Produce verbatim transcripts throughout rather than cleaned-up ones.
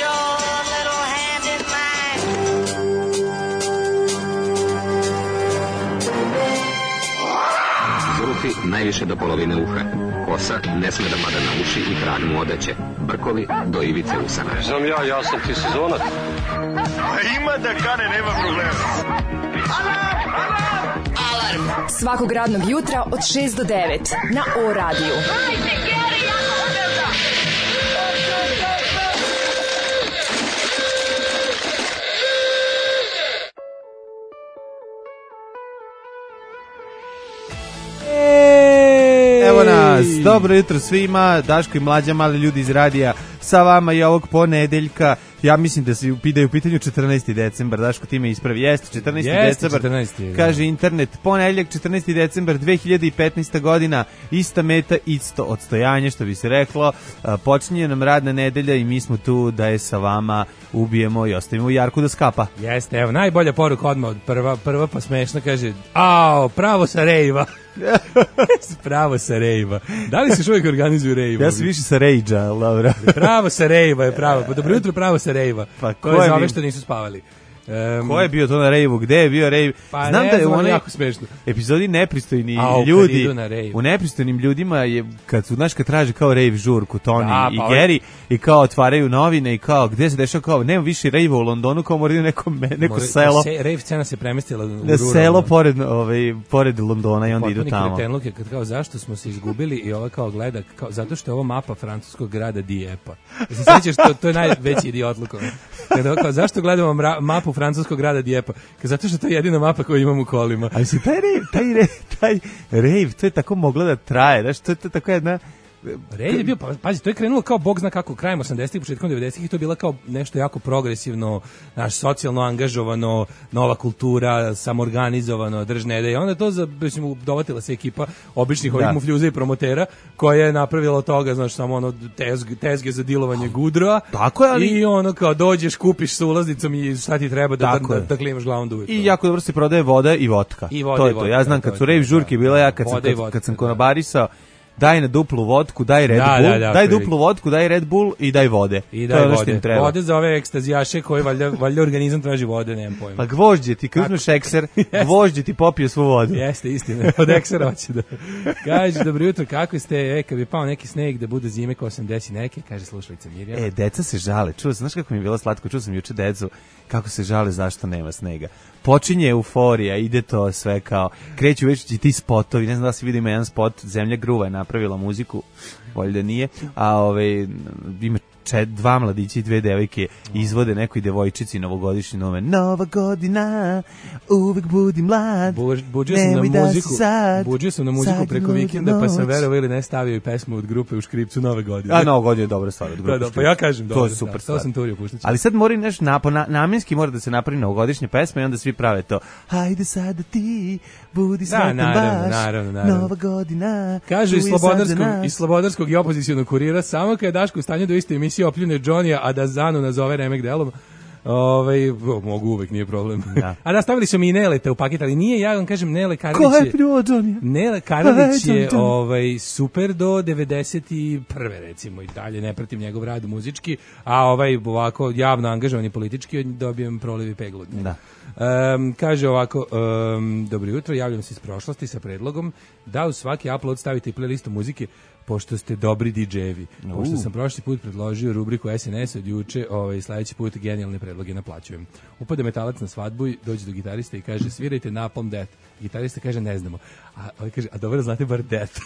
your little hand in mine. Zulufi najviše do polovine uha. Kosa ne sme da mada na uši i trag mu odeće. Brkovi do ivice usana. Znam ja, ja sam ti sezonac. Ima da kane, nema problema. Alarm! Alarm! Alarm! Svakog radnog jutra od šest do devet na O radiju. Hajde, Geri, jako odavda! Evo nas, dobro jutro svima, Daško i Mlađa, mali ljudi iz radija, sa vama i ovog ponedeljka. Ja mislim da se upidaju u pitanju četrnaesti decembar, Daško ti me ispravi, jeste četrnaesti decembar, četrnaesti kaže internet, ponedeljak četrnaesti decembar dve hiljade petnaesta godina, ista meta, isto odstojanje, što bi se reklo, počinje nam radna nedelja i mi smo tu da je sa vama ubijemo i ostavimo Jarku da skapa. Jeste, evo, najbolja poruka odmah od prva, prva pa smešna, kaže, ao, pravo sa rejva. Pravo sa rejva. Da li se čovjek organizuju rejva? Ja sam više sa rejđa, ali dobro. Pravo sa rejva je pravo. Pa dobro jutro, pravo sa rejva. Pa ko je za ove što nisu spavali? Um, Ko je bio to na rejvu? Gde je bio rejv? Pa znam ne, da je u onoj jako smešno. epizodi nepristojni A, ljudi, u nepristojnim ljudima je, kad su, znaš, kad traže kao rejv žurku, Tony da, i pa Gary, ovaj... i kao otvaraju novine i kao, gde se dešava, kao, nema više rejva u Londonu, kao moraju neko, neko More, selo. Se, rejv scena se premestila u ruralno. Selo pored, ovaj, pored Londona i onda potpuni idu tamo. Kretenluke, kad kao, zašto smo se izgubili i ova kao gleda, kao, zato što je ovo mapa francuskog grada Dieppe. Se sjećaš, to, to je najveći idiotluk. Kada kao, zašto gledamo mra, mapu francuskog grada Dieppe? Zato što to je jedina mapa koju imam u kolima. Ali se taj rejv, taj rejv, taj rejv, to je tako moglo da traje, znaš, to je to tako jedna... Rejv je bio, pa, pazi, to je krenulo kao bog zna kako krajem osamdesetih, početkom devedesetih i to je bila kao nešto jako progresivno, naš socijalno angažovano, nova kultura, samorganizovano, držne ideje. Onda to, za, mislim, dovatila se ekipa običnih ovih mufljuza i promotera koja je napravila od toga, znaš, samo ono tezge, tezge za dilovanje gudrova. Tako je, ali... I ono kao dođeš, kupiš sa ulaznicom i šta ti treba da, da, da, da klimaš glavom duvet. I jako dobro se prodaje voda i vodka. I voda to je i vodka, to. Ja znam kad su rejv žurke bila, ja kad sam, kad, kad sam konobarisao, daj na duplu vodku, daj Red da, Bull, da, da, daj duplu vodku, daj Red Bull i daj vode. I daj to vode. Treba. Vode za ove ekstazijaše koji valjda, valjda organizam traži vode, nemam pojma. Pa gvožđe ti, kad uzmeš ekser, gvožđe ti popio svu vodu. Jeste, istina, od eksera hoće da... Kaže, dobro jutro, kako ste, e, kad bi pao neki sneg da bude zime ko osamdeset neke, kaže slušalica Mirjana. E, deca se žale, čuo sam, znaš kako mi je bilo slatko, čuo sam juče decu, kako se žale zašto nema snega. Počinje euforija, ide to sve kao, kreću već ti spotovi, ne znam da se vidi, ima jedan spot, Zemlja gruva je napravila muziku, bolje da nije, a ove, ima čet, dva mladića i dve devojke izvode nekoj devojčici novogodišnji nove. Nova godina, uvek budi mlad, Buđ, buđio sam na muziku, buđio sam na muziku preko vikenda, pa sam verovao ili ne stavio i pesmu od grupe u škripcu Nove godine. A Nova godina je dobra stvar od grupe. Da, da, pa ja kažem, to dobro, je super da, stvar. To sam turio puštaći. Ali sad mora nešto na, na, namjenski mora da se napravi novogodišnja pesma i onda svi prave to. Hajde sada ti, budi sretan da, naravno, baš, naravno, naravno. Nova godina. Kažu iz slobodarskog, iz slobodarskog i opozicionog kurira, samo kad je Daško u stanju da u istoj emisiji opljune Johnny-a, a da Zanu nazove remek delom, Ovaj mogu uvek, nije problem. Da. A da, stavili su mi i Neleta u paket, ali nije, ja vam kažem, Nele Karalić je... Ko je prvo Johnny? Nele Karalić je ovaj, super do devedeset prve recimo, i dalje ne pratim njegov rad muzički, a ovaj ovako javno angažovan i politički dobijem proliv i peglu. Da. Um, kaže ovako, um, dobro jutro, javljam se iz prošlosti sa predlogom da u svaki upload stavite i playlistu muzike, pošto ste dobri didžejevi. Uh. Pošto sam prošli put predložio rubriku S N S od juče, ovaj, sledeći put genijalne predloge naplaćujem. Upade metalac na svadbu i dođe do gitarista i kaže svirajte Napalm Death. Gitarista kaže ne znamo. A ovaj kaže, a dobro, znate bar Death.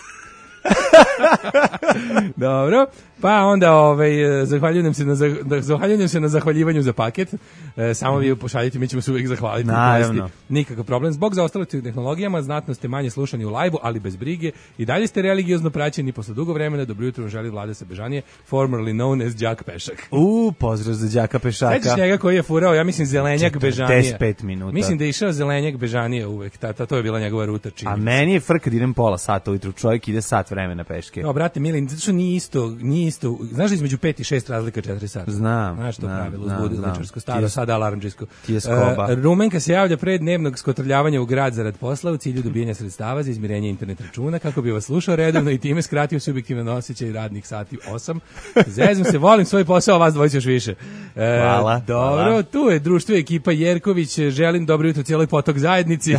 Dobro, pa onda ovaj zahvaljujem se na zahvaljujem se na zahvaljivanju za paket. E, samo vi pošaljite, mi ćemo se uvijek zahvaliti. Naravno. Nikakav problem. Zbog zaostalih tehnologijama znatno ste manje slušani u lajvu, ali bez brige i dalje ste religiozno praćeni posle dugo vremena. Dobro jutro, želi Vlada Sebežanije, formerly known as Đak Pešak. U, pozdrav za Đaka Pešaka. Sećaš njega koji je furao, ja mislim Zelenjak Bežanije. četrdeset pet minuta. Mislim da je išao Zelenjak Bežanije uvek. Ta, ta, to je bila njegova ruta čini. A meni je frk kad idem pola sata ujutru, čovjek ide sat vremena peške. No, brate, Milin, zato što nije isto, nije isto, znaš da između pet i šest razlika četiri sata? Znam, Znaš to znam, pravilo, znam, uzbudi znam. ličarsko, staro, sada alarmđisko. Ti je skoba. Uh, Rumenka se javlja pre dnevnog skotrljavanja u grad zarad posla u cilju dobijanja sredstava za izmirenje internet računa, kako bi vas slušao redovno i time skratio subjektivan osjećaj radnih sati osam. Zezam se, volim svoj posao, a vas dvojice još više. Uh, Hvala. Dobro, hvala. tu je društvo ekipa Jerković, želim dobro jutro cijeloj Potok zajednici.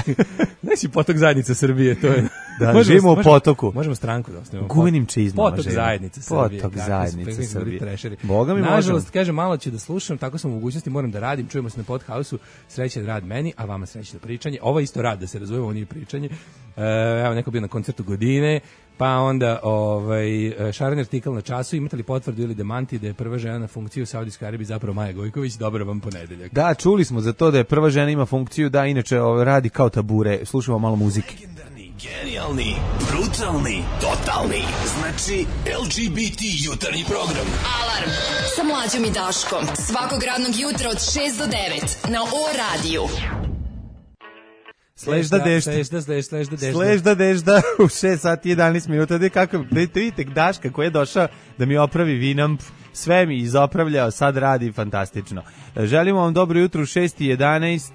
Znači Potok zajednica Srbije, to je. Da, Možemo- živimo u možemo- potoku. Možemo stranku da osnovimo. Gumenim čizmama Potok živimo. zajednice Srbije. Potok kako zajednice su- kako su bili Srbije. trešeri. Boga mi Nažalost, možemo. kaže, malo ću da slušam, tako sam u mogućnosti, moram da radim, čujemo se na Podhouse-u, srećan rad meni, a vama srećno pričanje. Ovo je isto rad, da se razumemo, ovo nije pričanje. E, evo, neko bio na koncertu Godine, pa onda ovaj, šareni artikl na Času, imate li potvrdu ili demanti da je prva žena na funkciju u Saudijskoj Arabiji zapravo Maja Gojković, dobro vam ponedeljak. Da, čuli smo za to da je prva žena ima funkciju, da inače ovaj, radi kao tabure. Slušamo malo muzike. Legendarni, genijalni, brutalni, totalni. Znači L G B T jutarnji program. Alarm sa mlađom i Daškom. Svakog radnog jutra od šest do devet na O radiju. Sležda dešta. Sležda, sležda, sležda, dežda. Sležda dežda u šest sati i jedanaest minuta. Da kako, da vidite Daška koji je došao da mi opravi Winamp, sve mi izopravljao, sad radi fantastično. Želimo vam dobro jutro u šest i jedanaest,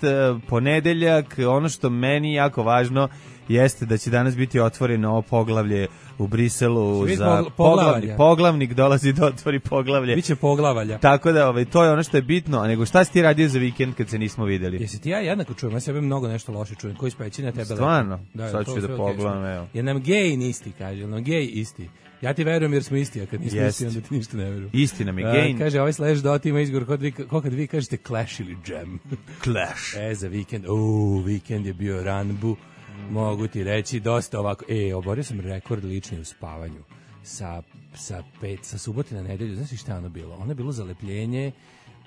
ponedeljak. Ono što meni jako važno jeste da će danas biti otvoreno ovo poglavlje u Briselu Svi za pogl- poglavni, poglavalja. poglavnik dolazi da otvori poglavlje. Biće poglavalja. Tako da ovaj, to je ono što je bitno, a nego šta si ti radio za vikend kad se nismo videli? Jesi ti ja jednako čujem, ja sebe mnogo nešto loše čujem, koji speći na tebe lepo. Stvarno? Da, Sad to ću da sve pogledam, okej. evo. Je nam gej isti, kaže, je nam gej isti. Ja ti verujem jer smo isti, a kad nismo Jest. isti, onda ti ništa ne verujem. Istina mi, A, gej. kaže, ovaj slash dot ima izgovor kod vi, ko kad vi kažete clash ili jam. Clash. E, za vikend, uuu, vikend je bio ranbu, mogu ti reći, dosta ovako, e, oborio sam rekord lični u spavanju, sa, sa pet, sa subote na nedelju, znaš li šta je ono bilo? Ono je bilo zalepljenje,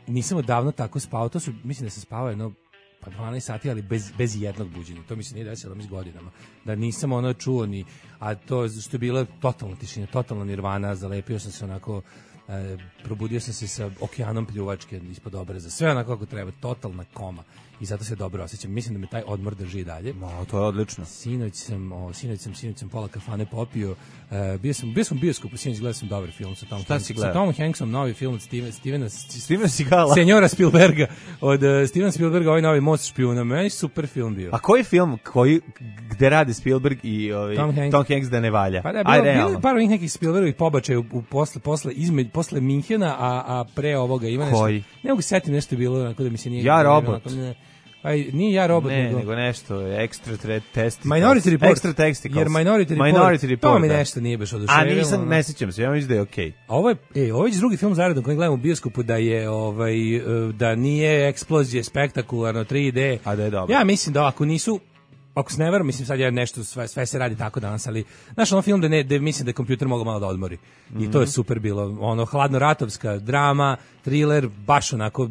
nisam odavno tako spavao, to su, mislim da se spavao jedno, pa dvanaest sati, ali bez, bez jednog buđenja, to mi se nije desilo mi s godinama, da nisam ono čuo ni, a to što je bila totalna tišina, totalna nirvana, zalepio sam se onako, e, probudio sam se sa okeanom pljuvačke ispod obraza, sve onako kako treba, totalna koma i zato se dobro osjećam, mislim da me taj odmor drži i dalje. Ma, to je odlično. Sinoć sam, o, sinoć sam, sinoć sam pola kafane popio. E, bio sam, bio sam u bioskopu, sinoć gledao sam dobar film sa Tom Šta Hanks- si gledao? sa Tomom Hanksom, novi film od Steven, Stevena, Steven Seagala. Senjora Spielberga, od uh, Stevena Spielberga, ovaj novi Most špijuna, meni super film bio. A koji film koji gde rade Spielberg i ovaj Tom Tom, Hanks. Hanks da ne valja? Pa da, Aj, bilo, bilo realno. je par ovih nekih Spielbergovih pobačaja u, u posle, posle, izme, posle Minhena, a, a pre ovoga ima nešto. Koji? Ne mogu se setim nešto je bilo, onako da mi se nije... Ja, nije robot. onako, ne, pa i- nije ja robot, Ne, nego... nego nešto, extra tre- testicles. Minority Report. Extra testicles. Jer Minority Report, Minority Report, to mi da. nešto nije baš A oduševilo. nisam, ono. ne sjećam se, ja mislim da je okej. A ovo je, e, ovo je već drugi film zaredom koji gledamo u bioskopu da je ovaj e, da nije eksplozije spektakularno tri D. A da je dobro. Ja mislim da ako nisu ako se ne varam, mislim sad ja nešto sve, sve se radi tako danas, ali znaš ono film da ne da mislim da je kompjuter mogao malo da odmori. I to je super bilo. Ono hladno ratovska drama, thriller, baš onako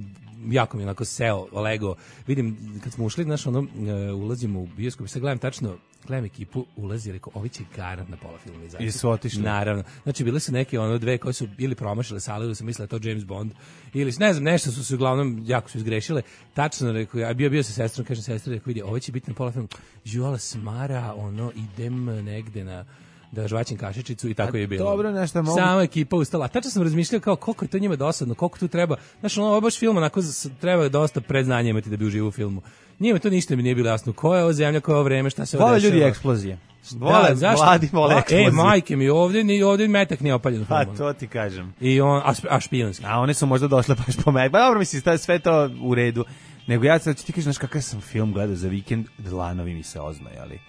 jako mi je onako seo, Lego. Vidim, kad smo ušli, znaš, ono, e, ulazimo u bioskop, sad gledam tačno, gledam ekipu, ulazi, rekao, ovi će garant na pola filma izaći. I su otišli. Naravno. Znači, bile su neke, ono, dve koje su ili promašile sale, ili su mislile da je to James Bond, ili, ne znam, nešto su se uglavnom, jako su izgrešile. Tačno, rekao, ja bio, bio sa sestrom, kažem sestri, rekao, vidi, ovo će biti na pola filma. Žuala smara, ono, idem negde na da žvaćem kašičicu i tako A je bilo. dobro, nešto mogu- Sama ekipa ustala. A tačno sam razmišljao kao koliko je to njima dosadno, koliko tu treba. Znaš, ono, ovo je baš film, onako z- treba dosta predznanja imati da bi uživao u filmu. Njima to ništa mi nije bilo jasno. Koja je ovo zemlja, koja je ovo vreme, šta se ovo Vole dešava. ljudi eksplozije. Vole, Da, zašto? mladi vole A, eksplozije. E, majke mi, ovdje, ni, ovdje metak nije opaljen u Pa filmu. to ti kažem. I on, a, šp- a špijunski. A one su možda došle baš po meni. Pa dobro, mislim, to je sve to u redu. Nego ja sad ću ti kažem, znaš kakav sam film gledao za vikend, dlanovi mi se oznojali.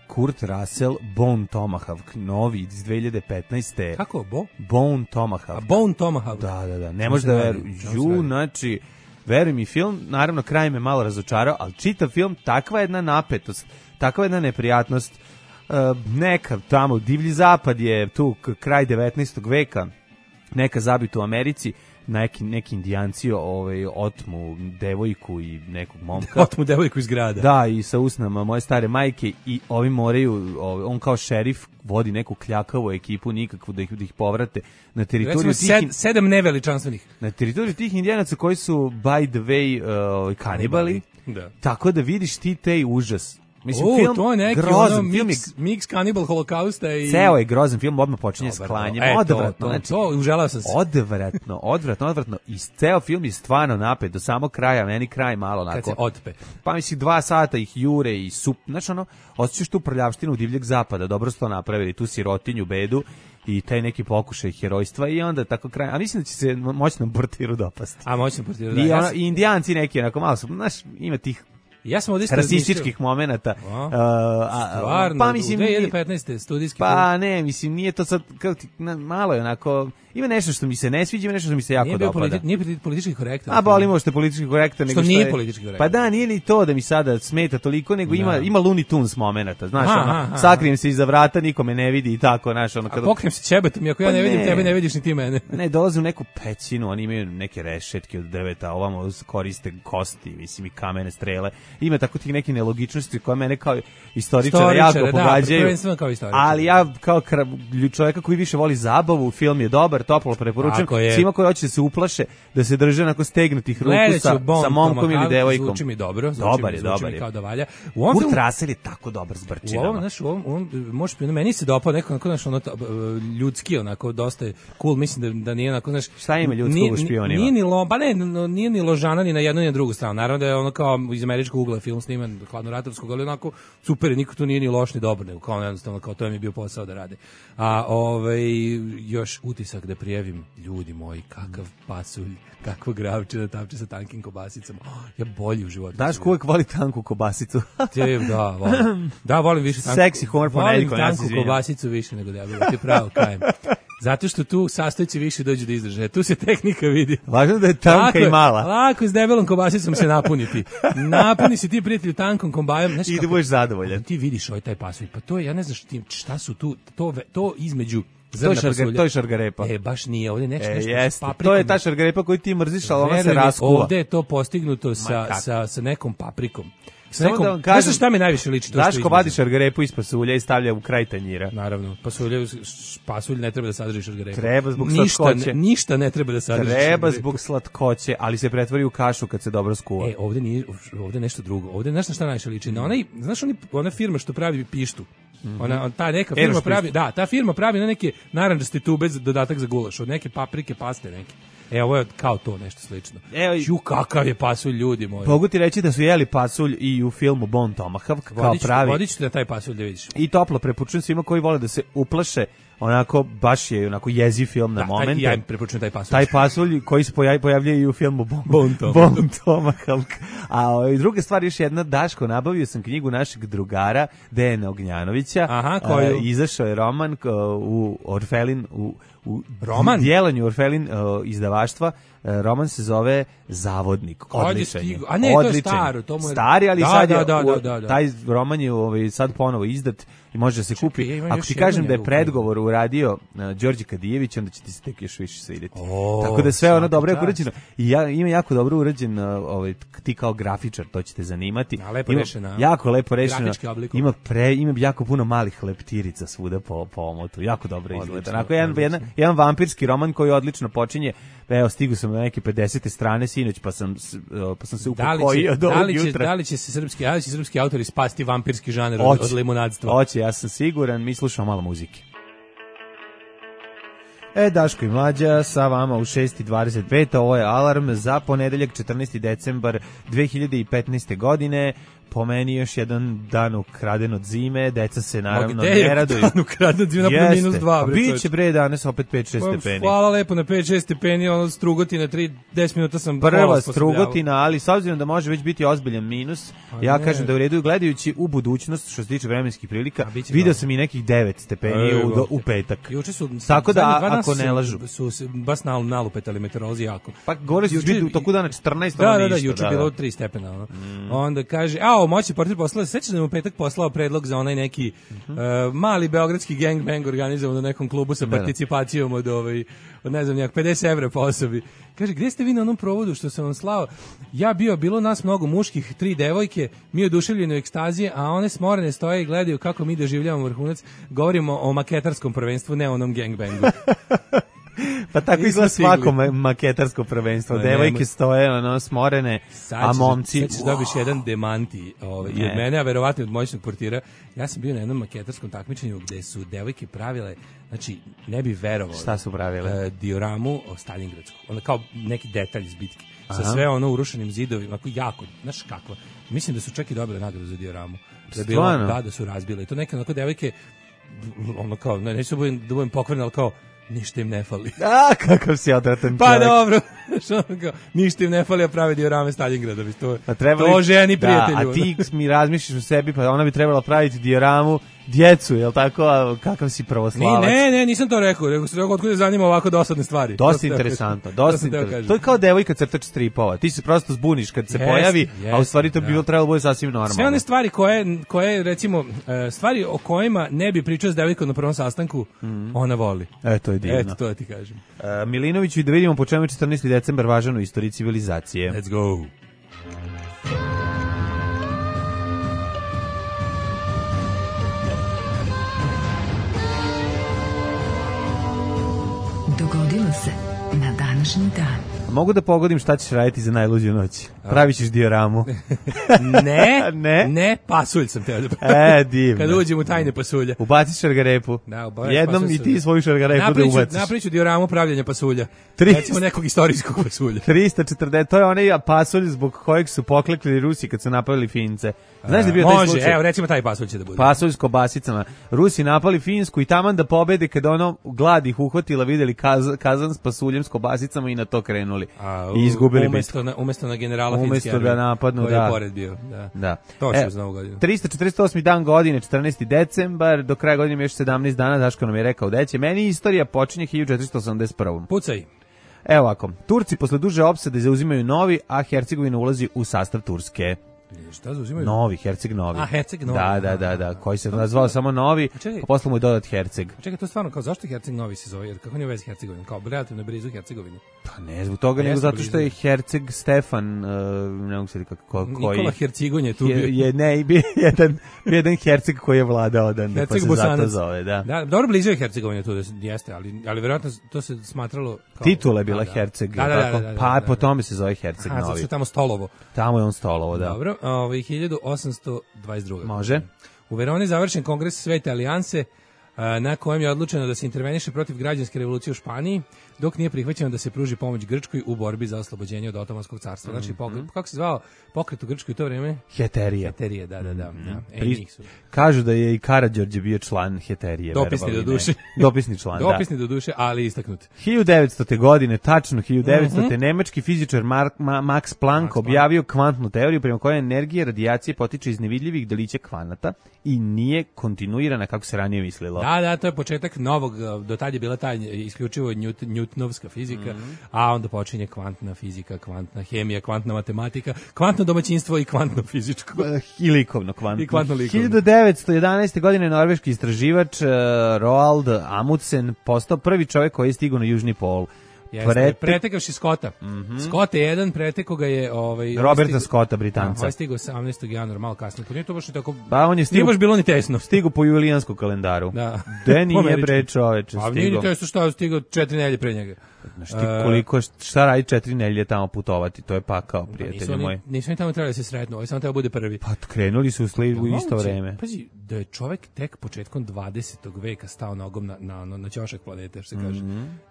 Kurt Russell, Bone Tomahawk, novi iz dve hiljade petnaeste. Kako, Bo? Bone Tomahawk. A Bone Tomahawk. Da, da, da, ne Čemu možeš se da radi? veruješ. Čemu se Ju, radi? znači, veruj mi, film, naravno, kraj me malo razočarao, ali čitav film, takva jedna napetost, takva jedna neprijatnost, uh, neka tamo, divlji zapad je tu, k- kraj devetnaestog veka, neka zabita u Americi, neki, neki indijanci ovaj, otmu devojku i nekog momka. Otmu devojku iz grada. Da, i sa usnama moje stare majke i ovi moraju, ovaj, on kao šerif vodi neku kljakavu ekipu nikakvu da ih, da ih povrate na teritoriju Recimo, tih, sed, sedam neveličanstvenih. na teritoriju tih indijanaca koji su by the way uh, kanibali. Da. Tako da vidiš ti taj užas. Mislim, O, film to je neki grozan, ono film je, mix, mix Cannibal Holokausta i... ceo je grozan film, odmah počinje s Dobar, klanjem, e, to, odvratno, to, znači, to, uželao sam se. odvratno, odvratno, odvratno, i ceo film je stvarno napet, do samog kraja, meni kraj malo onako. Kad se otpe. Pa mislim, dva sata ih jure i sup, znači ono, osjećaš tu prljavštinu divljeg zapada, dobro su to napravili, tu sirotinju, bedu, i taj neki pokušaj herojstva i onda tako kraj. A mislim da će se moćnom portiru dopasti. A moćnom portiru, da. I, Ja ono, sam- i indijanci neki, onako malo su, znaš, ima tih Ja sam ovdje isto rasističkih momenata. A? Uh, a, Stvarno, pa mislim, u dve hiljade petnaeste studijski film. pa ne, mislim, nije to sad, kao ti, na, malo je onako, ima nešto što mi se ne sviđa, ima nešto što mi se jako Nije bio dopada. politi, nije politi- politički korektan. A bolimo što je politički korektan. Što nego nije je- politički korektan. Pa da, nije ni to da mi sada smeta toliko, nego ima, Da. ima Looney Tunes momenata, znaš, Aha, ono, aha, sakrijem se iza vrata, niko me ne vidi i tako, znaš, ono, A kada... pokrijem se ćebetom, iako ja Pa ne vidim ne. tebe, ne vidiš ni ti mene. Ne, dolaze u neku pećinu, oni imaju neke rešetke od drveta, a ovamo koriste kosti, mislim, i kamene strele. Ima tako tih neki nelogičnosti koje mene kao istoričara Istoričara, jako da, pogađaju. prvenstveno kao istoričara. Ali ja kao kra- čovjeka koji više voli zabavu, film je dobar, toplo preporučujem. Tako je. Svima koji hoće da se uplaše, da se drže onako stegnutih ruku Gledat ću sa, Bond sa momkom ili Tomahawk, devojkom. Zvuči mi dobro, zvuči Dobar mi, je, zvuči dobar mi je. kao da valja. U ovom Kurt filmu, Russell je tako dobar s u brčinama. ovom, znaš, u ovom, u ovom možeš, meni se dopao neko onako, znaš, ono, to, e, ljudski, onako, dosta je cool, mislim da, da nije onako, znaš... Šta ima ljudskog nije- u špionima? Nije ni, lo, pa ne, no, nije ni ložana ni na jednu ni na drugu stranu. Naravno da je ono kao iz američkog ugla film sniman, hladnoratovskog, ali onako super, je, niko tu nije ni loš ni dobar, nego kao jednostavno, kao to je mi bio posao da rade. A ovaj, još utisak da prijavim, ljudi moji, kakav pasulj, kakvo gravče da tapče sa tankim kobasicama. Oh, ja bolji u životu. Daško uvek voli tanku kobasicu. Te, da, volim. Da, volim više tanku. Seksi humor Volim ponedjeljkom, ja se tanku izvinjam. kobasicu više nego debelu, ti pravo kajem. Zato što tu sastojci više dođu do izražaja. Tu se tehnika vidi. Važno da je tanka Lako i je- mala. Lako s debelom kobasicom se napuniti. Napuni se ti, prijatelju, tankom kombajom. Znaš I da kako- budeš zadovoljan. Ti vidiš ovaj taj pasulj. Pa to je, ja ne znam šta, ti- šta su tu, to, ve- to između To je, zrna šarga, pasulja. to je šargarepa. E, baš nije, ovdje nešto, E, nešto jeste. s paprikom. To je ta šargarepa koju ti mrziš, ali ona se Veruj mi, raskuva. ovde je to postignuto sa, kako? sa, sa nekom paprikom. Sa Samo nekom, da vam kažem, znaš šta mi najviše liči? To što Daško između? vadi šargarepu iz pasulja i stavlja u kraj tanjira. Naravno, pasulje, pasulj ne treba da sadrži šargarepu. Treba zbog ništa, slatkoće. ne, ništa ne treba da sadrži Treba šargarepu. zbog slatkoće, ali se pretvori u kašu kad se dobro skuva. E, ovde nije, ovde nešto drugo. Ovde znaš na šta najviše liči? Na onaj, znaš oni, ona firma što pravi pištu. Ona, on- ta neka firma Eroš pravi, pištu. da, ta firma pravi na neke narandžaste tube za dodatak za gulaš, od neke paprike, paste neke. E, ovo je kao to nešto slično. Evo i- Ju, kakav je pasulj, ljudi moji. Mogu ti reći da su jeli pasulj i u filmu Bone Tomahawk kao Vodić, pravi. vodić ću na taj pasulj da vidiš. I toplo preporučujem svima koji vole da se uplaše, onako baš je onako jeziv film na Da, taj, momente. ja im preporučujem taj pasulj. Taj pasulj koji se pojavi, pojavljuje i u filmu Bone, Bone Tomahawk. Bone Tomahawk. A ovaj, druga stvar, još jedna, Daško, nabavio sam knjigu našeg drugara, Dejana Ognjanovića. Aha, koju? E, izašao je roman k- u Orfelin, u, u Roman? djelanju Orfelin e, izdavaštva. E, roman se zove Zavodnik. Kad je Odličan je. stigao? A ne, to je Odličan staro, to mu je- Stari, ali Da, sad je, da, da, u- da, da, da. taj roman je ovaj, sad ponovo izdat i može da se kupi. ja imam Ako još ti jednu kažem da je njegovu predgovor uradio uh, Đorđe Kadijević, onda će ti se tek još više svidjeti. O, Tako da sve ono svaka dobro je čast. urađeno. I ja, ima jako dobro urađen, uh, ovaj, ti kao grafičar, to će te zanimati. A, lepo Ima rešeno, a? Jako lepo rešeno. Grafički oblikom. Ima, pre, ima jako puno malih leptirica svuda po, po omotu. Jako dobro izgleda. Odlično, Onako, jedan, odlično. jedan, jedan vampirski roman koji odlično počinje. Evo, stigu sam na neke pedesete strane sinoć, pa sam, s- uh, pa sam se Da li, upokojio će, do da, ovog li će, jutra. da li će se srpski, da li će srpski autori spasti vampirski žaner od, Hoće. od limunadstva? Hoće, ja sam siguran, mi slušamo malo muzike. E, Daško i Mlađa sa vama u šest i dvadeset pet, ovo je Alarm za ponedeljak četrnaesti decembar dve hiljade petnaeste godine. Po meni još jedan dan ukraden od zime, deca se naravno gde ne je raduju. dan ukraden od zime? Napravio minus dva, bre, Biće čoveče. bre danas opet pet šest Pa, stepeni. hvala lepo na pet šest stepeni, ono strugotina, tri, deset minuta sam Prva kola osposobljavao. strugotina, ali s obzirom da može već biti ozbiljan minus, ja ne. kažem da u redu gledajući u budućnost što se tiče vremenskih prilika, A, biće video dobro. sam i nekih devet stepeni E, u, dobro. u petak. Juče su Tako da, zadnjih dva dana ako su- ne lažu. su se baš nal, nalupetali meteorolozi jako. Pa govorili su Juče- biti u toku dana četrnaest, Da, ono da, da, ništa, juče je bilo tri stepena. Ono. Onda kaže, a, moći portir poslao, sećaš da je u petak poslao predlog za onaj neki uh, mali beogradski gangbang organizovan na nekom klubu sa Da, da. participacijom od, ovaj, od ne znam, nijak pedeset evra po osobi. Kaže, gdje ste vi na onom provodu što sam vam slao? Ja bio, bilo nas mnogo muških, tri devojke, mi oduševljeni u ekstazije, a one smorene stoje i gledaju kako mi doživljavamo vrhunac. Govorimo o maketarskom prvenstvu, ne o onom gangbangu. Pa tako Nismo izgleda svako stigli. ma- maketarsko prvenstvo. Ma, Devojke nemoj. stoje, ono, smorene, Sad a ćeš- momci... Sad ćeš dobiš jedan demanti ovaj, i od Ne. mene, a verovatno i od moćnog portira. Ja sam bio na jednom maketarskom takmičenju gde su devojke pravile, znači, ne bi verovao. Šta su pravile? E, dioramu o Stalingradsku. Ono kao neki detalj iz bitke. Sa Aha. sve ono urušenim zidovima, ako jako, znaš kakva. Mislim da su čak i dobile nagradu za dioramu. Da, je bilo, Stvarno? da, da su razbile. I to neke onako devojke, ono kao, ne, neću da budem, da budem pokvaren, ali kao, ništa im ne fali. A, kakav si odratan Pa čovjek. dobro, što ono kao, ništa im ne fali, a prave diorame Stalingrada. bi To, A trebali- to ženi da, prijatelju. a ti mi razmišljaš u sebi, pa ona bi trebala praviti dioramu djecu, jel tako? A kakav si Ni, pravoslavac? ne, ne, nisam to rekao, rekao sam, otkud je zanima ovako dosadne stvari. To Dosta sam teo interesantno, kažem. dosta To sam teo interesantno. kažem. To je kao devojka crtač stripova. Ti se prosto zbuniš kad se Jeste, pojavi, a u jeste, stvari to bi da. bilo trebalo bude sasvim normalno. Sve one stvari koje, koje recimo, e, stvari o kojima ne bi pričao s devojkom na prvom sastanku, ona voli. E, to je divno. Eto, to da ti kažem. E, Milinoviću, i da vidimo po čemu je četrnaesti decembar važan u istoriji civilizacije. Let's go. Dogodilo se na današnji dan. Mogu da pogodim šta ćeš raditi za najluđu noć? Pravit ćeš dioramu. Ne, Ne? ne, pasulj sam teo da E, divno. Kad uđem u tajne pasulja. Ubaciš šargarepu. Da, obaviš Jednom pasulj i ti sam. svoju šargarepu da Napriču, ubaciš. napriču dioramu pravljanja pasulja. Tri- Recimo nekog istorijskog pasulja. trista četrdeset, to je onaj pasulj zbog kojeg su poklekli Rusi kad su napadali Fince. Znaš da je bio taj Može, slučaj? evo recimo taj pasulj će da bude. Pasulj s kobasicama. Rusi napali Finsku i taman da pobede kada ono glad ih uhvatila, videli kaz, kazan s pasuljem s kobasicama i na to krenuli. A, I izgubili umesto na, umesto na generala Umesto Finske da armije, napadnu, koji da. je pored bio. Da. Da. To će E, uz novu godinu. trista četrdeset osmi dan godine, četrnaesti decembar, do kraja godine ima još sedamnaest dana, Daško nam je rekao da će. Meni istorija počinje hiljadu četiristo osamdeset prve. Pucaj. Evo ovako, Turci posle duže opsade zauzimaju Novi, a Hercegovina ulazi u sastav Turske. Šta zauzimaju? Novi, Herceg Novi. A, Herceg Novi. Da, da, da, da, koji se nazvao samo Novi, čekaj. a posle mu je dodat Herceg. Čekaj, to stvarno, kao zašto Herceg Novi se zove? Jer kako on je u vezi Hercegovine? Kao relativno blizu Hercegovine. Pa ne zbog toga, A nego jesu zato blizu. što je Herceg Stefan, uh, ne mogu se kako, ko, koji... Nikola Hercigon je tu bio. je, je, ne, bio jedan, bio jedan Herceg koji je vladao odande, pa Herceg se zato Bosanac. zove, da. Da, dobro, blizu je Hercegovina tu, da se- jeste, ali, ali verovatno to se smatralo kao... Titula je bila Da, da. Herceg, Da, da, da, tako? da, da, pa da, da. po tome se zove Herceg Aha, zato Novi. što je tamo stolovo. Tamo je on stolovo, da. Dobro, ovaj, hiljadu osamsto dvadeset druge. Može. U Veroni je završen kongres Svete alijanse, a, na kojem je odlučeno da se interveniše protiv građanske revolucije u Španiji, dok nije prihvaćeno da se pruži pomoć Grčkoj u borbi za oslobođenje od Otomanskog carstva. Znači, pokret, kako se zvao pokret u Grčkoj u to vreme? Heterija. Heterije, da, da, da. da. E, Pri- njih su. Kažu da je i Karađorđe bio član Heterije. Dopisni verovali do ne. duše. Dopisni član, da. Dopisni do duše, ali istaknut. hiljadu devetstote. godine, tačno hiljadu devetstote. nemački fizičar Mark, Ma, Max Planck Max objavio kvantnu teoriju prema kojoj energija radijacije potiče iz nevidljivih delića kvanata i nije kontinuirana kako se ranije mislilo. Da, da, to je početak novog, do tad je bila ta isključivo Newt, Newtonovska fizika, a onda počinje kvantna fizika, kvantna hemija, kvantna matematika, kvantno domaćinstvo i kvantno fizičko. I likovno kvantno. I kvantno likovno. hiljadu devetsto jedanaeste. godine norveški istraživač uh, Roald Amundsen postao prvi čovjek koji je stigao na južni pol. Jeste, Prete- pretekavši Scotta. Scott je jedan, pretekao ga je ovaj Roberta ovaj Scotta, Da, Britanca. ovaj stigao osamnaestog januara, malo kasnije. Pa nije to baš ni tako... Pa on je Nije stigao, baš bilo ni tesno. stigao po julijanskom kalendaru. Da. De nije Američki. bre čoveče Pa nije ni stigao. tesno šta je stigao četiri nedelje pre njega. Znaš ti koliko, šta radi četiri nedelje tamo putovati, to je pakao, Nisu prijatelji oni, moji. nisu oni tamo trebali da se sretnu, ovaj samo treba bude prvi. Pa krenuli su u, sli, u isto Moguće, vreme. Pazi, da je čovjek tek početkom dvadesetog veka stao nogom na, na, na, na ćošak planete, što se kaže.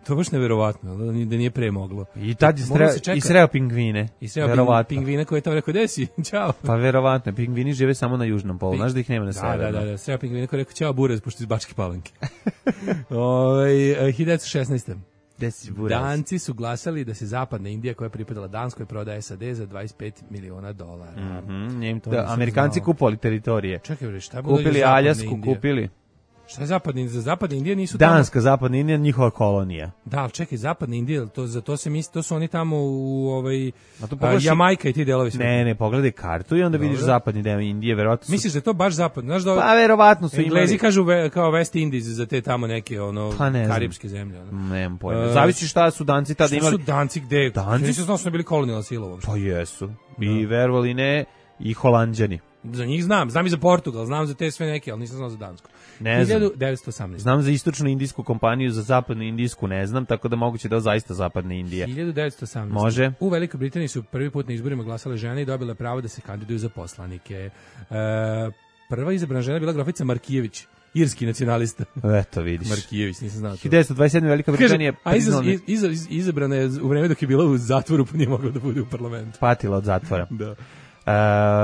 To je baš neverovatno, da nije, da nije pre moglo. I tad je Moglo sreo, se čeka- i sreo pingvine. I sreo ping, Verovatno. pingvina koji je tamo rekao, gde si? Ćao. Pa verovatno, pingvini žive samo na južnom polu, znaš da ih nema na Da, severnom. da, da, da, sreo pingvina koji je rekao, ćao Burez, pošto iz Bačke Palanke. Ovaj, hiljadu devetsto šesnaeste. Gde si Buraz? Danci su glasali da se zapadna Indija koja je pripadala Danskoj prodaje S A D za dvadeset pet miliona dolara. Mhm, njim- To da, nisam Amerikanci znao. kupovali teritorije. Čekaj, bre, šta je bilo Kupili za zapadna Aljasku, Indija? kupili. Šta je zapadna Indija? Za zapadna Indija nisu tamo... Danska, zapadna Indija, njihova kolonija. Da, ali čekaj, zapadna Indija, to, za to se misli, to su oni tamo u ovaj, A to a, pogledaš i- Jamajka i ti delovi sveta. Ne, ne, pogledaj kartu i onda vidiš Dobro. zapadni deo Indije, verovatno su... Misliš da je to baš zapadno? Znaš da Pa verovatno su Englezi imali... kažu ve, kao West Indies za te tamo neke ono Pa ne znam. karipske zemlje. Ono. Nemam pojma. E, Zavisi šta su Danci tada Šta imali. su Danci gde? Danci Nisam znao da su bili kolonijalna sila uopšte. Pa jesu. I verovali ne, i Holanđani. Za njih znam, znam i za Portugal, znam za te sve neke, ali nisam znao za Dansku. Ne znam. hiljadu devetsto osamnaeste. Znam za istočnu indijsku kompaniju, za zapadnu indijsku ne znam, tako da moguće da je zaista zapadna Indija. hiljadu devetsto osamnaeste. Može. U Velikoj Britaniji su prvi put na izborima glasale žene i dobile pravo da se kandiduju za poslanike. E, prva izabrana žena je bila grofica Markijević, irski nacionalista. Eto, vidiš. Markijević, nisam znao to. hiljadu devetsto dvadeset sedme Velika Britanija Kaže, a iza, iza, iza, izabrana je u vreme dok je bila u zatvoru, pa nije mogla da bude u parlamentu. patila od zatvora. Da. Uh,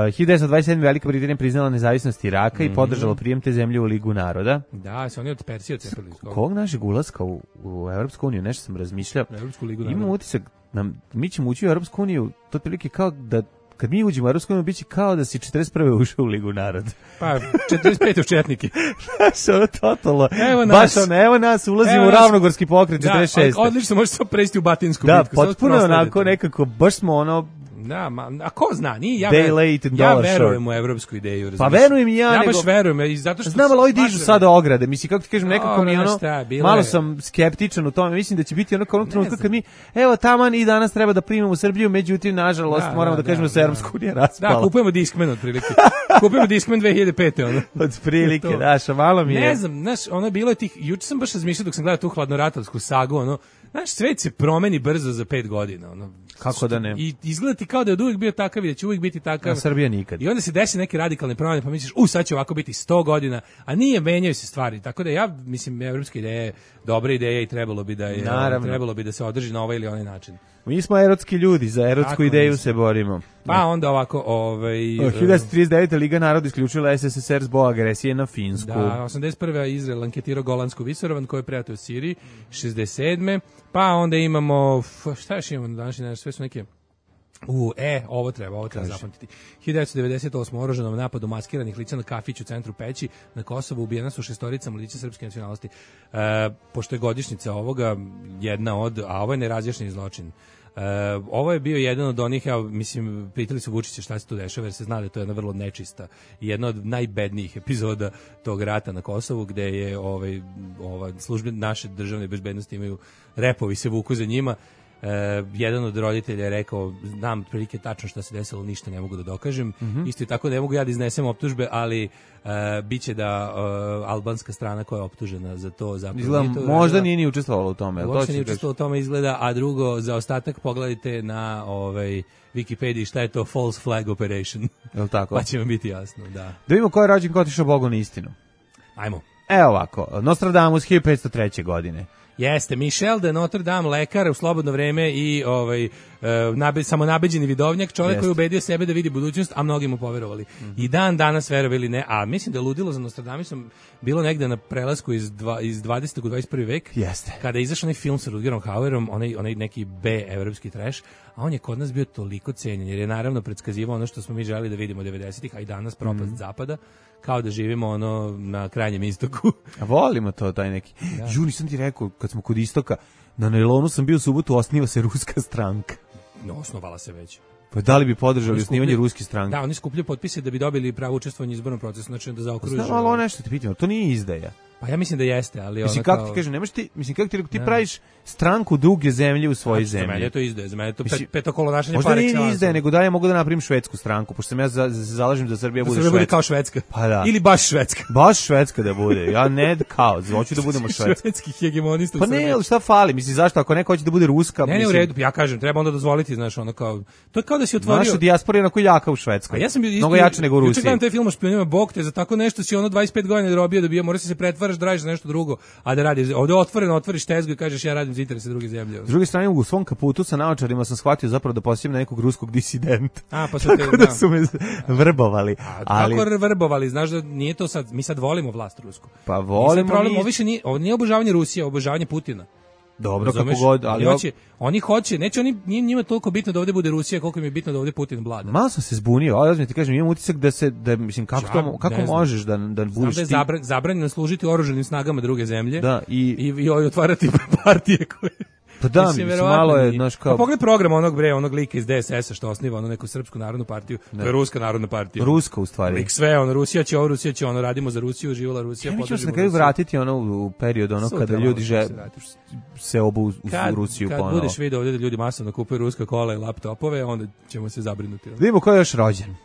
hiljadu devetsto dvadeset sedme Velika Britanija priznala nezavisnost Iraka mm -hmm. i podržala prijem te zemlje u Ligu naroda. Da, se oni od Persije odcepili. Kog našeg ulaska u, u Evropsku uniju, nešto sam razmišljao. Evropsku ligu naroda. Imam utisak, nam, mi ćemo ući u Evropsku uniju, to otprilike kao da kad mi uđemo u Evropsku uniju, biće kao da si četrdeset prve ušao u Ligu naroda. Pa, četrdeset pete u Četnike. Znaš, ono totalno. Evo nas. Baš ono, evo nas, ulazimo evo u nas. Ravnogorski pokret, Da, četrdeset šeste. odlično, može se presti u Batinsku Da, bitku. potpuno onako nekako, baš smo ono, Da, ma, a ko zna, nije, ja, Day ver, late and ja dollar verujem short. u evropsku ideju. Pa razumiješ? verujem i ja, Ja nego- baš verujem, i zato što... znam, ali ovi baš dižu verujem. sada ograde, mislim, kako ti kažem, nekako Dobro, mi ono, znaš šta, bilo malo je- sam skeptičan u tome, mislim da će biti onako onog trenutka znam. kad mi, evo, taman i danas treba da primimo Srbiju, međutim, nažalost, Da, moramo da, da, kažemo da, da, se da. Europska unija raspala. Da, kupujemo Discman otprilike. Kupujemo Discman dve hiljade pete, ono. Od prilike, To. daš, a malo mi je. Ne znam, znaš, ono je bilo je tih, juče sam baš razmišljao dok sam gledao tu hladnoratovsku sagu, ono, znaš, svet se promeni brzo za pet godina, ono. Kako da ne? I izgleda ti kao da je od uvijek bio takav i da će uvijek biti takav. A Srbija nikad. I onda se desi neke radikalne promjene, pa misliš, u, sad će ovako biti sto godina, a nije, menjaju se stvari. Tako da ja, mislim, evropska ideja je dobra ideja i trebalo bi da je, Naravno. trebalo bi da se održi na ovaj ili onaj način. Mi smo erotski ljudi, za erotsku Tako ideju mislim. se borimo. Pa onda ovako, ovaj... hiljadu devetsto trideset devete. Liga naroda isključila es es es er zbog agresije na Finsku. Da, osamdeset prve. Izrael anketirao Golansku visoravan koji je prijatio u Siriji, šezdeset sedme. Pa onda imamo, f- šta još imamo na današnji dan, sve su neke... U, e, ovo treba, ovo treba zapamtiti. hiljadu devetsto devedeset osme. oružanom napadu maskiranih lica na kafić u centru Peći na Kosovu ubijena su šestorica mladića srpske nacionalnosti. E, pošto je godišnjica ovoga jedna od, a ovo je nerazjašnjeni zločin. E, ovo je bio jedan od onih, ja mislim, pitali su Vučića šta se tu dešava, jer se zna da je to jedna vrlo nečista i jedna od najbednijih epizoda tog rata na Kosovu, gde je ovaj, ova službe naše državne bezbednosti imaju repovi se vuku za njima. Uh, jedan od roditelja je rekao, znam otprilike tačno šta se desilo, ništa ne mogu da dokažem. Mm-hmm. Isto i tako ne mogu ja da iznesem optužbe, ali uh, biće da uh, albanska strana koja je optužena za to zapravo Izgleda, nije to možda uradila. nije ni učestvovala u tome. jel to Uopšte ćeš nije reći? učestvovao u tome izgleda, a drugo, za ostatak pogledajte na ovaj, Wikipediji šta je to false flag operation. Jel tako? Pa će vam biti jasno, da. Da vidimo ko je rođen, ko je otišao Bogu na istinu. Ajmo. Evo ovako, Nostradamus hiljadu petsto treće. godine. Jeste, Michel de Notre Dame, lekar u slobodno vreme i ovaj, e, nabe, samonabeđeni vidovnjak, čovjek Jeste. koji je ubedio sebe da vidi budućnost, a mnogi mu poverovali. Mm-hmm. I dan danas verovali ne, a mislim da je ludilo za Nostradamusom bilo negde na prelasku iz, dva, iz dvadesetog u dvadeset prvi vek, Jeste. kada je izašao onaj film sa Rutgerom Hauerom, onaj, onaj neki B evropski trash, a on je kod nas bio toliko cenjen, jer je naravno predskazivao ono što smo mi želeli da vidimo devedesetih, a i danas propast mm-hmm. zapada, kao da živimo ono na krajnjem istoku. A volimo to, taj neki. Da. Ju, nisam ti rekao, kad smo kod istoka, na Nailonu sam bio u subotu, osniva se ruska stranka. No, osnovala se već. Pa da li bi podržali Oni osnivanje skupljaju- ruske stranke? Da, oni skupljaju potpise da bi dobili pravo učestvovanje u izbornom procesu, znači da zaokruže. Znam, ali ono nešto ti pitam, to nije izdaja. Pa ja mislim da jeste, ali Mislim, ono kako kao... ti kažem, nemaš ti, mislim, kako ti rekao, ti Da. praviš stranku druge zemlje u svojoj Za mene zemlji. je to izdaje, za mene je to Mislim, pet, petokolonašenje Možda par nije ni excellence. izdaja, nego da ja mogu da napravim švedsku stranku, pošto sam ja za, za, zalažem da Srbija Da bude Srbija bude švedska. kao Švedska. Pa da. Ili baš Švedska. Baš švedska da bude, ja ne kao, hoću da budemo švedska. Švedskih hegemonista u Pa ne, Srbiji. ali šta fali, mislim, zašto, ako neko hoće da bude ruska, Ne, ne, u mislim, redu, ja kažem, treba onda dozvoliti, znaš, ono kao... To je kao da si otvorio... naša dijaspora je onako jaka u Švedskoj. A ja sam bio mnogo jače nego u Juče Rusiji. gledam taj film o špijunima, bog te, za tako nešto si ono dvadeset pet godina robio da bio, moraš se pretvaraš da radiš za nešto drugo, a da radiš. Ovde otvoreno otvoriš tezgu i kažeš ja radim za interese druge zemlje. S druge strane, u svom kaputu sa naočarima sam shvatio zapravo da posjećam na nekog ruskog disidenta. A, pa su te, Tako da da. su me vrbovali. A Ali, kako vrbovali, znaš da nije to sad, mi sad volimo vlast rusku. pa Nije sad volimo problem, mi... ovo više nije, ovo nije obožavanje Rusije, ovo je obožavanje Putina. Dobro, Razumeš? kako god, ali... oni hoće, oni hoće, neće oni, nije njima toliko bitno da ovde bude Rusija, koliko im je bitno da ovde Putin vlada. Malo sam se zbunio, ali da ti kažem, imam utisak da se, da, mislim, kako, Ja to, ne kako znam. možeš da, da Znam budeš da je ti... zabran, zabranjeno služiti oružanim snagama druge zemlje Da, i... i, i otvarati partije koje... Pa da, mislim, verovatno malo je, nije. znaš, kao... Pa pogledaj program onog bre, onog lika iz D S S-a što osniva ono neku srpsku narodnu partiju, to je ruska narodna partija. Ruska, u stvari. Lik sve, ono, Rusija će ovo, Rusija će ono, radimo za Rusiju, živjela Rusija, Ja mi ćemo se podržimo na kraju Rusiju. vratiti ono u period ono Sutra kada malo ljudi ćemo že se vratiti. se obu u, u Kad, Rusiju kad ponovo. budeš video ovdje da ljudi masovno kupuju ruska kola i laptopove, onda ćemo se zabrinuti. ono. Vidimo ko je još rođen. Uh,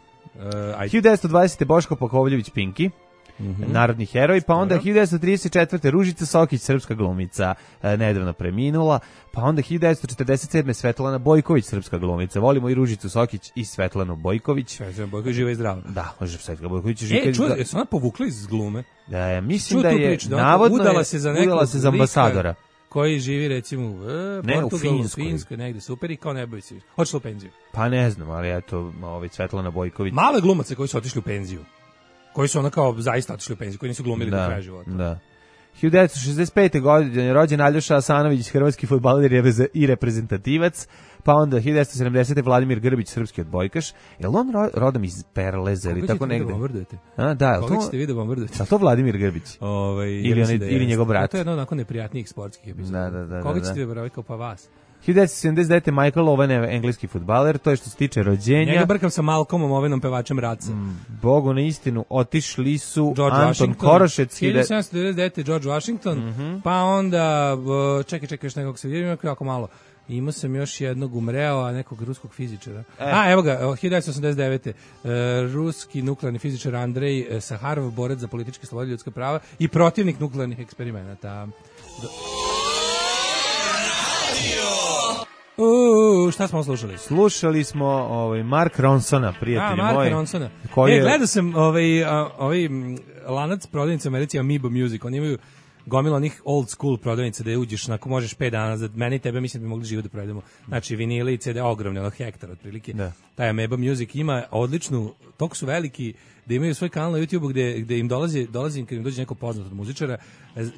ajde. hiljadu devetsto dvadesete. Boško Pokovljević Pinki. mm-hmm. narodni heroj, pa onda hiljadu devetsto trideset četvrte. Ružica Sokić, srpska glumica, e, nedavno preminula, pa onda hiljadu devetsto četrdeset sedme. Svetlana Bojković, srpska glumica. Volimo i Ružicu Sokić i Svetlanu Bojković. Svetlana Bojković živa i zdrava. Da, može Svetlana Bojković živa. E, čuo, jesu ona povukla iz glume? Da, mislim Čuo da je priču, da navodno udala je, se za nekog udala se za ambasadora. Koji živi recimo u e, ne, Portugalu, u Finskoj. Finskoj, negde super i kao ne boji se. Otišla u penziju. Pa ne znam, ali eto, ovaj Svetlana Bojković. Malo je glumaca koji su otišli u penziju. Koji su ona kao zaista otišli u penziju, koji nisu glumili da, do kraja života. Da. hiljadu devetsto šezdeset pete. godine rođen Aljoša Asanović, hrvatski fudbaler i reprezentativac, pa onda hiljadu devetsto sedamdesete. Vladimir Grbić, srpski odbojkaš. Jel on ro, rodom iz Perleza ili tako negde? A, da, jel Koga to? ćete vi da bombardujete? A to Vladimir Grbić? Ovaj, ili, on, ili njegov brat? To je jedno onako neprijatnijih sportskih epizoda. Da, da, da, Koga da, ćete da. vi boraviti kao pa vas? hiljadu devetsto sedamdeset devete. Michael Owen je engleski fudbaler, to je što se tiče rođenja. Njega brkam sa Malcolmom, Ovenom pevačem Raca. Mm, Bogu na istinu, otišli su George Anton Washington, Korošec. hiljadu sedamsto devedeset devete. George Washington, mm-hmm. pa onda, čekaj, čekaj, još nekog se vidim, jako malo. Imao sam još jednog umreo, a nekog ruskog fizičara. E. A, evo ga, hiljadu devetsto osamdeset devete. E, ruski nuklearni fizičar Andrej Saharov, borac za političke slobode i ljudska prava i protivnik nuklearnih eksperimenata. Do... Uuu, šta smo slušali? Slušali smo ovaj Mark Ronsona, prijatelji moji. A, Marka Ronsona. Koji e, je... gledao sam ovaj, a, ovaj lanac prodavnica u Americi, Amoeba Music, oni imaju gomila onih old school prodavnica da je uđeš, ako možeš pet dana, za mene i tebe mislim da bi mogli živo da provedemo. Znači vinile i ce de, ogromne, ono hektar otprilike. Da. Taj Amoeba Music ima odličnu, toliko su veliki da imaju svoj kanal na YouTubeu gde, gde im dolazi, dolazi im kad im dođe neko poznat od muzičara,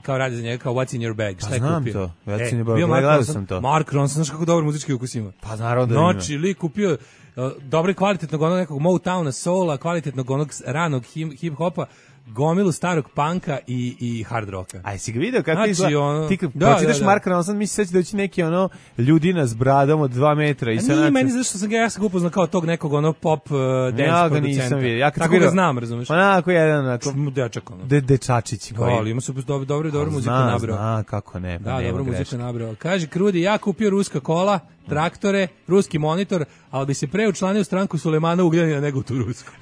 kao radi za njega, kao What's in your bag, šta je pa, znam kupio? to, What's e, in your bag, bio Mark Ronson, sam to. Mark Ronson, znaš kako dobar muzički ukus ima? Pa naravno da ima. Znači, li kupio uh, dobro i kvalitetnog onog nekog Motowna, soula, kvalitetnog onog ranog hip-hopa, gomilu starog panka i, i hard rocka. Aj, si ga vidio kako znači, izgleda? Ono, ti kad da, pročitaš da, da. Marka Ronson, misliš da će neki ono ljudina s bradom od dva metra. I a sa nije način... meni zašto sam ga, ja sam ga upoznao kao tog nekog ono pop uh, dance ja ga producenta. nisam vidio. Ja tako ga znam, razumeš? Onako jedan, onako... Dečak, ono. De, dečačić. Koji... Da, ima su dobro, dobro, dobro muziku nabrao. Zna, kako ne. Pa da, dobro muziku nabrao. Kaže, Krudi, ja kupio ruska kola, traktore, ruski monitor, ali bi se pre učlanio u stranku Sulejmana Ugljanina nego u tu rusku.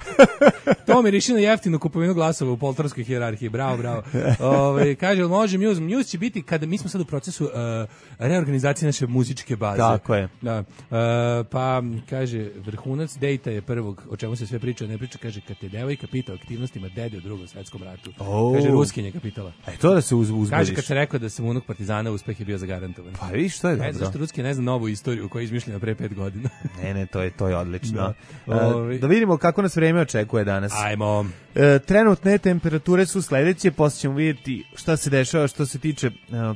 To mi riši na jeftinu kupovinu glasova u poltronskoj hijerarhiji. Bravo, bravo. Ove, kaže, može Muse? Muse će biti, kada mi smo sad u procesu uh, reorganizacije naše muzičke baze. Tako je. Da. Uh, pa, kaže, vrhunac dejta je prvog, o čemu se sve priča, ne priča, kaže, kad te devojka pita o aktivnostima dede u drugom svetskom ratu. Oh. Kaže, ruskinje ga pitala. E, to da se uz, uzbudiš. Kaže, kad se rekao da sam unuk partizana, uspeh je bio zagarantovan. Pa vidiš, što je dobro. Ne, zašto Ruski ne zna novu istoriju koja je izmišljena pre pet godina. ne, ne, to je, to je odlično. Da. Uh, da vidimo kako nas vreme očekuje danas. Ajmo. E, trenutne temperature su sledeće, posle ćemo vidjeti šta se dešava što se tiče e,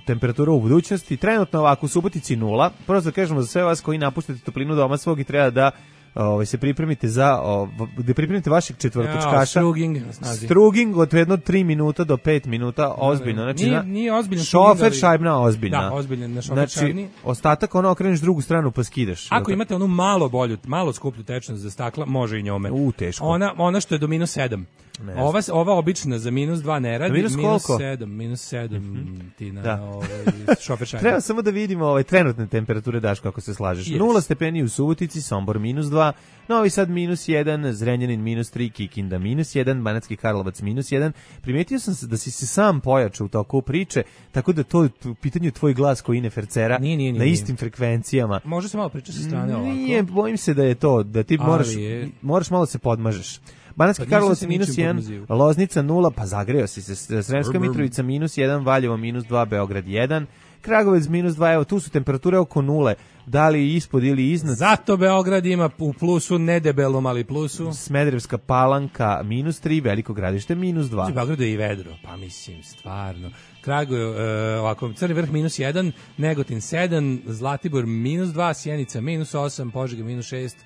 temperatura u budućnosti. Trenutno ovako u Subotici nula. Prosto da kažemo za sve vas koji napuštate toplinu doma svog i treba da ovaj se pripremite za o, da pripremite vašeg četvrtočkaša. Ja, struging, struging od jedno tri minuta do pet minuta, ozbiljno. Znači, nije, nije ozbiljno. Šofer šajbna ozbiljna. Da, ozbiljno na šofer znači, šajbni. Ostatak ono okreneš drugu stranu pa skidaš. Ako imate onu malo bolju, malo skuplju tečnost za stakla, može i njome. U, teško. Ona, ona što je do minus sedam. Ova, ova obična za minus dva ne radi, minus, minus sedam, minus sedam mm-hmm. ti na da. Ovaj, šofer šajbni. Treba samo da vidimo ovaj, trenutne temperature, Daš, kako se slažeš. Yes. Nula stepeni u Subotici, Sombor minus dva, Novi Sad minus jedan, Zrenjanin minus tri, Kikinda minus jedan, Banatski Karlovac minus jedan. Primetio sam da si se sam pojačao u toku priče, tako da to u pitanju tvoj glas koji ne fercera nije, nije, nije, na istim frekvencijama. Može se malo pričati sa strane ovako. Nije, bojim se da je to, da ti moraš, moraš malo se podmažeš. Banatski pa Karlovac minus jedan, Loznica nula, pa zagreo si se, Sremska Mitrovica minus jedan, Valjevo minus dva, Beograd jedan, Kragovec minus dva, evo tu su temperature oko nule, da li ispod ili iznad. Zato Beograd ima u plusu, nedebelom, ali plusu. Smederevska Palanka minus tri, Veliko Gradište minus dva. U Beogradu je i vedro, pa mislim, stvarno. Kragujev, uh, ovako, Crni Vrh minus jedan, Negotin sedam, Zlatibor minus dva, Sjenica minus osam, Požega minus šest,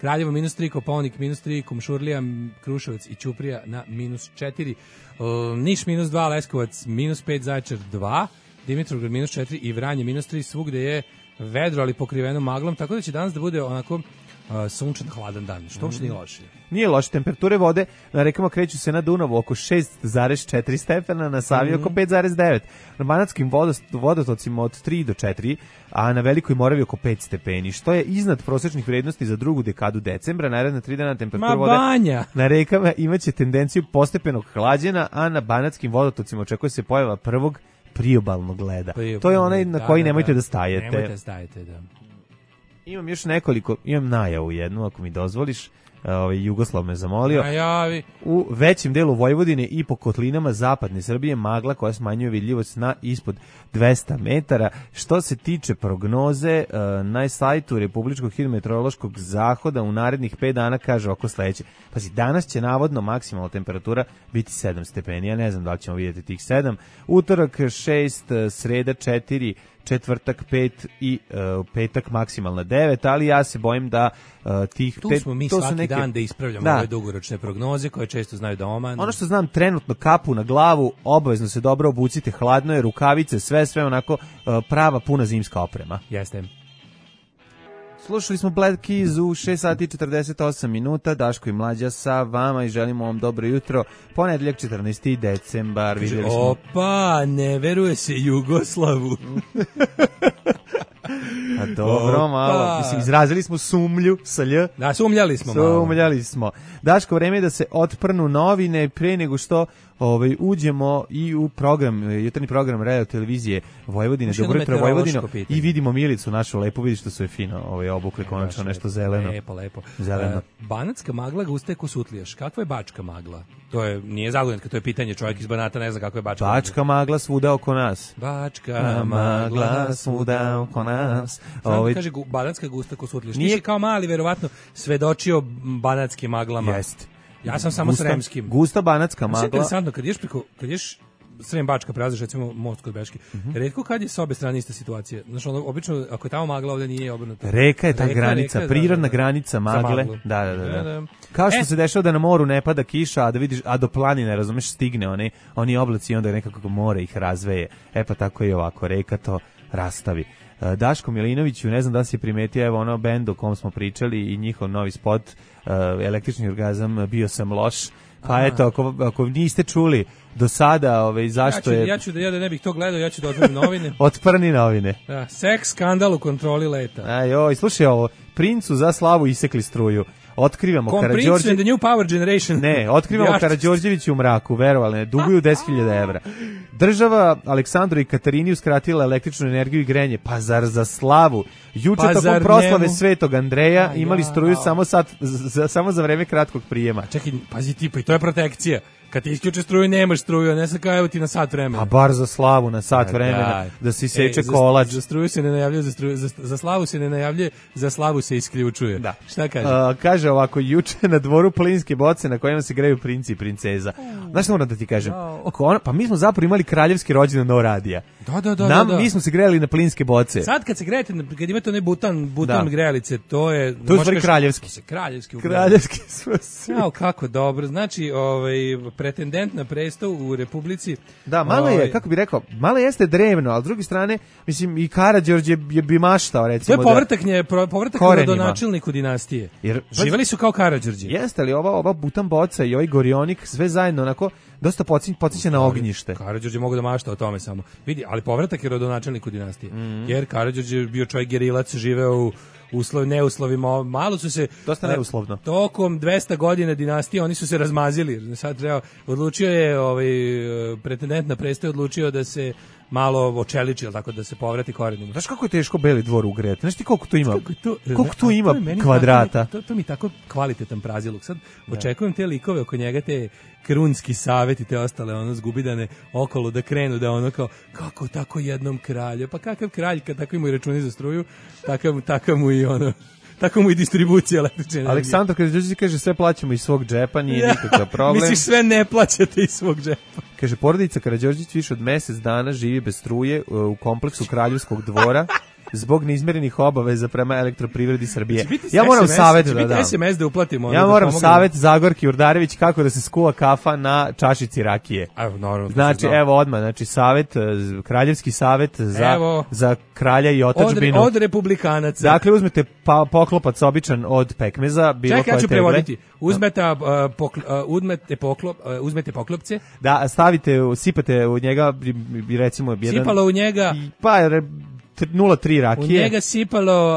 Kraljevo minus tri, Kopaonik minus tri, Kumšurlija, Kruševac i Ćuprija na minus četiri, uh, Niš minus dva, Leskovac minus pet, Zaječar dva, Dimitrovgrad minus četiri i Vranje minus tri, svugde je vedro, ali pokriveno maglom, tako da će danas da bude onako uh, sunčan, hladan dan, što uopšte nije loše. Nije loše, temperature vode na rekama kreću se na Dunavu oko šest zarez četiri stepena, na Savi mm-hmm. oko pet zarez devet. Na banatskim vodotocima od tri do četiri, a na Velikoj Moravi oko pet stepeni, što je iznad prosečnih vrednosti za drugu dekadu decembra. Naredna tri dana temperatura vode na rekama imaće tendenciju postepenog hlađenja, a na banatskim vodotocima očekuje se pojava prvog priobalnog leda. Priobalnog, to je onaj na koji da, nemojte da, da stajete. Nemojte da stajete, da. Imam još nekoliko, imam najavu jednu, ako mi dozvoliš. Ovaj Jugoslav me zamolio. Najavi. U većem delu Vojvodine i po kotlinama zapadne Srbije magla koja smanjuje vidljivost na ispod dvesta metara. Što se tiče prognoze, na sajtu Republičkog hidrometeorološkog zahoda u narednih pet dana kaže oko sledeće. Pazi, danas će navodno maksimalna temperatura biti sedam stepeni. Ja ne znam da li ćemo vidjeti tih sedam. Utorak šest, sreda četiri, četvrtak pet i uh, petak maksimalna devet, ali ja se bojim da uh, tih... Tu pet, smo mi to svaki neke, dan da ispravljamo da. ove dugoročne prognoze koje često znaju da omanu. Ono što znam, trenutno kapu na glavu, obavezno se dobro obucite, hladno je, rukavice, sve, sve onako uh, prava puna zimska oprema. Jeste. Slušali smo Black Keys u šest sati i četrdeset osam minuta, Daško i Mlađa sa vama i želimo vam dobro jutro. Ponedeljak četrnaesti decembar. Kaže, smo... Opa, ne veruje se Jugoslavu. A dobro, Opa. malo. Mislim, izrazili smo sumlju sa lj. Da, sumljali smo malo. Sumljali smo. Daško, vreme je da se otprnu novine pre nego što ovaj, uđemo i u program, jutarnji program radio televizije Vojvodine, Dobro jutro Vojvodino, i vidimo Milicu našu lepu, vidi što su je fino ovaj, obukle, konačno nešto zeleno. Lepo, lepo. Zeleno. Uh, banatska magla gusta je ko sutlijaš. Kakva je bačka magla? To je, nije zagodinska, to je pitanje, čovjek iz Banata ne zna kako je bačka magla. Bačka magla svuda oko nas. Bačka magla svuda oko nas. Ovaj kaže banatska gusta ko sutlijaš. Nije kao mali, verovatno svedočio banatskim maglama. Jest. Ja sam samo gusta, sremskim. Gusta banatska magla. Sve interesantno, kad ješ preko, kad ješ Srem Bačka prelaziš, recimo most kod Beške. Mm-hmm. Retko kad je s obe strane ista situacija. Znaš, ono, obično, ako je tamo magla, ovdje nije obrnuto. Reka je ta reka, granica, reka, prirodna da, da, granica magle. Da, da, da. da. da. Kao što e. se dešava da na moru ne pada kiša, a da vidiš, a do planine, razumeš, stigne oni, oni oblaci i onda nekako more ih razveje. E pa tako i ovako, reka to rastavi. Daško Milinoviću, ne znam da si primetio, evo ono bend o kom smo pričali i njihov novi spot, uh, Električni orgazam, bio sam loš. Pa Aha. eto, ako, ako niste čuli do sada, ovaj, zašto ja ću, je... Ja ću da ja da ne bih to gledao, ja ću da otvorim novine. Otprni novine. Da, seks skandal u kontroli leta. Aj, oj, slušaj ovo, princu za slavu isekli struju. Otkrivamo Karađorđević. and the new power generation. Ne, otkrivamo Karađorđević u mraku, verovali ne, duguju deset hiljada evra. Država Aleksandru i Katarini uskratila električnu energiju i grenje, pa zar za slavu? Juče pa tokom proslave njemu? Svetog Andreja a, imali struju ja, samo, sat, za, samo za vreme kratkog prijema. Čekaj, pazi ti, pa i to je protekcija. Kad ti isključe struju, nemaš struju, a ne sad kao evo ti na sat vremena. A bar za slavu na sat vremena, da, da se seče e, kolač. Za, za struju se ne najavljuje, za, struju, za, za slavu se ne najavljuje, za slavu se isključuje. Da. Šta kaže? Uh, kaže ovako, juče na dvoru plinske boce na kojima se greju princi i princeza. Znaš što moram da ti kažem? No. Pa mi smo zapravo imali kraljevski rođendan no radija. Da, da, da. Nam, da, da. Mi smo se grejali na plinske boce. Sad kad se grejete, kad imate onaj butan, butan da. grejalice, to je... To je stvari kraljevski. Se kraljevski. Kraljevski smo svi. Jao, kako dobro. Znači, ovaj, pretendent na presto u Republici. Da, malo je, kako bi rekao, malo jeste drevno, ali s druge strane, mislim, i Karađorđe je bi maštao, recimo. To je povratak, da, nje, povratak rodonačelniku dinastije. Jer, živeli su kao Karađorđe. Jeste li ova, ova butan boca i ovaj gorionik, sve zajedno, onako, dosta podsjeća na ognjište. Karađorđe mogu da mašta o tome samo. Vidi, ali povratak je rodonačelniku dinastije. Mm-hmm. Jer Karađorđe je bio čovjek gerilac, živeo u uslov, neuslovima, malo su se dosta neuslovno. Tokom dvesta godina dinastije oni su se razmazili. Sad treba, odlučio je ovaj pretendent na presto odlučio da se malo očeliči, tako da se povrati korenima. Znaš kako je teško Beli dvor ugrejati? Znaš ti koliko to ima? Kako to, koliko tu ima to kvadrata? Tako, to, to mi tako kvalitetan praziluk. Sad da. Očekujem te likove oko njega, te krunski savet i te ostale ono zgubidane okolo da krenu da ono kao kako tako jednom kralju. Pa kakav kralj kad tako ima i računi za struju, takav, takav mu i ono tako mu i distribucija električne energije. Aleksandar Karađorđević kaže sve plaćamo iz svog džepa, nije ja, nikakav problem. Misliš sve ne plaćate iz svog džepa. Kaže porodica Karađorđević više od mjesec dana živi bez struje u kompleksu Kraljevskog dvora zbog neizmerenih obaveza prema Elektroprivredi Srbije. Biti Ja moram S M S, savjet će da biti dam. S M S da uplatimo. Ja ono, da moram pomognemo. savjet Zagorki Urdarević kako da se skuva kafa na čašici rakije. Evo, naravno. Znači, evo odmah, znači savjet, z- kraljevski savjet za, Evo. za kralja i od, otadžbinu. od republikanaca. Dakle, uzmete pa, poklopac običan od pekmeza, bilo Čekaj, ja koje ću tegle. prevoditi. Uzmete, uh, pokl, uh, uzmete, poklop, uh, uzmete poklopce, Da, stavite, u- sipate u njega, i- i recimo, jedan... sipalo u njega, i- Pa, re- t- nula zarez tri u rakije. njega sipalo,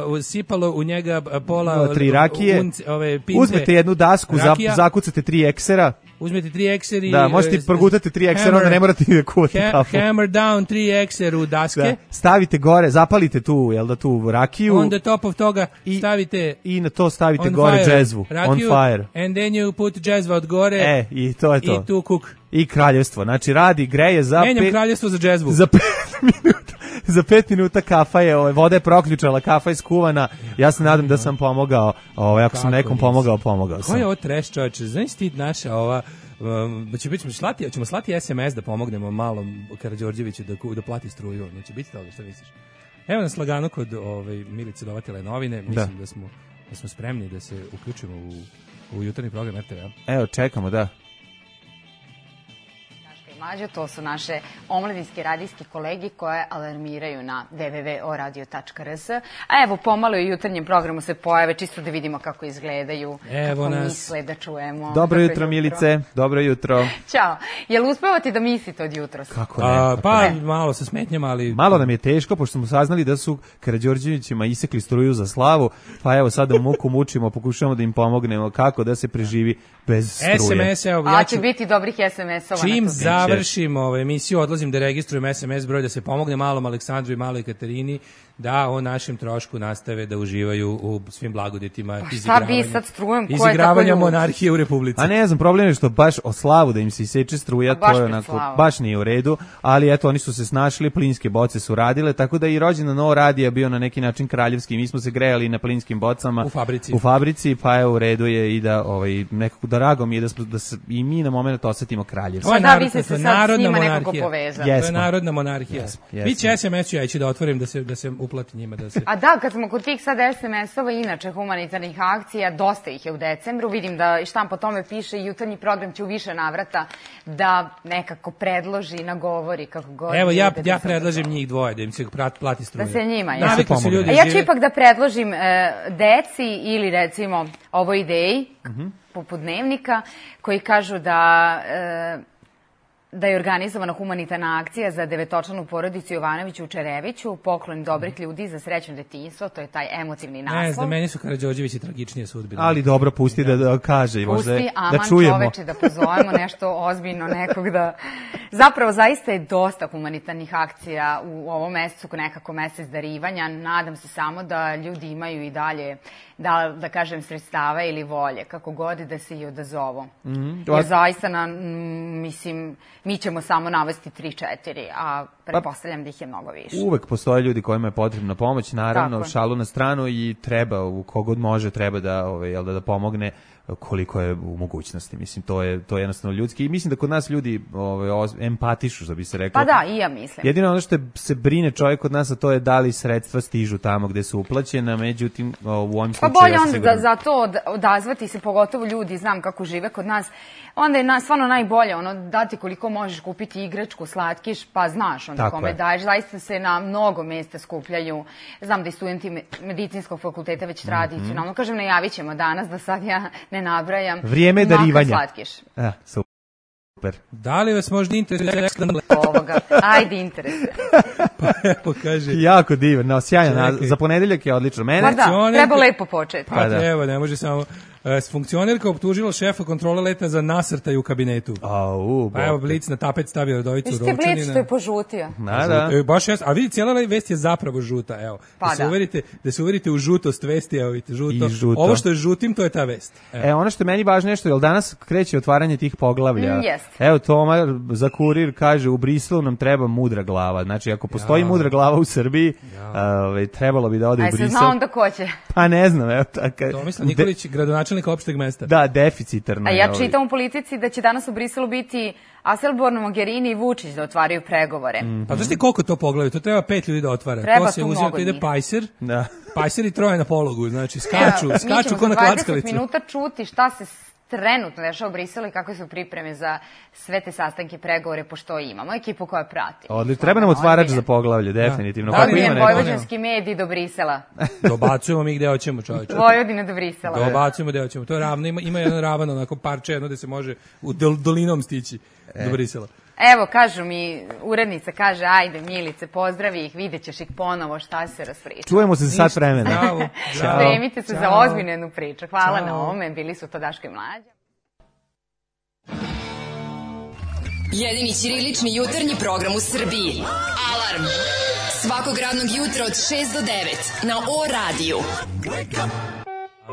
uh, u- sipalo u njega uh, pola nula zarez tri rakije. unce, ove pince, Uzmete jednu dasku, za, rakija. zakucate tri eksera. uzmete tri ekseri. Da, možete uh, progutati tri eksera, hammer- onda ne morate da kuvate ha, kafu. hammer down tri ekser u daske. Da. Stavite gore, zapalite tu, jel da, tu rakiju. On the top of toga I- stavite I na to stavite on gore fire, džezvu. rakiju, On fire. and then you put džezva od gore E, i to je to. i tu kuk. I kraljevstvo. Znači, radi, greje za Menjam pet... kraljevstvo za džezvu. Za pet minuta, za pet minuta kafa je, ovaj, voda je proključala, kafa je skuvana. Ja se nadam da sam pomogao, ovaj, ako sam Kako nekom nisi? pomogao, pomogao sam. Ko je ovo trash, čovječe? Znaš ti naša ova... Um, da će biti, ćemo slati, ćemo slati S M S da pomognemo malom Karađorđeviću da, ku- da plati struju. Ono će biti toga, šta misliš? Evo nas lagano kod ovaj, Milice Dovatile novine. Mislim da. smo, da smo spremni da se uključimo u, u jutarnji program R T V-a. Evo, čekamo, da. Mlađo, to su naše omladinski radijski kolegi koje alarmiraju na w w w tačka o radio tačka r s. A evo, pomalo i u jutarnjem programu se pojave, čisto da vidimo kako izgledaju, Evo kako nas. misle, da čujemo. Dobro jutro, Milice. Dobro jutro. Ćao. Jel uspevate da mislite od jutros? Kako ne? A, kako pa, ne? malo sa smetnjama, ali... Malo nam je teško, pošto smo saznali da su Karađorđevićima isekli struju za slavu, pa evo sada u muku mučimo, pokušavamo da im pomognemo kako da se preživi bez struje. S M S, evo, A ja će ću... biti dobrih S M S-ova. Čim na to. završim ovu emisiju, odlazim da registrujem S M S broj da se pomogne malom Aleksandru i maloj Katarini da o našem trošku nastave da uživaju u svim blagodetima šta bi sad strujem? Ko je izigravanja tako ljud? monarhije u Republici. A ne znam, problem je što baš o slavu da im se iseče struja, A baš to je pred onako, slavu. baš nije u redu, ali eto, oni su se snašli, plinske boce su radile, tako da i rođendan Novo Radija bio na neki način kraljevski, mi smo se grejali na plinskim bocama. U fabrici. U fabrici, pa je u redu je i da, ovaj, nekako drago mi je da, smo, da se i mi na moment osetimo kraljevski. Ovo je Pa da, narod- vi ste to se je sad s narodna njima nekako monarhija. povezali. To je Jesmo. narodna monarhija. Jesmo, jesmo. Biće S M S-u, ja ću da otvorim da se, da se uplati njima. Da se... A da, kad smo kod tih sad S M S-ova, inače humanitarnih akcija, dosta ih je u decembru, vidim da i štampa o tome piše i jutarnji program će u više navrata da nekako predloži, nagovori kako god. Evo, ja, ljude da ja se predlažem odazove. njih dvoje, da im se prat- plati struja. Da se njima, ja. Navikli Da se su ljudi A ja ću žive- ipak da predložim e, deci ili recimo ovoj ideji, poput dnevnika, koji kažu da... E, da je organizovana humanitarna akcija za devetočlanu porodicu Jovanović u Čereviću, poklon dobrih ljudi za srećno detinjstvo, to je taj emotivni naslov. Ne znam, meni su Karađorđevići tragičnije sudbine. Ali dobro, pusti da, da kaže, možda Pusti, je- aman da čujemo. čoveče, da pozovemo nešto ozbiljno nekog da... Zapravo, zaista je dosta humanitarnih akcija u ovom mesecu, nekako mesec darivanja. Nadam se samo da ljudi imaju i dalje, da, da kažem, sredstava ili volje, kako god da se i odazovu. Mhm. Jer zaista, na, m, mislim, mi ćemo samo navesti tri četiri, a pretpostavljam da ih je mnogo više. Uvek postoje ljudi kojima je potrebna pomoć, naravno, Tako je. šalu na stranu i treba, u kogod može, treba da, ovaj, jel da, da pomogne koliko je u mogućnosti. Mislim, to je, to je jednostavno ljudski i mislim da kod nas ljudi ovaj, oz- empatišu, što bi se reklo. Pa da, i ja mislim. Jedino ono što je, se brine čovjek od nas, a to je da li sredstva stižu tamo gde su uplaćena, međutim, o, u ovim Pa slučaju... bolje ja sam onda siguran- za, za to od, odazvati se, pogotovo ljudi, znam kako žive kod nas, onda je na, stvarno najbolje ono, dati koliko možeš kupiti igračku, slatkiš, pa znaš onda Tako kome je. daješ. Zaista se na mnogo mesta skupljaju. Znam da i studenti me- medicinskog fakulteta već tradicionalno. Kažem, najavit ćemo danas, da sad ja ne nabrajam. Vrijeme Makar darivanja. slatkiš. A, super. Da li vas možda interesuje Ovoga. Ajde, interese. Evo, kaže... Jako divan, no, sjajan, Čekaj. naz- za ponedeljak je odlično. Mene, Pa da, Funkcioner- treba lepo početi. Pa, Pa da. treba, ne može samo... E, funkcionerka optužila šefa kontrole leta za nasrtaj u kabinetu. Au, Pa evo, Bog. Blic na tapet stavio Radovicu Viš ti Rovčanina. Blic što je požutio. Da, da. E, baš jes, a vidi, cijela vest je zapravo žuta, evo. Pa da, se da. uverite, da se uverite u žutost vesti, evo vidite, žuto. I žuto. Ovo što je žutim, to je ta vest. Evo. E, ono što je meni važno je što, jel danas kreće otvaranje tih poglavlja? Mm, jest. Evo, Toma za kurir kaže, u Briselu nam treba mudra glava. Znači, ako postoji postoji mudra glava u Srbiji, ovaj, trebalo bi da ode Aj, u se Brisel. zna onda ko će. Pa ne znam, evo tako. Tomislav Nikolić, gradonačelnik opšteg mesta. Da, deficitarno. A je, ja ovaj. čitam u Politici da će danas u Briselu biti Aselborn, Mogherini i Vučić da otvaraju pregovore. Mm. Pa znaš ti koliko to pogledaju? To treba pet ljudi da otvara. Treba to se tu uzima, mnogo to ide njih. pajser, Da. pajser i troje na pologu, znači skaču, Evo, skaču mi ćemo ko na za dvadeset klackalicu. minuta čuti šta se trenutno dešava u Briselu i kakve su pripreme za sve te sastanke, pregovore, pošto imamo ekipu koja prati. Odlično, treba nam otvarač za poglavlje, definitivno. Da. Kako Da li ima Njen neko? vojvođanski medij do Brisela. Dobacujemo mi gde hoćemo, čoveče. Vojvodina do Brisela. Dobacujemo gde hoćemo. To je ravno, ima, ima jedan ravan onako parče jedno gde se može u dol, dolinom stići do Brisela. Evo, kažu mi, urednica kaže, ajde, Milice, pozdravi ih, vidjet ćeš ih ponovo šta se raspriča. Čujemo se za sat vremena. Bravo, bravo. Spremite se za Ćao. ozbiljnu jednu priču. Hvala Ćao. na ovome, bili su to Daško i Mlađa. Jedini ćirilični jutarnji program u Srbiji. Alarm. Svakog radnog jutra od šest do devet na O radiju.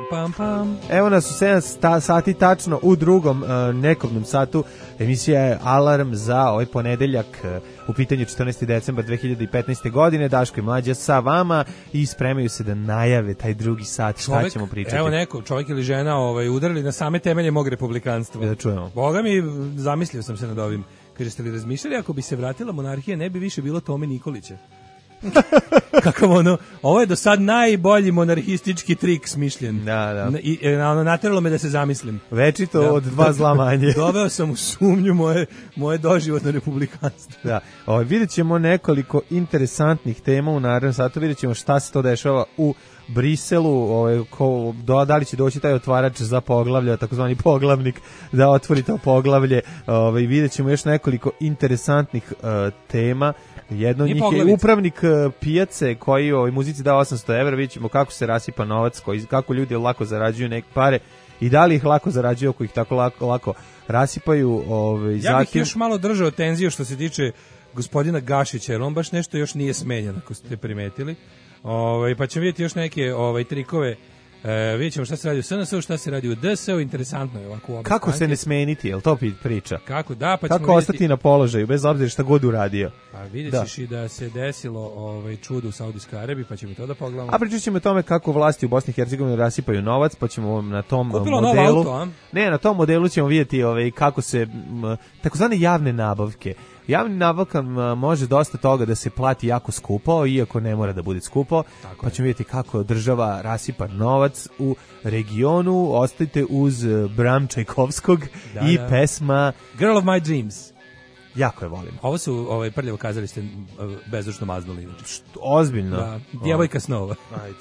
Pam, pam. Evo nas u sedam sta- sati tačno u drugom uh, nekobnom satu. Emisija je Alarm za ovaj ponedeljak, uh, u pitanju četrnaesti decembar dve hiljade petnaeste. godine. Daško i Mlađa sa vama i spremaju se da najave taj drugi sat. Šta Čovek, ćemo pričati? evo neko, čovjek ili žena ovaj, udarili na same temelje mog republikanstva. Da čujemo. Boga mi, zamislio sam se nad ovim. Kaže, ste li razmišljali, ako bi se vratila monarhija, ne bi više bilo Tome Nikolića? Kakav ono, ovo je do sad najbolji monarhistički trik smišljen. Da, da. I e, ono, nateralo me da se zamislim. Večito Da. od dva zla manje. Doveo sam u sumnju moje, moje doživotno republikanstvo. Da, ovaj, vidjet ćemo nekoliko interesantnih tema u narednom satu, vidjet ćemo šta se to dešava u Briselu, ovaj, ko, do, da li će doći taj otvarač za poglavlje, takozvani poglavnik, da otvori to poglavlje, ovaj, vidjet ćemo još nekoliko interesantnih uh, tema. Jedno od Nije njih je poglavica. upravnik uh, pijace koji ovoj muzici dao osamsto evra, vidjet ćemo kako se rasipa novac, koji, kako ljudi lako zarađuju neke pare i da li ih lako zarađuju ako ih tako lako, lako rasipaju. Ovaj, Ja bih zatim, još malo držao tenziju što se tiče gospodina Gašića, jer on baš nešto još nije smenjen, ako ste primetili. Ovaj, pa ćemo vidjeti još neke ovaj, trikove. E, vidjet ćemo šta se radi u S N S-u, šta se radi u D S-u, interesantno je ovako u obe kako se stranke. ne smeniti, jel to pi- priča? Kako da, pa ćemo Kako vidjeti. ostati na položaju, bez obzira šta god uradio. Pa vidjet Da. ćeš i da se desilo ovaj, čudo u Saudijskoj Arabiji, pa ćemo i to da pogledamo. A pričat ćemo o tome kako vlasti u Bosni i Hercegovini rasipaju novac, pa ćemo na tom Kupilo novo modelu... auto, a? Ne, na tom modelu ćemo vidjeti ovaj, kako se, m, takozvane javne nabavke. Javni nabavka m, može dosta toga da se plati jako skupo, iako ne mora da bude skupo, Tako pa je. ćemo vidjeti kako država rasipa novac u regionu. Ostajte uz eh, Bram Čajkovskog Da, i da. pesma, Girl of my dreams. jako je volim. Ovo su ovaj, prljavo kazali ste bezdušno maznuli. Inače. Ozbiljno. Da, djevojka snova. Ajde.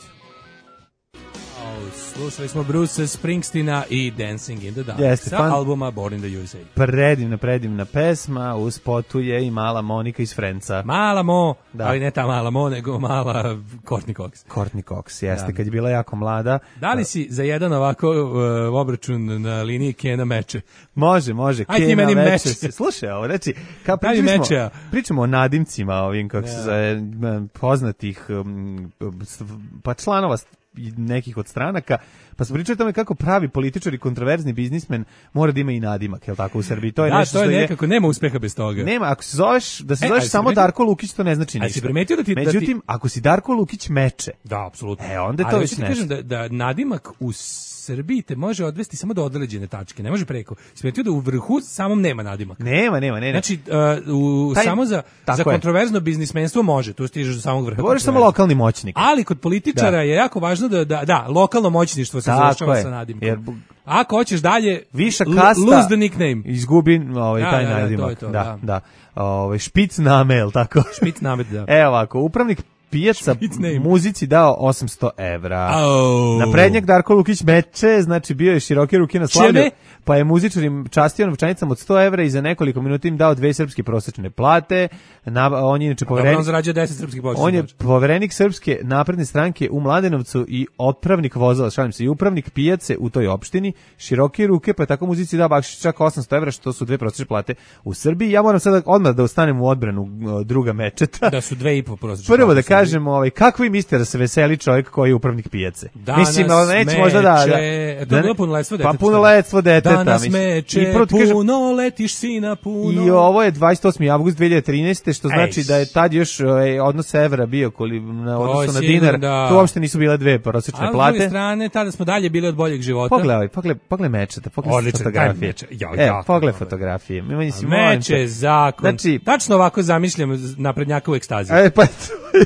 Au, slušali smo Bruce Springsteena i Dancing in the Dark Jeste, sa fan- albuma Born in the U S A. Predivna, predivna pesma, u spotu je i mala Monika iz Frenca. Mala Mo, Da. ali ne ta mala Mo, nego mala Courtney Cox. Courtney Cox, jeste, Da. kad je bila jako mlada. Da li si za jedan ovako uh, obračun na liniji Kena meče? Može, može. Aj ti Kena meni veče meče. se- Slušaj, ovo, reći, kao Daj mi pričali mečea. smo, pričamo o nadimcima ovim, kako se Da. zove, m, poznatih um, s- pa članova s- i nekih od stranaka, pa smo pričali o tome kako pravi političar i kontroverzni biznismen mora da ima i nadimak, je li tako u Srbiji? To je Da, nešto to je što nekako, nema uspeha bez toga. Nema, ako se zoveš, da se E, zoveš ali si samo primetio- Darko Lukić, to ne znači A si ništa. primetio da ti- da ti- Međutim, ako si Darko Lukić meče, Da, apsolutno. E, onda je to Ali već hoću ti nešto. kažem da, da nadimak u Srbiji te može odvesti samo do određene tačke, ne može preko. Smetio da u vrhu samom nema nadimak. nema, nema, ne, ne. Znači, uh, u, Taj- samo za, tako za je. kontroverzno biznismenstvo može, tu stižeš do samog vrha. Govoriš samo kontroverze. lokalni moćnik. Ali kod političara Da. je jako važno da, da, da lokalno moćništvo se Tako završava je, sa nadimkom. jer bu- Ako hoćeš dalje, Viša l- kasta lose the nickname. izgubi ovaj Da, taj da, da, nadimak. to je to, da, da. da. Ovaj špic name, jel tako? Špic namet, da. Evo ovako, upravnik pijaca Špic name. muzici dao osamsto evra. Au. Na prednjak Darko Lukić meče, znači bio je široke ruke na slavlju, Čeme? pa je muzičar im častio novčanicama od sto evra i za nekoliko minuta im dao dve srpske prosečne plate. Na, on je inače Dobro, poverenik, on zarađuje deset srpskih početa. on je poverenik Srpske napredne stranke u Mladenovcu i otpravnik vozila, šalim se, i upravnik pijace u toj opštini, široke ruke, pa je tako muzici dao bakšiš čak osamsto evra, što su dve prosečne plate u Srbiji. Ja moram sada odmah da ostanem u odbranu uh, druga mečeta. Da su dve i po prosečne. Prvo da plate u Srbiji. kažem, ovaj, kako vi mislite da se veseli čovjek koji je upravnik pijace? Danas mislim, ali neće možda da... da E, to je bilo punoletstvo deteta. Pa punoletstvo deteta. Danas mislim. meče, I prvo ti kažem, puno letiš sina, puno. I ovo je dvadeset osmi avgust dve hiljade trinaeste. što znači Ej. da je tad još ovaj, odnos evra bio koli, na odnosu na sigurno, dinar. da. To uopšte nisu bile dve prosječne A s plate. druge strane, tada smo dalje bili od boljeg života. Pogledaj, pogledaj, pogledaj mečeta, pogledaj Odličan, fotografije. taj meč, ja, e, jako pogledaj dobar. fotografije. Mi A si molim meč te. je zakon. Znači, Tačno ovako zamišljam naprednjakovu ekstaziju. e, pa,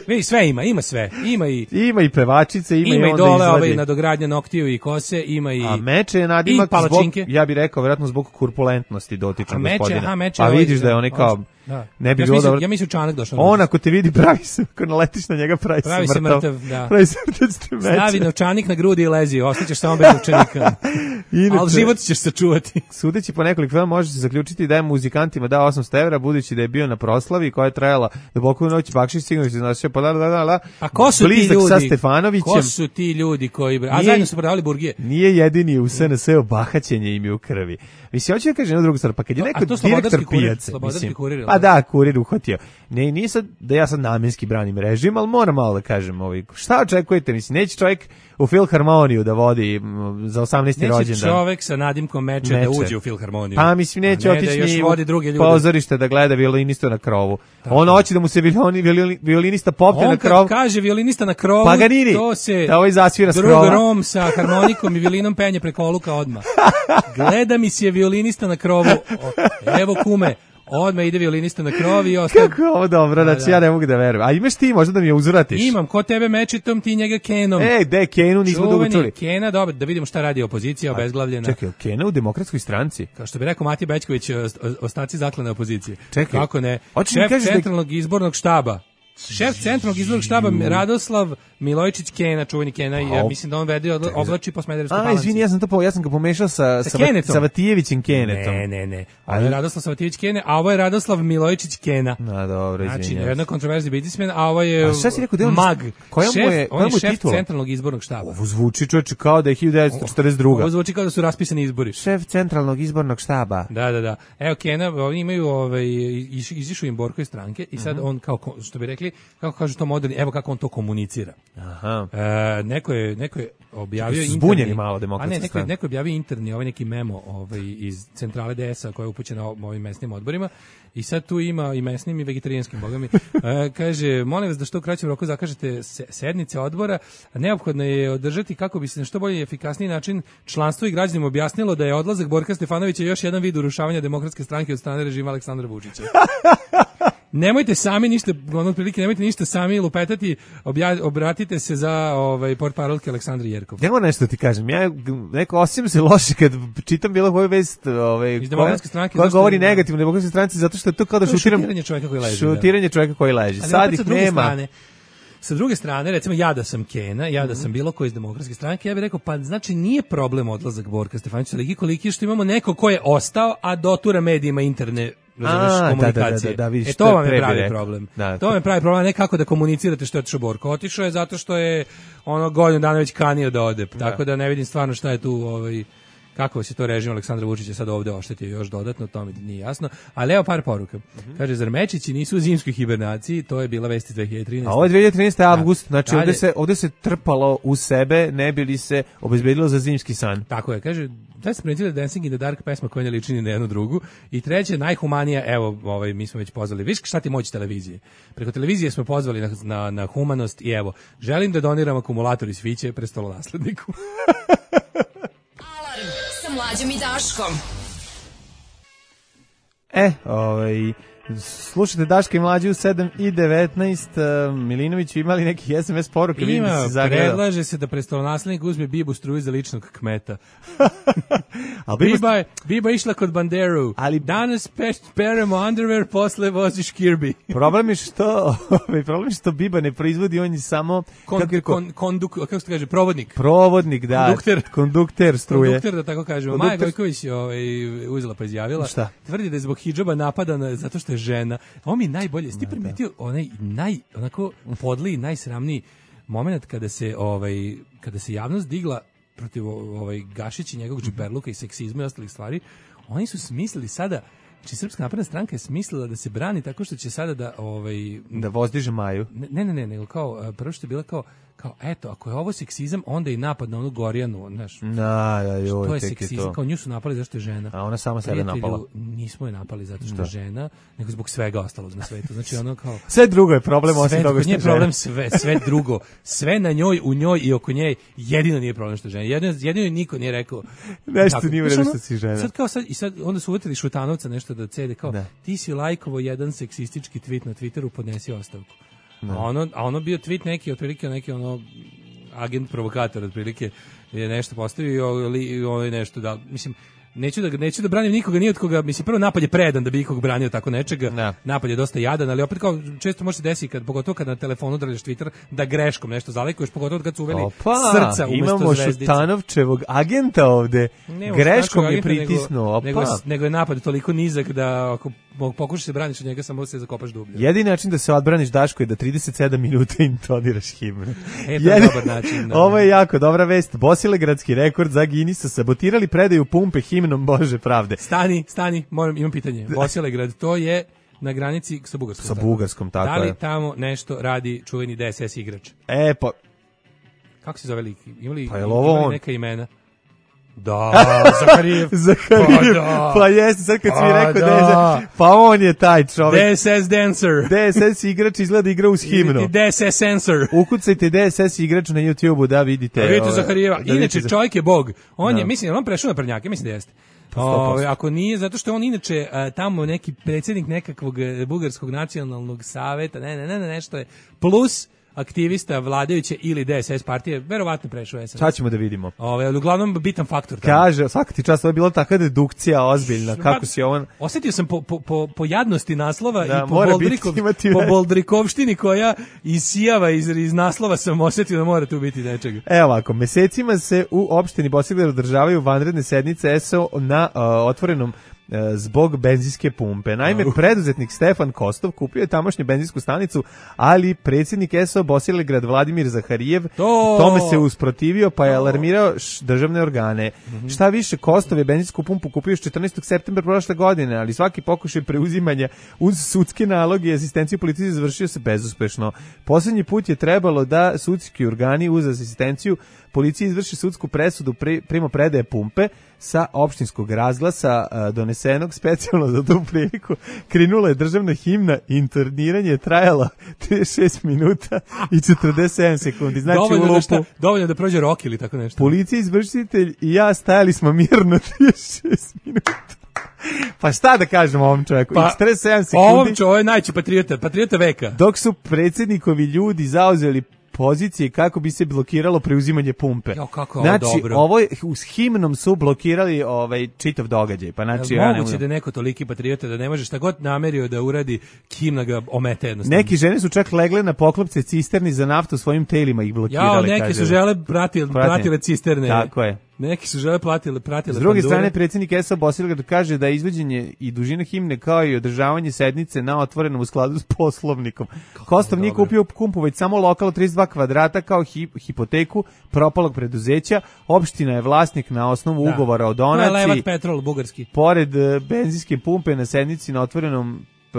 Vidi, sve ima, ima sve. Ima i ima i pevačice, ima, ima i i onda dole izvadi. ovaj nadogradnja noktiju i kose, ima i A meče je nadimak i palačinke. zbog, ja bih rekao, vjerojatno zbog kurpulentnosti dotičnog A meče, gospodina. aha, meče A ovaj- vidiš da je on kao, Da. ne bi ja bilo mislim, dobro. Ja mislim čanak došao. On ako te vidi pravi se, ako naletiš na njega pravi, Pravi se se mrtav. mrtav, da. Pravi se mrtav s meče. Stavi novčanik na grudi i lezi, ostaćeš samo bez novčanika. Inače, Ali život ćeš sačuvati. Sudeći po nekoliko filma može se zaključiti da je muzikantima dao osamsto evra, budući da je bio na proslavi koja je trajala duboko u noć, Bakšić sigurno se znašao, pa da, da, da, da, A ko su ti blizak ljudi? sa Stefanovićem. Ko su ti ljudi koji... A Nije- zajedno su prodavali burgije. Nije jedini u S N S-u, bahaćenje im je u krvi. Mislim, hoću da kažem jednu drugu stvar, pa kad je A neko to slobodarski direktor kurir, pijace, slobodarski mislim, kurir, jel pa da? da, kurir uhvatio. Ne, nije sad da ja sad namjenski branim režim, ali moram malo da kažem, ovaj, šta očekujete, mislim, neće čovjek u Filharmoniju da vodi m, za osamnaesti Neće rođendan. čovek sa nadimkom meče, Meče. da uđe u Filharmoniju. Pa mislim neće A ne da otići još ni vodi druge u ljude. pozorište da gleda violinistu na krovu. On hoće da mu se violini, violini, violinista popne On na kad krov. kaže violinista na krovu, Paganini, to se da ovaj zasvira s drug krova. Rom sa harmonikom i violinom penje preko oluka odmah. Gleda mi se violinista na krovu. O, evo kume, odmah ide violinista na krov i ostaje. Kako je ovo dobro, znači da. ja ne mogu da verujem. A imaš ti možda da mi je uzvratiš? Imam, ko tebe mečitom, ti njega kenom. Ej, de, Kenu nismo dugo Čuveni čuli. Kena, dobro, da vidimo šta radi opozicija obezglavljena. Čekaj, Kena u demokratskoj stranci? Kao što bi rekao Matija Bećković, o- o- ostaci zaklane opozicije. Čekaj. Kako ne? Hoćeš mi Šef kažeš da- centralnog izbornog štaba. Šef centralnog izbornog štaba Radoslav Milojičić Kena, čuveni Kena, i ja Au. mislim da on vede odla- oblači po Smederevskoj A, Palanci. izvini, ja sam to po, ja sam ga pomešao sa, Sa sa, Kenetom. sa Vatijevićem Kenetom. Ne, ne, ne. Ovo Ali- je Radoslav Savatijević Kene, a ovo je Radoslav Milojičić Kena. A, dobro, Znači, izvinjam jedna se. kontroverzni biznismen, a ovo je A šta si rekao, da je on- mag. koja mu šef, je- on koja je mu je šef titula? centralnog izbornog štaba. Ovo zvuči čoveče kao da je hiljadu devetsto četrdeset druga. Ovo zvuči kao da su raspisani izbori. Šef centralnog izbornog štaba. Da, da, da. Evo Kena, oni imaju ovaj iš- izišao im Borko iz stranke i Mhm. sad on kao ko- što bi rekli, kako kažu to moderni, evo kako on to komunicira. Aha. E, neko je neko je objavio Su interni, zbunjeni malo Demokratska a ne, neko, je- stranka. neko je objavio interni, ovaj neki memo ovaj iz centrale D S-a koja je upućena o- ovim mesnim odborima i sad tu ima i mesnim i vegetarijanskim bogami. E, kaže, molim vas da što u kraćem roku zakažete se- sednice odbora, neophodno je održati kako bi se na što bolji i efikasniji način članstvo i građanima objasnilo da je odlazak Borka Stefanovića još jedan vid urušavanja Demokratske stranke od strane režima Aleksandra Vučića. Nemojte sami ništa, ono prilike, nemojte ništa sami lupetati, obja, obratite se za ovaj portparolke Aleksandra Jerkov. Ja moram nešto ti kažem, ja neko osim se loše kad čitam bilo koju vest, ovaj, Iz koja, Demokratske stranke, koja zašto- govori negativno o Demokratskoj stranci, zato što je to kao da To je šutiram... šutiranje čoveka koji leži, da. Šutiranje čoveka koji leži. Ali Sad opet ih sa druge nema. strane, sa druge strane, recimo ja da sam Kena, ja da sam bilo ko iz Demokratske stranke, ja bih rekao, pa znači nije problem odlazak Borka Stefanovića, ali koliki je što imamo neko ko je ostao, a dotura medijima interne razumeš, A, da, komunikacije. da, da, da, vidiš, e to to je vam je pre bi pravi rekao. problem. Da, to vam je pravi problem, ne kako da komunicirate što je otišao Borko. Otišao je zato što je ono godinu dana već kanio da ode. Tako da ne vidim stvarno šta je tu ovaj kako se to režim Aleksandra Vučića sad ovde oštetio još dodatno, to mi nije jasno. Ali evo par poruka. Mhm. Kaže, zar mečići nisu u zimskoj hibernaciji? To je bila vest iz dve hiljade trinaeste. A ovo je dve hiljade trinaeste avgust, znači Dalje. ovde se, ovde se trpalo u sebe, ne bi li se obezbedilo za zimski san. Tako je, kaže, da se primetili Dancing in the Dark pesma koja ne liči ni na jednu drugu. I treće, najhumanija, evo, ovaj, mi smo već pozvali, viš šta ti moći televizije? Preko televizije smo pozvali na, na, na humanost i evo, želim da doniram akumulator iz Fiće prestolonasledniku. Alarm sa Mlađom i Daškom. E, ovaj, slušajte Daška i Mlađu u sedam i devetnaest. Uh, Milinoviću, imali neki S M S poruke? Vidim da Ima, si zagledao. predlaže se da prestolonaslednik uzme Bibu struju za ličnog kmeta. Ali Biba- Biba, je, Biba išla kod Banderu. Ali- Danas pe, peremo underwear, posle voziš Kirby. Problem je što, ovaj, problem je što Biba ne proizvodi, on je samo Kon, kako je ko- kon, konduk, kako se kaže, provodnik. provodnik, da, Kondukter. kondukter struje. Kondukter, da tako kažemo. Kondukter- Maja Gojković je ovaj, uzela pa izjavila. Šta? Tvrdi da je zbog hidžaba napadana zato što je žena. Ovo mi je najbolje. Jesi ti primetio onaj naj, onako podliji, najsramniji moment kada se, ovaj, kada se javnost digla protiv ovaj, Gašića i njegovog džiberluka i seksizma i ostalih stvari, oni su smislili sada Znači, Srpska napredna stranka je smislila da se brani tako što će sada da... Ovaj, da vozdiže Maju. Ne, ne, ne, nego kao, prvo što je bila kao, kao, eto, ako je ovo seksizam, onda je i napad na onu Gorjanu, znaš. Da, da, joj, to je tek je seksizam, to. kao nju su napali zašto je žena. A ona sama sebe Prijatelju, napala. Nismo je napali zato što Da. je žena, nego zbog svega ostalog na svetu. Znači, ono kao... Sve drugo je problem, osim sve, toga što nije je žena. problem sve, sve drugo. Sve na njoj, u njoj i oko nje, jedino nije problem što je žena. Jedino, jedino niko nije rekao... Nešto tako. nije u Znaš, redu ono, što si žena. Sad kao sad, i sad, onda su uvetili Šutanovca nešto da cede, kao, Da. ti si lajkovo jedan seksistički tweet na Twitteru, podnesi ostavku. A ono, a ono bio tweet neki, otprilike neki ono, agent provokator, otprilike je nešto postavio i ovo je nešto da, mislim, neću da, neću da branim nikoga, ni od koga, mislim, prvo napad je predan da bi ikog branio tako nečega, Da. napad je dosta jadan, ali opet kao često može se desiti, kad, pogotovo kad na telefonu drljaš Twitter, da greškom nešto zalajkuješ, pogotovo kad su uveli Opa, srca umesto imamo zvezdice. Šutanovčevog agenta ovde. Ne, Greškom je agenta, pritisnuo. Opa. Nego, nego, nego je napad toliko nizak da ako pokušaš se braniš od njega, samo se zakopaš dublje. Jedini način da se odbraniš, Daško, je da trideset sedam minuta intoniraš himnu. E, to je Jedini- dobar način, da. Ovo je jako dobra vest. Bosilegradski rekord za Guinnessa sabotirali predaju pumpe himnom Bože pravde. Stani, stani, moram, imam pitanje. Bosilegrad, to je na granici sa Bugarskom. Sa tako? Bugarskom, tako Da li je. tamo nešto radi čuveni D S S igrač? E, pa, Kako se zove lik? Imali, Pa je li ovo imali on? neka imena? Da, Zaharijev. Zaharijev, Pa da. pa jeste, sad kad si mi Pa rekao da. da je, pa on je taj čovek. D S S dancer. D S S igrač izgleda igra uz himnu. D S S sensor. Ukucajte D S S igrač na YouTubeu da vidite. A vidite ove, Zaharijeva. da vidite Inače, Zah- čovjek je bog. On je, Da. mislim, je li on prešao na prnjake, mislim da jeste. sto posto. Ove, ako nije, zato što je on inače a, tamo neki predsjednik nekakvog e, bugarskog nacionalnog saveta, ne, ne, ne, ne, nešto je, plus aktivista vladajuće ili D S S partije, verovatno prešao S N S. Sad ćemo da vidimo. Ove, ali uglavnom bitan faktor. tamo. Kaže, svaka ti čast, ovo je bila takva dedukcija ozbiljna, kako si ovo... Osjetio sam po, po, po, po jadnosti naslova Da, i po, mora Boldrikov, biti, imati po veze. Boldrikovštini koja isijava iz, iz naslova, sam osjetio da mora tu biti nečega. Evo ovako, mesecima se u opštini Bosilegrad održavaju vanredne sednice S O na uh, otvorenom uh, zbog benzinske pumpe. Naime, preduzetnik Stefan Kostov kupio je tamošnju benzinsku stanicu, ali predsjednik S O Bosilegrad Vladimir Zaharijev To- tome se usprotivio, pa je alarmirao š- državne organe. Mhm. Šta više, Kostov je benzinsku pumpu kupio još četrnaestog septembra prošle godine, ali svaki pokušaj preuzimanja uz sudske naloge i asistenciju policije završio se bezuspešno. Poslednji put je trebalo da sudski organi uz asistenciju policije izvrši sudsku presudu pri, primo predaje pumpe sa opštinskog razglasa a, donesenog specijalno za tu priliku. Krenula je državna himna, interniranje je trajalo trideset šest minuta i četrdeset sedam sekundi. Znači dovoljno, u da lupu. šta, dovoljno da prođe rok ili tako nešto. Policija, izvršitelj i ja stajali smo mirno trideset šest minuta. Pa šta da kažemo ovom čovjeku? Pa, I četrdeset sedam sekundi. Ovom čo, ovo je najći patriota, patriota veka. Dok su predsjednikovi ljudi zauzeli pozicije kako bi se blokiralo preuzimanje pumpe. Jo, kako je ovo znači, dobro. ovo je, s himnom su blokirali ovaj čitav događaj. Pa znači, Jel ja ne moguće mogu- da je neko toliki patriota da ne može šta god namerio da uradi, himna ga omete jednostavno. Neki žene su čak legle na poklopce cisterni za naftu svojim telima ih blokirali. Jao, neke kaže. su žele pratile, Pratile. pratile cisterne. Tako je. Neki su žele platile, pratile S druge pandure. strane, predsjednik S O Bosilegrad kaže da je izvođenje i dužina himne kao i održavanje sednice na otvorenom u skladu s poslovnikom. Kostov nije dobro. kupio pumpu, već samo lokal od trideset dva kvadrata kao hi, hipoteku propalog preduzeća. Opština je vlasnik na osnovu Da. ugovora o To je donaciji. Levat Petrol, bugarski. Pored e, benzinske pumpe na sednici na otvorenom p-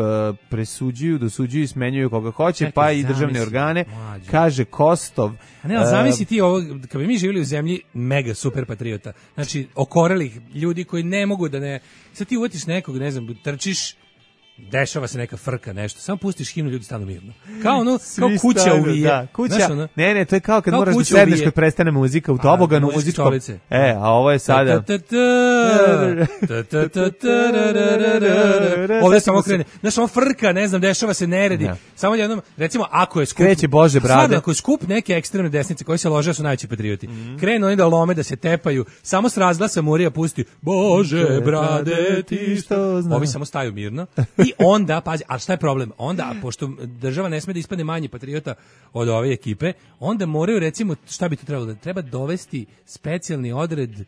presuđuju, dosuđuju i smenjuju koga hoće, Čekaj, pa i državne zamisli, organe. mlađe. Kaže Kostov. A ne, ali e, zamisli ti ovo, kad bi mi živjeli u zemlji mega super patriota, znači okorelih ljudi koji ne mogu da ne, sad ti uvetiš nekog, ne znam, trčiš, dešava se neka frka, nešto, samo pustiš himnu, ljudi stanu mirno. Kao ono, kao Svi kuća stanu, uvije. Da, kuća, Znaš, ono, ne, ne, to je kao kad kao moraš da kuća sedneš uvije. kad prestane muzika u A, toboganu muzičke muzičkom. stolice. E, a ovo je sada... Ta, ta, ta, ta, ta, ta, ta, ra, ra, ra, ra, ra. Ovdje samo krene. Znaš, on frka, ne znam, dešava se neredi. Da. Samo jednom, recimo, ako je skup... Kreće Bože brade. Stvarno, ako je skup neke ekstremne desnice koji se lože, su najveći patrioti. Krenu oni da lome, da se tepaju, samo s razglasa Murija pusti Bože brade ti što zna. Ovi samo staju mirno. I onda, pazi, a šta je problem? Onda, pošto država ne sme da ispadne manji patriota od ove ekipe, onda moraju, recimo, šta bi to trebalo? Da treba dovesti specijalni odred e,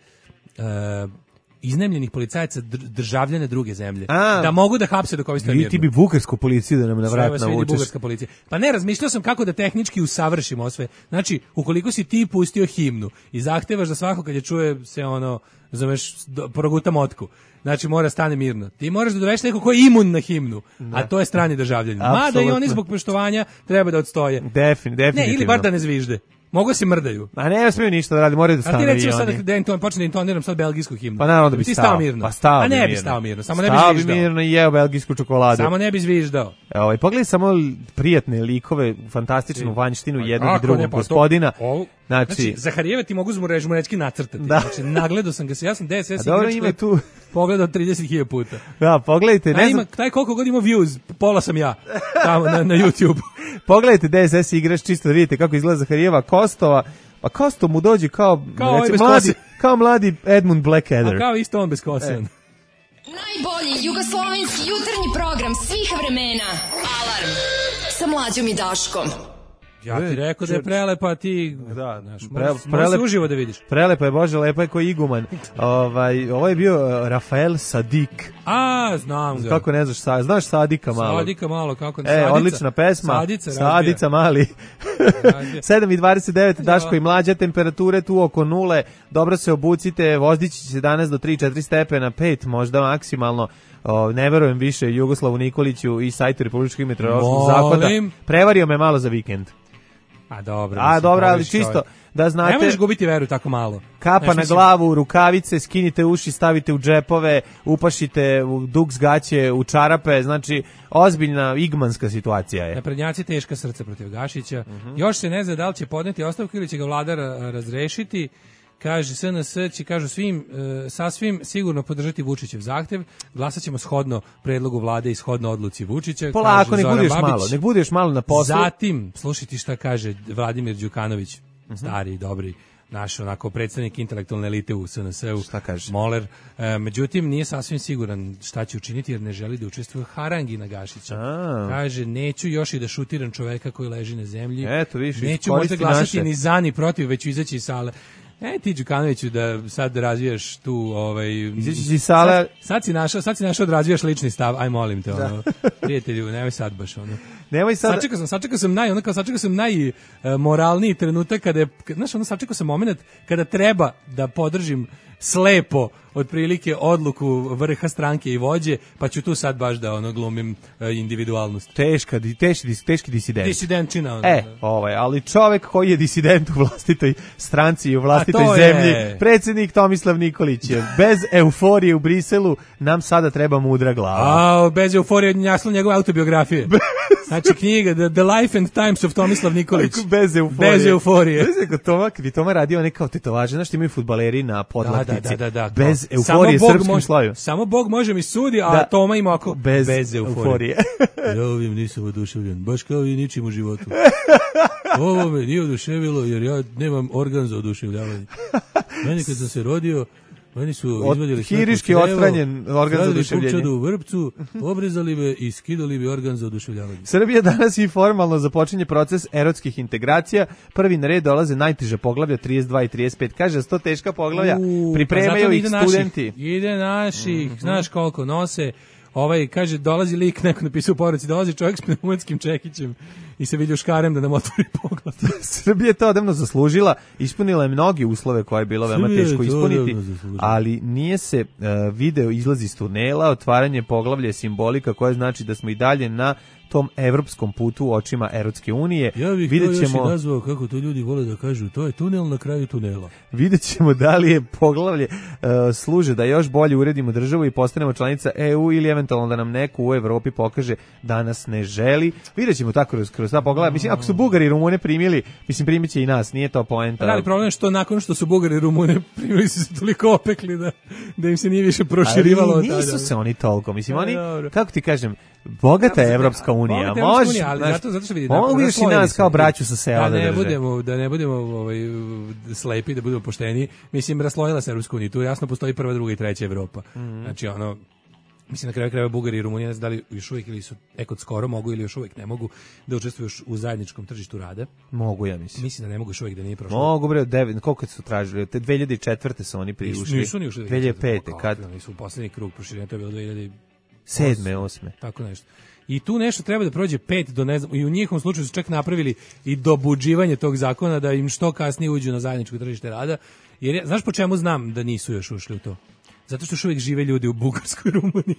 iznemljenih policajaca dr- državljana druge zemlje. A. Da mogu da hapse dok ovi stoje I mirno. ti bi bugarsku policiju da nam na Sve vrat vas vidi navučeš. bugarska policija. Pa ne, razmišljao sam kako da tehnički usavršimo sve. Znači, ukoliko si ti pustio himnu i zahtevaš da svako kad je čuje se ono, zoveš, proguta motku, znači mora stane mirno. Ti moraš da doveš neko ko je imun na himnu, da. A to je strani državljanin. Mada i oni zbog poštovanja treba da odstoje. Defin, definitivno. Ne, ili bar da ne zvižde. Mogu se mrdaju. A ne smiju ništa da radi, moraju da stane. A ti recimo i sad oni. da inton, počne da intoniram sad belgijsku himnu. Pa naravno da bi ti stao. stao mirno. Pa stao A ne bi bi mirno. stao mirno, samo ne bi Stao zviždao. bi mirno i jeo belgijsku čokoladu. Samo ne bi zviždao. Ovaj pogledaj samo prijatne likove, fantastičnu vanjštinu jednog i drugog gospodina. Znači, Znači, Zaharijeva ti mogu zmurežmurečki nacrtati. Da. Znači, nagledao sam ga se, ja sam D S S a dobro ima tu. Pogledao trideset hiljada puta. Da, pogledajte, Taj, ne znam, ima, taj koliko god ima views, pola sam ja, tamo na, na YouTube. pogledajte D S S igrač čisto da vidite kako izgleda Zaharijeva Kostova. Pa Kosto mu dođe kao, Kao ovaj recimo, bez mladi, kose. kao mladi Edmund Blackadder. A kao isto on bez kose. E. Najbolji jugoslovenski jutarnji program svih vremena. Alarm sa Mlađom i Daškom. Ja ti rekao da je prelepa, a ti... Da, znaš, pre, moraš, prelep, moraš uživo da vidiš. Prelepa je, Bože, lepa je ko iguman. ovaj, ovo je bio uh, Rafael Sadik. A, znam ga. Kako ne znaš, sa, znaš Sadika malo? Sadika malo, kako ne. E, Sadica. odlična pesma. Sadica, Sadica mali. sedam i dvadeset devet, Daško i Mlađa, temperature tu oko nule. Dobro se obucite, vozdići će se danas do tri četiri stepena, pet možda maksimalno. O, ne verujem više Jugoslavu Nikoliću i sajtu Republičkog meteorološkog zavoda. Prevario me malo za vikend. A dobro. A dobro, ali čisto čovjek. da znate. Ne možeš gubiti veru tako malo. Kapa Znaš, na mislim, glavu, rukavice, skinite uši, stavite u džepove, upašite u duks gaće, u čarape, znači ozbiljna igmanska situacija je. Naprednjaci teška srca protiv Gašića. Mhm. Još se ne zna da li će podneti ostavku ili će ga vlada ra- razrešiti. Kaže, S N S će, kažu svim, e, sasvim sigurno podržati Vučićev zahtev. Glasat ćemo shodno predlogu vlade i shodno odluci Vučića. Polako, kaže nek Zoran budeš Babić. malo, nek budeš malo na poslu. Zatim, slušajte šta kaže Vladimir Đukanović, Mhm. stari, dobri, naš onako predstavnik intelektualne elite u S N S-u. Šta kaže? Moler. E, međutim, nije sasvim siguran šta će učiniti jer ne želi da učestvuje u harangi na Gašića. A. Kaže, neću još i da šutiram čoveka koji leži na zemlji. Eto, vidiš, neću možda iskoristi glasati naše. ni za ni protiv, već ću izaći iz sale. E ti Đukanoviću da sad razvijaš tu ovaj Izaći iz sale. Sad, sad si našao, sad si našao da razvijaš lični stav. Aj molim te ono. Prijatelju, nemoj sad baš ono. Nemoj sad. Sačekao sam, sačekao sam naj, ono kao sačekao sam najmoralniji trenutak kada je, znaš, ono sačekao sam momenat kada treba da podržim slepo otprilike odluku vrha stranke i vođe, pa ću tu sad baš da ono glumim e, individualnost. Teška, di- teški, dis- teški disident. Disidentčina. Ono, E, ovaj, ali čovek koji je disident u vlastitoj stranci i u vlastitoj A to zemlji, je- predsjednik Tomislav Nikolić je bez euforije u Briselu, nam sada treba mudra glava. A, bez euforije naslov njegove autobiografije. Znači knjiga The, The Life and Times of Tomislav Nikolić. Bez euforije. Bez euforije. Znaš kako Toma, kad bi Toma radio one kao tetovaže, znaš što imaju fudbaleri na podlaktici. Da, da, da, da, bez kao, euforije samo Bog srpskom može- sloju. Samo Bog može mi sudi, a Da. Toma ima ako Bez, bez euforije. euforije. Ja ovim nisam oduševljen, baš kao i ničim u životu. Ovo me nije oduševilo jer ja nemam organ za oduševljavanje. Meni kad sam se rodio, meni su Od- izvadili sve hiriški po crevo, odstranjen organ za stavili oduševljenje. pupčadu u vrpcu, obrezali me i skidali mi organ za oduševljavanje. Srbija danas i formalno započinje proces erotskih integracija. Prvi na red dolaze najteža poglavlja trideset dva i trideset pet. Kaže, sto teška poglavlja, U, pripremaju pa zato ih ide naših, studenti. ide naših, znaš koliko nose. Ovaj, kaže, dolazi lik, neko napisao u poruci, dolazi čovjek s pneumatskim čekićem i se vidi u škarem da nam otvori pogled. Srbija je to odavno zaslužila, ispunila je mnogi uslove koje je bilo veoma Srbija je teško to ispuniti, odavno zaslužila. ali nije se uh, video izlazi iz tunela, otvaranje poglavlja je simbolika koja znači da smo i dalje na tom evropskom putu u očima Erotske unije. Ja bih Vidjet to još ćemo- i nazvao, kako to ljudi vole da kažu, to je tunel na kraju tunela. Vidjet ćemo da li je poglavlje uh, služe da još bolje uredimo državu i postanemo članica E U ili eventualno da nam neko u Evropi pokaže da nas ne želi. Vidjet ćemo tako kroz, kroz ta poglavlja. Mislim, ako su Bugari i Rumune primili, mislim, primit će i nas, nije to poenta. Da li problem je što nakon što su Bugari i Rumune primili su se toliko opekli da, da im se nije više proširivalo Ali od nisu tada. se oni toliko. Mislim, Pa, oni, dobro. kako ti kažem, bogata je Evropska unija. Bogata je Evropska Može, unija, ali znaš, zato, zato što vidi, mogu još i raslojili nas su. kao braću sa sela da da ne drže. budemo, da ne budemo ovaj, slepi, da budemo pošteni. Mislim, raslojila se Evropska unija. Tu jasno postoji prva, druga i treća Evropa. Mhm. Znači, ono, mislim na kraju krajeva Bugarija i Rumunija, ne znam da li još uvijek ili su ekod skoro mogu ili još uvijek ne mogu da učestvuju u zajedničkom tržištu rada. Mogu, ja mislim. Mislim da ne mogu još uvijek, da nije prošlo. Mogu, bre, devet, koliko su tražili? Te dve hiljade četvrte su oni priušli. Nisu ni ušli. dve hiljade pete, kad? Nisu u posljednji krug proširenja, to je bilo dve hiljade sedme, osme. Tako nešto. I tu nešto treba da prođe pet do ne znam, i u njihovom slučaju su čak napravili i dobuđivanje tog zakona da im što kasnije uđu na zajedničko tržište rada. Jer ja, znaš po čemu znam da nisu još ušli u to? Zato što još uvijek žive ljudi u Bugarskoj i Rumuniji.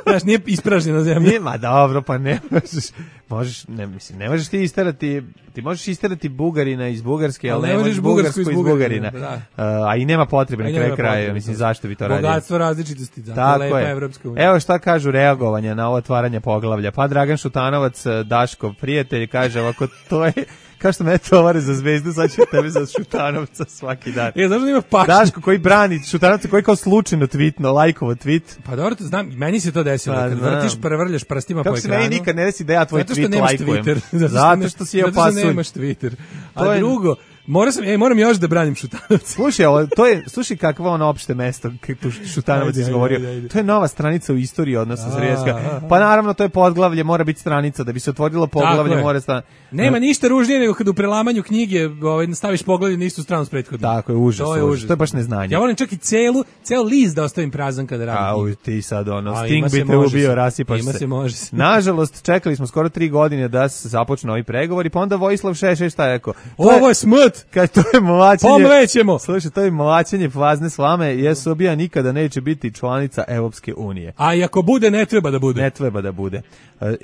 Znaš, nije ispražnjena zemlja. Nije, ma dobro, pa ne možeš, možeš, ne, mislim, ne možeš ti isterati, ti možeš isterati Bugarina iz Bugarske, ali, ali ne možeš Bugarsku iz Bugarina. Da. Uh, a i nema potrebe na kraju kraja, mislim, zašto bi to radio? Bogatstvo različitosti, da, lepa Evropska unija. Evo šta kažu reagovanja na ovo otvaranje poglavlja. Pa Dragan Šutanovac, Daško, prijatelj, kaže ovako, to je... Kao što me tovare za Zvezdu, sad će tebe za Šutanovca svaki dan. E, znaš da ima paš... Daško koji brani Šutanovca, koji kao slučajno tweetno, lajkovo tweet. Pa dobro, to znam, meni se to desilo. Pa, kad vrtiš, prevrljaš prstima kako po ekranu. Kako se meni nikad ne desi da ja tvoj tweet lajkujem. Twitter, zato, zato što si je opasulj. Zato što nemaš Twitter. A je... drugo, Moram sam, ej, moram još da branim Šutanovca. Slušaj, ovo, to je, slušaj kakvo ono opšte mesto, kako Šutanovac izgovorio. Ajde, ajde, ajde. To je nova stranica u istoriji odnosa Zrijevska. Pa naravno, to je podglavlje, mora biti stranica, da bi se otvorilo poglavlje, mora stan... Nema ništa ružnije nego kad u prelamanju knjige ovaj, staviš poglavlje na istu stranu s prethodnom. Tako je, užas, to je, užas. To je baš neznanje. Ja volim čak i celu, ceo list da ostavim prazan kada radim. A, ti sad ono, a, Sting bi te ubio, rasipaš ima se. se može se. Nažalost, čekali smo skoro tri godine da se započnu ovi pregovori, pa onda Vojislav Šešelj šta je rekao? Ovo je smrt! Kad to je mlačenje. Pomlećemo. Slušaj, to je mlačenje prazne slame, jer Srbija nikada neće biti članica Evropske unije. A i ako bude, ne treba da bude. Ne treba da bude.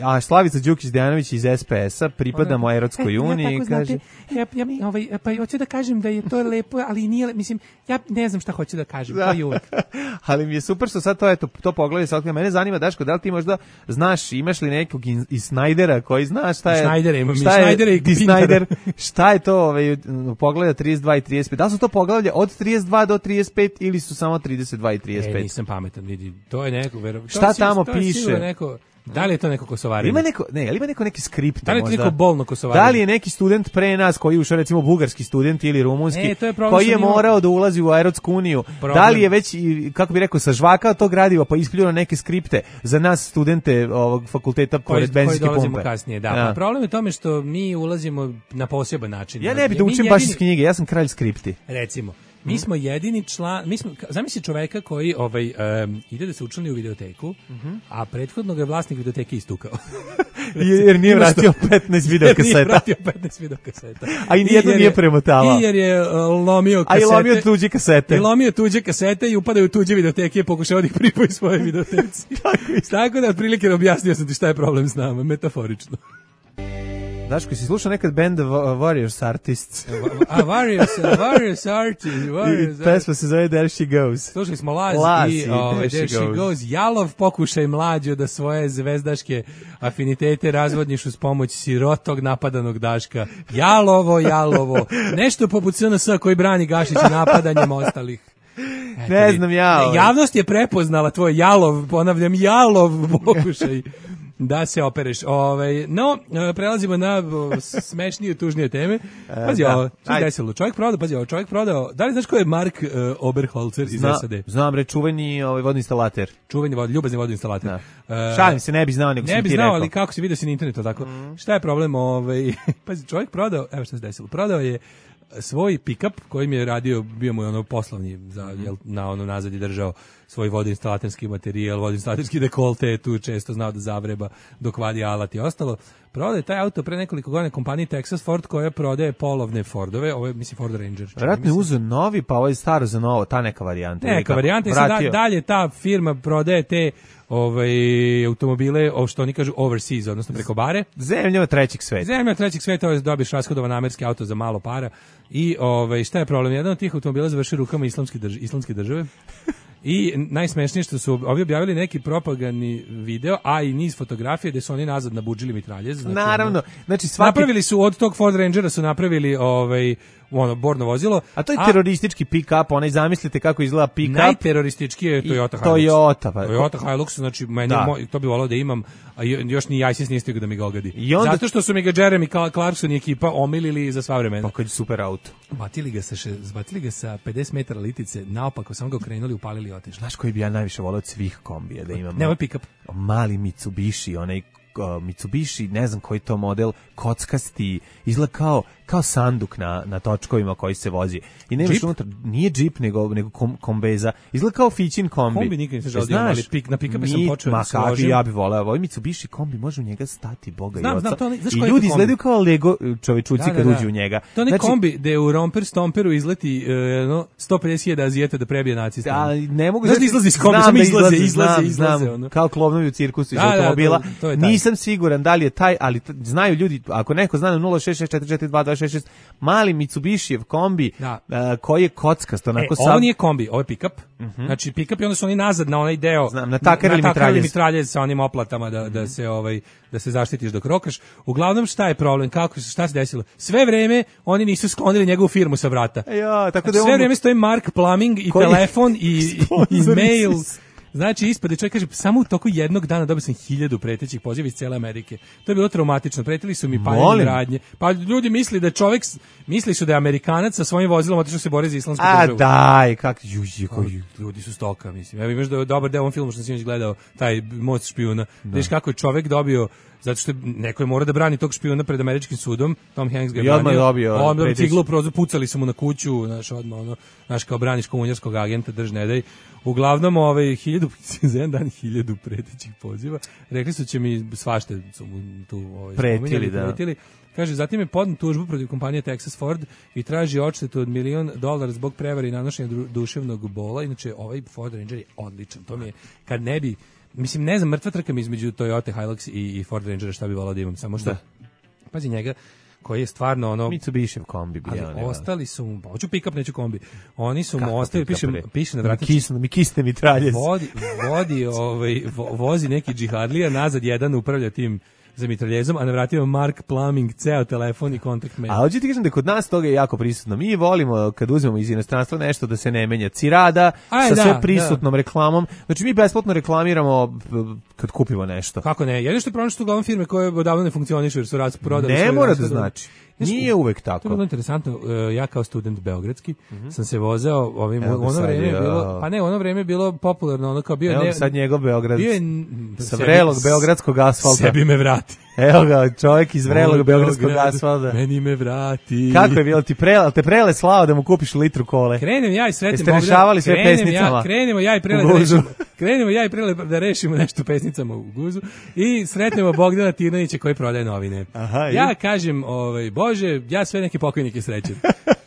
A Slavica Đukić-Dejanović iz S P S-a, pripadamo Evropskoj uniji, ja kaže... Ja, ja, ovaj, pa hoću da kažem da je to lepo, ali nije, mislim, ja ne znam šta hoću da kažem, to je uvek. Ali mi je super što sad to, eto, to pogledaj, sad mene zanima, Daško, da li ti možda znaš, imaš li nekog iz Snajdera koji zna šta je... Snajdera, imam šta i Snajdera i Snajder, šta je to, ovaj, poglavlja trideset dva i trideset pet, da li su to poglavlja od trideset dva do trideset pet ili su samo trideset dva i trideset pet? E, nisam pametan, vidi, to je neko... Vero, šta tamo piše? Neko, da li je to neko kosovarenje? Ima neko, ne, ali ima neko neki skript. Da li je to možda? neko bolno kosovarenje? Da li je neki student pre nas koji ušao, recimo bugarski student ili rumunski, e, je koji je morao ima... da ulazi u Evropsku uniju? Da li je već, kako bi rekao, sažvakao to gradivo pa ispljuo neke skripte za nas studente ovog fakulteta pored benzinske pumpe? Koji dolazimo kasnije, da. Ja. Pa problem je u tome što mi ulazimo na poseban način. Ja ne bih da učim baš iz knjige, ja sam kralj skripti. Recimo. Mi smo jedini član, mi smo, zamisli čoveka koji ovaj, um, ide da se učlani u videoteku, uh-huh. a prethodno ga je vlasnik videoteke istukao. Jer nije vratio petnaest videokaseta. Jer nije vratio petnaest videokaseta. A i nijedno nije premotavao. I jer je uh, lomio kasete. A i lomio tuđe kasete. I lomio tuđe kasete i upadaju u tuđe videoteke i pokušao da ih pripoji svoje videoteci. Tako da, otprilike, objasnio sam ti šta je problem s nama, metaforično. Daško, si slušao nekad band Warriors Artists? A, Warriors, Warriors Artists. Warriors, I pesma se zove There She Goes. Slušali smo Laz, Laz i, ove, There, There She Goes. goes. Jalov pokušaj mlađo da svoje zvezdaške afinitete razvodniš uz pomoć sirotog napadanog Daška. Jalovo, jalovo. Nešto poput S N S koji brani Gašića napadanjem ostalih. Eto, ne znam ja. Ne, javnost je prepoznala tvoj jalov, ponavljam, jalov pokušaj da se opereš. Ove, no, prelazimo na smešnije, tužnije teme. Pazi, da. ovo, što je desilo? Čovjek prodao, pazi, ovo, čovjek prodao, da li znaš ko je Mark uh, Oberholzer iz Zna, S A D? Znam, bre, čuveni ovaj, vodoinstalater. Čuveni vod, ljubazni vodoinstalater. Uh, Šalim se, ne bi znao, nego ne sam bi ti znao, rekao. ali kako si vidio si na internetu, tako? Mm. Šta je problem? Ovaj, pazi, čovjek prodao, evo što se desilo, prodao je svoj pick-up kojim je radio, bio mu je ono poslovni, za, jel, na ono nazad je držao svoj vodoinstalaterski materijal, vodoinstalaterski dekolte, tu često znao da zavreba dok vadi alat i ostalo. Prodaje taj auto pre nekoliko godina kompaniji Texas Ford koja prodaje polovne Fordove, ovo je, mislim, Ford Ranger. Vratno je uzeo novi, pa ovo je staro za novo, ta neka varijanta. Neka varijanta, i sad dalje ta firma prodaje te ovaj, automobile, o što oni kažu overseas, odnosno preko bare. Zemlja trećeg sveta. Zemlja trećeg sveta, dobiš rashodovan američki auto za malo para. I ovaj, šta je problem? Jedan od tih automobila završi rukama islamske, drž islamske države. I najsmešnije što su ovi objavili neki propagandni video, a i niz fotografije gde su oni nazad nabudžili mitraljez. Znači, naravno, znači svaki... napravili su od tog Ford Rangera su napravili ovaj ono borno vozilo. A to je teroristički pick-up, onaj zamislite kako izgleda pick-up. Najteroristički je Toyota Hilux. Toyota, pa. Toyota Hilux, znači meni Da. moj, to bi volao da imam, a još ni ISIS nije stigao da mi ga ogadi. I onda- Zato što su mi ga Jeremy Clarkson i ekipa omilili za sva vremena. Pa kad je super auto. Batili ga sa še, zbatili ga sa pedeset metara litice, naopako samo ga okrenuli, upalili i otišli. Znaš koji bi ja najviše volao od svih kombija da imam? Ne, ovo je pick-up. Mali Mitsubishi, onaj uh, Mitsubishi, ne znam koji to model, kockasti, izgleda kao, kao sanduk na, na točkovima koji se vozi. I nemaš Jeep? unutra, nije džip, nego, nego kom, kombeza. Izgleda kao Fićin kombi. Kombi nikad nisam želeo da Znaš, imam, ali pik- na pick-upe sam mi- počeo ma, da se kakvi ložim. ja bi voleo. Ovaj Mitsubishi kombi može u njega stati, boga Znam, i oca. znam, to onaj- znaš I koji je ljudi to kombi? izgledaju kao Lego čovečuci Da, da, kad da. uđu u njega. To je onaj Znači, kombi gde u Romper Stomperu izleti uh, no, sto pedeset hiljada Azijeta da prebije nacista. A ne mogu Znaš da izlazi iz kombi, znam samo da izlaze, izlaze, znam, izlaze, znam, ono. kao klovnovi u cirkusu iz Da, da, automobila. to- to je taj. Nisam siguran da li je taj, ali t- znaju ljudi, ako neko zna na nula šest šest četiri četiri dva dva šest šest, mali Mitsubishijev kombi Da. a, koji je kockast, E, onako ovo sad. nije kombi, ovo je pick-up. Znači pick-up i onda su oni nazad na onaj deo. Znam, natakarili mitraljez. mitraljez sa onim oplatama da, da se ovaj da se zaštitiš dok rokaš. Uglavnom šta je problem? Kako se šta se desilo? Sve vreme oni nisu sklonili njegovu firmu sa vrata. Ja, tako da Znači, je sve on- vreme stoji Mark Plumbing i Koji je telefon i, i, i sponsor mail. ISIS. Znači, ispade čovjek kaže, samo u toku jednog dana dobio sam hiljadu pretećih poziva iz cele Amerike. To je bilo traumatično. Pretili su mi paljenje Molim. radnje. Pa ljudi misli da je čovjek, s- misli su da je Amerikanac sa svojim vozilom otišao se bori za islamsku A državu. daj, kak juži koji. Ljudi su stoka, mislim. Evo imaš da je dobar deo u ovom filmu što sam sinoć gledao, taj Most špijuna. Vidiš kako je čovjek dobio, zato što je neko je mora da brani tog špijuna pred američkim sudom, Tom Hanks ga je I odmah branio. dobio Odmah preteći. ciglu u prozor, pucali su mu na kuću, znaš, odmah ono, znaš, kao braniš komunjarskog agenta, drž ne daj. Uglavnom, ovaj, hiljadu, za jedan dan hiljadu pretećih poziva. Rekli su će mi svašta su mu tu ovaj, Pretili, spominjali, da. pretili. Kaže, zatim je podn tužbu protiv kompanije Texas Ford i traži odštetu od milion dolara zbog prevare i nanošenja dru- duševnog bola. Inače, ovaj Ford Ranger je odličan. To mi je, kad ne bi, mislim, ne znam, mrtva trka mi između Toyota Hilux i, i Ford Rangera šta bi volao da imam. Samo što, pazi njega, koji je stvarno ono... Mitsubishijev kombi bi Ali ja. ostali su mu, pa hoću pick-up, neću kombi. Oni su Kako mu ostavili, pick-up, piše, bre? piše na Mi vratici. kisne, mi kisne mitraljez. Vodi, vodi ovaj, vo- vozi neki džihadlija, nazad jedan upravlja tim za mitraljezom, a na vratima Mark Plumbing, ceo telefon i kontakt mail. A hoću ti kažem da kod nas toga je jako prisutno. Mi volimo kad uzmemo iz inostranstva nešto da se ne menja. Cirada Aj, sa da, sve prisutnom reklamom. Znači mi besplatno reklamiramo b- kad kupimo nešto. Kako ne? Jedino što je problem što uglavnom firme koje odavno ne funkcionišu jer su raz prodali Ne svoje mora da rashode. znači. Znaš, Nije uvek To je tako. bilo interesantno. e, Ja kao student beogradski sam se vozeo ovim, Evo u ga ono sad, vreme je ja. bilo, pa ne, u ono vreme je bilo popularno, ono kao bio Evo ne, ga sad njegov Beograd. bio je n- Sa sebi- vrelog beogradskog asfalta. Sebi me vrati. Evo ga, čovjek iz vrelog Moj beogradskog Beograd, asfalta. Meni me vrati. Kako je bilo ti prele, te prele slao da mu kupiš litru kole? Krenem ja i sretnem Jeste Bogdana- rešavali sve krenem pesnicama? Ja, krenemo ja i prele U da guzu. rešimo. Krenemo ja i prele da rešimo nešto pesnicama u guzu i sretnemo Bogdana Tirnanića koji prodaje novine. Aha, i? Ja kažem, ovaj Bože, ja sve neke pokojnike srećem.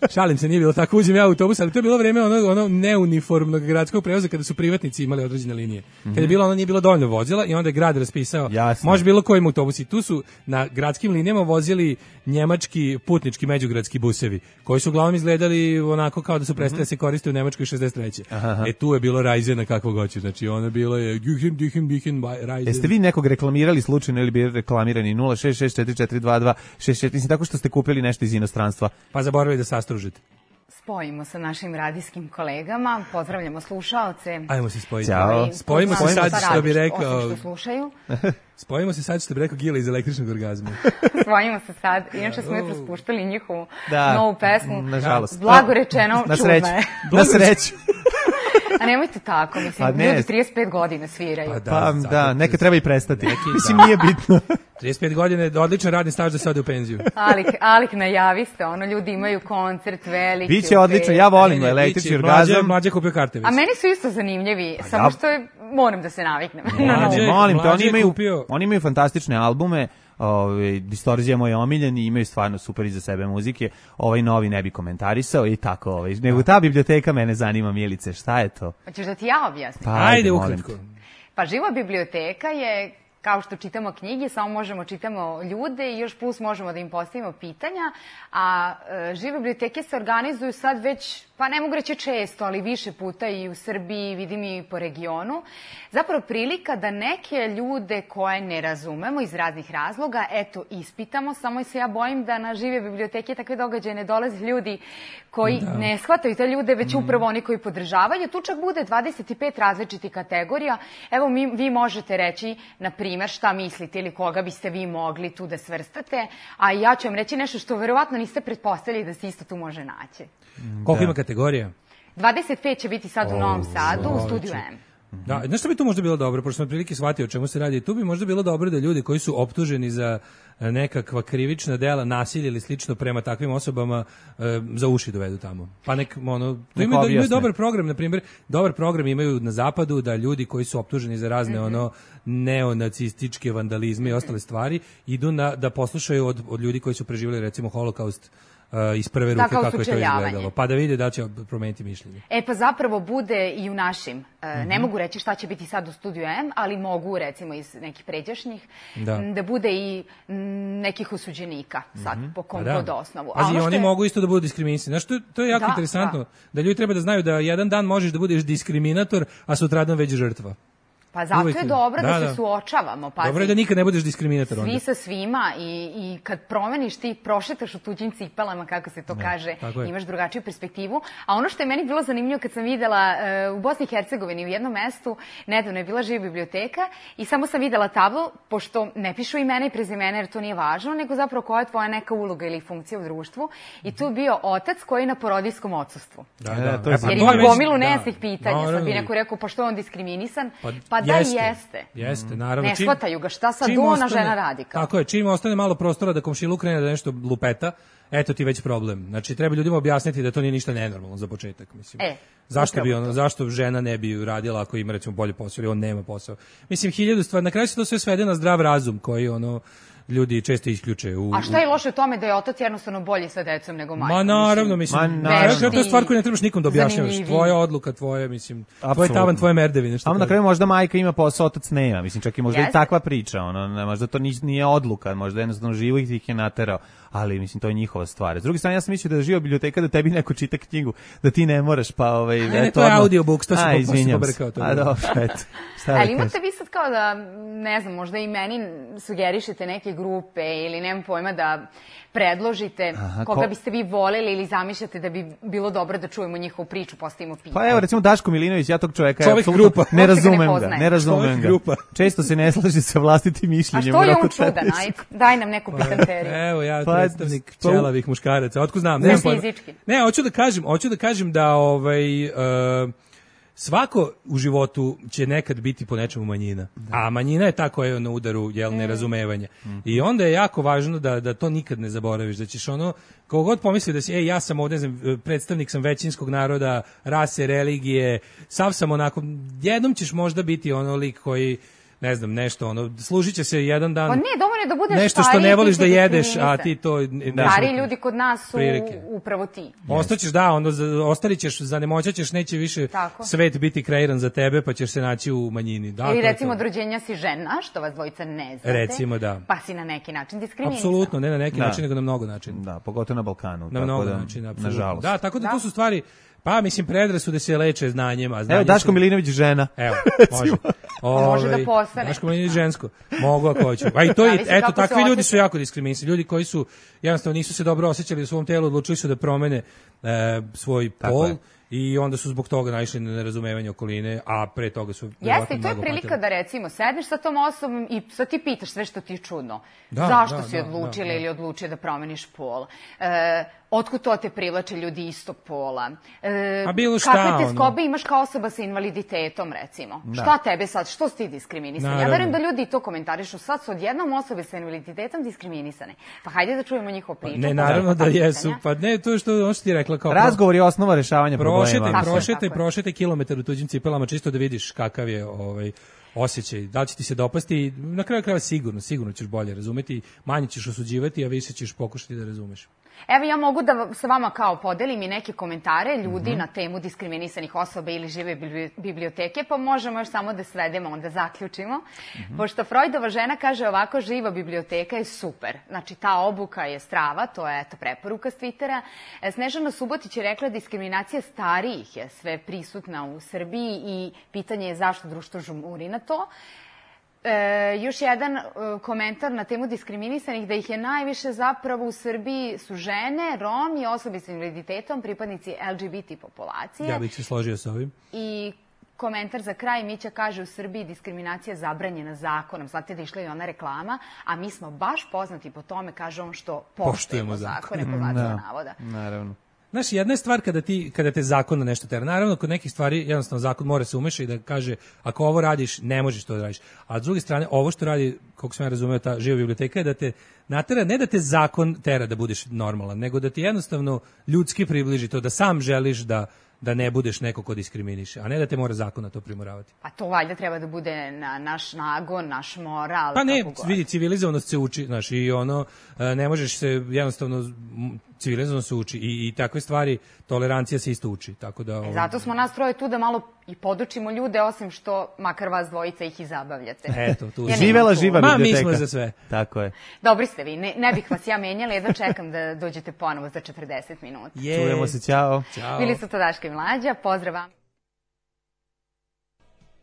Šalim se, nije bilo tako, uđem ja u autobus, ali to je bilo vreme ono, ono neuniformnog gradskog prevoza kada su privatnici imali određene linije. Kada je bilo ono nije bilo dovoljno vozila i onda je grad raspisao, Jasno. može bilo kojim autobusi. Tu su na gradskim linijama vozili njemački putnički međugradski busevi, koji su uglavnom izgledali onako kao da su prestali da se koriste u Nemačkoj šezdeset treće. Aha. E tu je bilo Rajzena kakvog hoćeš, znači ono bilo je Güchen, Düchen, Düchen, Rajzen. Jeste vi nekog reklamirali slučajno ili bili reklamirani nula šest šest četiri četiri dva dva šest šest, mislim tako što ste kupili nešto iz inostranstva? Pa zaboravili da sastružite. Spojimo sa našim radijskim kolegama, pozdravljamo slušaoce. Ajmo se spojiti. Ćao. koji Spojimo se poznaju sad, šta što bi radiš, rekao- osim što slušaju. Spojimo se sad što bi rekao Gila iz električnog orgazma. Spojimo se sad. Inače smo jutro spuštali njihovu Da, novu pesmu. nažalost. Blago rečeno, Na čudna sreću. je. Na sreću. A nemojte tako, mislim, Pa ne. ljudi trideset pet godina sviraju. Pa da. Pa zato- da, neka treba i prestati. Neki, Mislim, da. nije bitno. trideset pet godina je odličan radni staž da se ode u penziju. Alik, Alik najaviste, ono, ljudi imaju koncert veliki. Biće u odlično, petak. ja volim Ne, ne, električni biće, mlađe, orgazam. mlađe kupio karte već. A meni su isto zanimljivi, samo ja- što je, moram da se naviknem. na Mlađe- novo. Molim te, mlađe oni je imaju, kupio- oni imaju fantastične albume, ovaj Distorzija moj omiljen i imaju stvarno super iza sebe muzike. Ovaj novi ne bi komentarisao i tako, ovaj. Nego ta biblioteka mene zanima, Milice, šta je to? Hoćeš da ti ja objasnim? Pa Ajde molim ukratko. te. Pa Živa biblioteka je kao što čitamo knjige, samo možemo čitamo ljude i još plus možemo da im postavimo pitanja, a e, žive biblioteke se organizuju sad već, pa ne mogu reći često, ali više puta i u Srbiji, vidim i po regionu. Zapravo prilika da neke ljude koje ne razumemo iz raznih razloga, eto, ispitamo, samo se ja bojim da na žive biblioteke takve događaje ne dolaze ljudi koji da. ne shvataju te ljude, već upravo oni koji podržavaju. Tu čak bude dvadeset pet različitih kategorija. Evo, mi, vi možete reći, na primer, šta mislite ili koga biste vi mogli tu da svrstate, a ja ću vam reći nešto što verovatno niste pretpostavili da se isto tu može naći. Da. Koliko ima kategorija? dvadeset pet će biti sad u Novom Sadu, u Studiju M. Da, znaš što bi tu možda bilo dobro, pošto sam prilike shvatio o čemu se radi, tu bi možda bilo dobro da ljudi koji su optuženi za nekakva krivična dela, nasilje ili slično prema takvim osobama e, za uši dovedu tamo. Pa nek, ono, tu imaju, imaju dobar program, na primjer, dobar program imaju na zapadu da ljudi koji su optuženi za razne mm-hmm. ono neonacističke vandalizme i ostale stvari idu na, da poslušaju od, od ljudi koji su preživjeli recimo holokaust Uh, iz prve ruke kako je to izgledalo, pa da vide da će promeniti mišljenje. E pa zapravo bude i u našim, uh, mm-hmm. ne mogu reći šta će biti sad u Studiju M, ali mogu recimo iz nekih pređašnjih, da, da bude i m, nekih osuđenika sad, mm-hmm. po kom god osnovu. A ono oni je... mogu isto da budu diskriminisani. Znaš, to, to je jako da, interesantno, da. da ljudi treba da znaju da jedan dan možeš da budeš diskriminator, a sutradan već žrtva. Pa zato Uvijek je dobro da, da se da. suočavamo. Pazi, dobro je da nikad ne budeš diskriminator onda. Svi sa svima i, i kad promeniš ti, prošetaš u tuđim cipelama, kako se to da, kaže, imaš drugačiju perspektivu. A ono što je meni bilo zanimljivo kad sam videla uh, u Bosni i Hercegovini u jednom mestu, nedavno je bila živa biblioteka i samo sam videla tablu, pošto ne pišu imena i prezimena jer to nije važno, nego zapravo koja je tvoja neka uloga ili funkcija u društvu. I tu je bio otac koji je na porodijskom odsustvu. Da, da, to je jer ima gomilu nejasnih pitanja. Sad bi neko rekao, pa što je on diskriminisan? Pa, pa da jeste. jeste. Jeste, naravno. Ne shvataju ga, šta sad ona žena radi kao. Tako je, čim ostane malo prostora da komšiluk krene da nešto lupeta, eto ti već problem. Znači, treba ljudima objasniti da to nije ništa nenormalno za početak, mislim. E, zašto bi ono, zašto žena ne bi radila ako ima recimo bolji posao ili on nema posao? Mislim, hiljadu stvari, na kraju se to sve svede na zdrav razum koji ono ljudi često isključe. U, A šta je loše u tome da je otac jednostavno bolji sa decom nego majka? Ma naravno, mislim. Ma naravno. To je stvar koju ne trebaš nikom da objašnjavaš. Tvoja odluka, tvoje, mislim, tvoj tavan, tvoje merdevine. Samo na kraju možda majka ima posao, otac nema. Mislim, čak i možda Jeste. i takva priča. Ono, možda to nije odluka, možda jednostavno živo ih je naterao. Ali mislim to je njihova stvar. S druge strane ja sam mislio da je živa biblioteka da tebi neko čita knjigu, da ti ne moraš pa ovaj ne, ne, to je audiobook, to se pobrkao to. A dobro, eto. Ali imate vi sad kao da ne znam, možda i meni sugerišete neke grupe ili nemam pojma da predložite Aha, koga ko... biste vi voleli ili zamišljate da bi bilo dobro da čujemo njihovu priču, postavimo pitanje. Pa evo recimo Daško Milinović, ja tog čoveka Čovjek grupa. ne razumem ga, ne razumem ga. Grupa. Često se ne slaže sa vlastitim mišljenjem. A što je on čudan, aj, daj nam neku pitanteriju. Evo ja predstavnik čelavih muškaraca, otkud znam, ne fizički. Ne, hoću da kažem, hoću da kažem da ovaj uh, svako u životu će nekad biti po nečemu manjina, da. a manjina je ta koja je na udaru jel, nerazumevanja. Mm. I onda je jako važno da, da to nikad ne zaboraviš, da ćeš ono, kako god pomisli da si, ej, ja sam ovdje, ne znam, predstavnik sam većinskog naroda, rase, religije, sav sam onako, jednom ćeš možda biti ono lik koji ne znam, nešto, ono, služit će se jedan dan. Pa ne, dovoljno da budeš nešto što ne voliš da jedeš, a ti to... Da. Stari ljudi kod nas su prilike. Upravo ti. Ostaćeš, da, onda ostali ćeš, zanemoćaćeš, neće više Tako. svet biti kreiran za tebe, pa ćeš se naći u manjini. Da, ili recimo od rođenja si žena, što vas dvojica ne znate. Recimo, da. Pa si na neki način diskriminisan. Apsolutno, ne na neki da. način, nego na mnogo načina. Da, pogotovo na Balkanu. Na mnogo da, načina, nažalost. Da, tako da, da to su stvari... Pa, mislim, predrasude se leče znanjem, a znanje... Evo, Daško Milinović žena. Evo, može. Ove, može da postane. Daško Milinović žensko. Mogu ako hoću. A i to je, eto, takvi ljudi su jako diskriminisani. Ljudi koji su, jednostavno, nisu se dobro osjećali u svom telu, odlučili su da promene e, svoj Tako pol. Je. I onda su zbog toga naišli na nerazumevanje okoline, a pre toga su... Jeste, i to je prilika patili. Da recimo sedneš sa tom osobom i sad ti pitaš sve što ti je čudno. Da, Zašto da, si da, odlučila da, da. ili odlučio da promeniš pol? E, otkud to te privlače ljudi istog pola? E, a bilo šta, kakve te skobe ono. imaš kao osoba sa invaliditetom, recimo? Da. Šta tebe sad, što si ti diskriminisan? Ja verujem da ljudi to komentarišu, sad su odjednom osobe sa invaliditetom diskriminisane. Pa hajde da čujemo njihovu priču. Ne, naravno da jesu. Pa ne, to je što on što ti rekla kao... Razgovor je osnova rešavanja prošete, problema. Prošete, prošete kilometar u tuđim cipelama čisto da vidiš kakav je ovaj osjećaj, da li će ti se dopasti, na kraju krajeva sigurno, sigurno ćeš bolje razumeti, manje ćeš osuđivati, a više ćeš pokušati da razumeš. Evo ja mogu da sa vama kao podelim i neke komentare ljudi mm-hmm. na temu diskriminisanih osoba ili žive biblioteke, pa možemo još samo da svedemo, onda zaključimo. Mm-hmm. Pošto Freudova žena kaže ovako, živa biblioteka je super. Znači ta obuka je strava, to je eto preporuka s Twittera. Snežana Subotić je rekla diskriminacija starijih je sve prisutna u Srbiji i pitanje je zašto društvo žmuri na to. E, još jedan e, komentar na temu diskriminisanih, da ih je najviše zapravo u Srbiji su žene, Romi, osobe s invaliditetom, pripadnici L G B T populacije. Ja bih se složio sa ovim. I komentar za kraj, Mića kaže u Srbiji diskriminacija zabranjena zakonom. Znate da išla i ona reklama, a mi smo baš poznati po tome, kaže on, što poštujemo zakone, po znacima navoda. Naravno. Znaš, jedna je stvar kada, ti, kada te zakon na nešto tera. Naravno, kod nekih stvari jednostavno zakon mora se umeša i da kaže ako ovo radiš, ne možeš to da radiš. A s druge strane, ovo što radi, kako sam ja razumeo, ta živa biblioteka je da te natera, ne da te zakon tera da budeš normalan, nego da ti jednostavno ljudski približi to, da sam želiš da da ne budeš neko ko diskriminiše, a ne da te mora zakon na to primoravati. A to valjda treba da bude na, naš nagon, naš moral. Pa ne, vidi, civilizovanost se uči, znaš, i ono, ne možeš se jednostavno, civilizovanost se uči i, i takve stvari, tolerancija se isto uči, tako da... E, zato smo nas troje tu da malo i podučimo ljude, osim što makar vas dvojica ih i zabavljate. Eto, tu. Ja živela živa biblioteka. Ma, mi smo za sve. Tako je. Dobri ste vi, ne, ne bih vas ja menjala, jedno čekam da dođete ponovo za četrdeset minuta. Je. Čujemo se, ćao. Ćao. Bili su to Daška i Mlađa, pozdrav vam.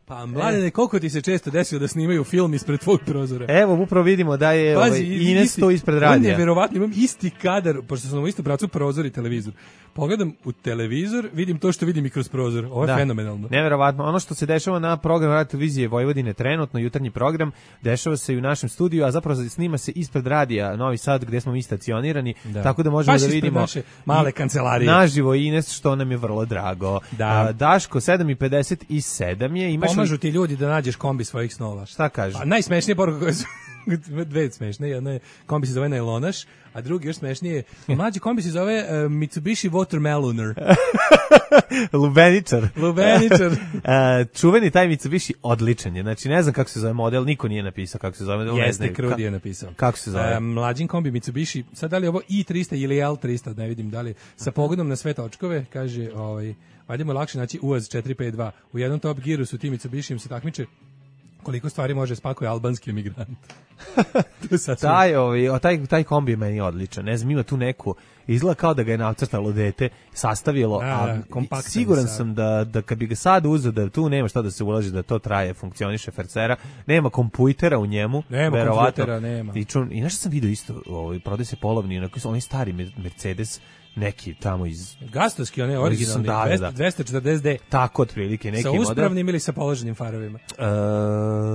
Pa, Mladene, koliko ti se često desilo da snimaju film ispred tvog prozora? Evo, upravo vidimo da je Pazi, ovaj, Ines to ispred radija. On je verovatno, imam isti kadar, pošto sam u isto pravcu prozor i televizor. Pogledam u televizor, vidim to što vidim i kroz prozor. Ovo je da, fenomenalno. Neverovatno. Ono što se dešava na programu Radio televizije Vojvodine trenutno, jutarnji program, dešava se i u našem studiju, a zapravo snima se ispred radija Novi Sad, gde smo mi stacionirani, da. Tako da možemo baš da vidimo naše male kancelarije. Naživo Ines, što nam je vrlo drago. Da. A, Daško, sedam i pedeset sedam je. Imaš Pomažu ti ljudi da nađeš kombi svojih snova. Šta kažeš? Pa, najsmešnije poruka koje su dve smešne, jedna je kombi se zove Najlonaš, a drugi još smešnije, mlađi kombi se zove uh, Mitsubishi Watermeloner. Lubeničar. Lubeničar. uh, čuveni taj Mitsubishi odličan je, znači ne znam kako se zove model, niko nije napisao kako se zove model. Jeste, Krudi je napisao. Kako se zove? Uh, mlađin kombi Mitsubishi, sad da li je ovo i trista ili L trista, ne vidim da li, sa pogodom na sve točkove, kaže, ovaj, valjda mu je lakše naći U A Z četiri pet dva. U jednom Top Gearu su ti Mitsubishijim se takmiče koliko stvari može spakuje albanski emigrant. taj, ovaj, taj, taj kombi je meni odličan. Ne znam, ima tu neku, izgleda kao da ga je nacrtalo dete, sastavilo, a da, siguran sam da, da kad bi ga sad uzeo, da tu nema šta da se ulaži, da to traje, funkcioniše fercera, nema kompujtera u njemu, nema kompujtera, nema. I, čun, i nešto sam vidio isto, ovaj, prodaje se polovni, onako, oni stari Mercedes, neki tamo iz Gastovski, one originalni da, dvesta četrdeset D. Tako otprilike neki model. Sa uspravnim ili sa položenim farovima? E,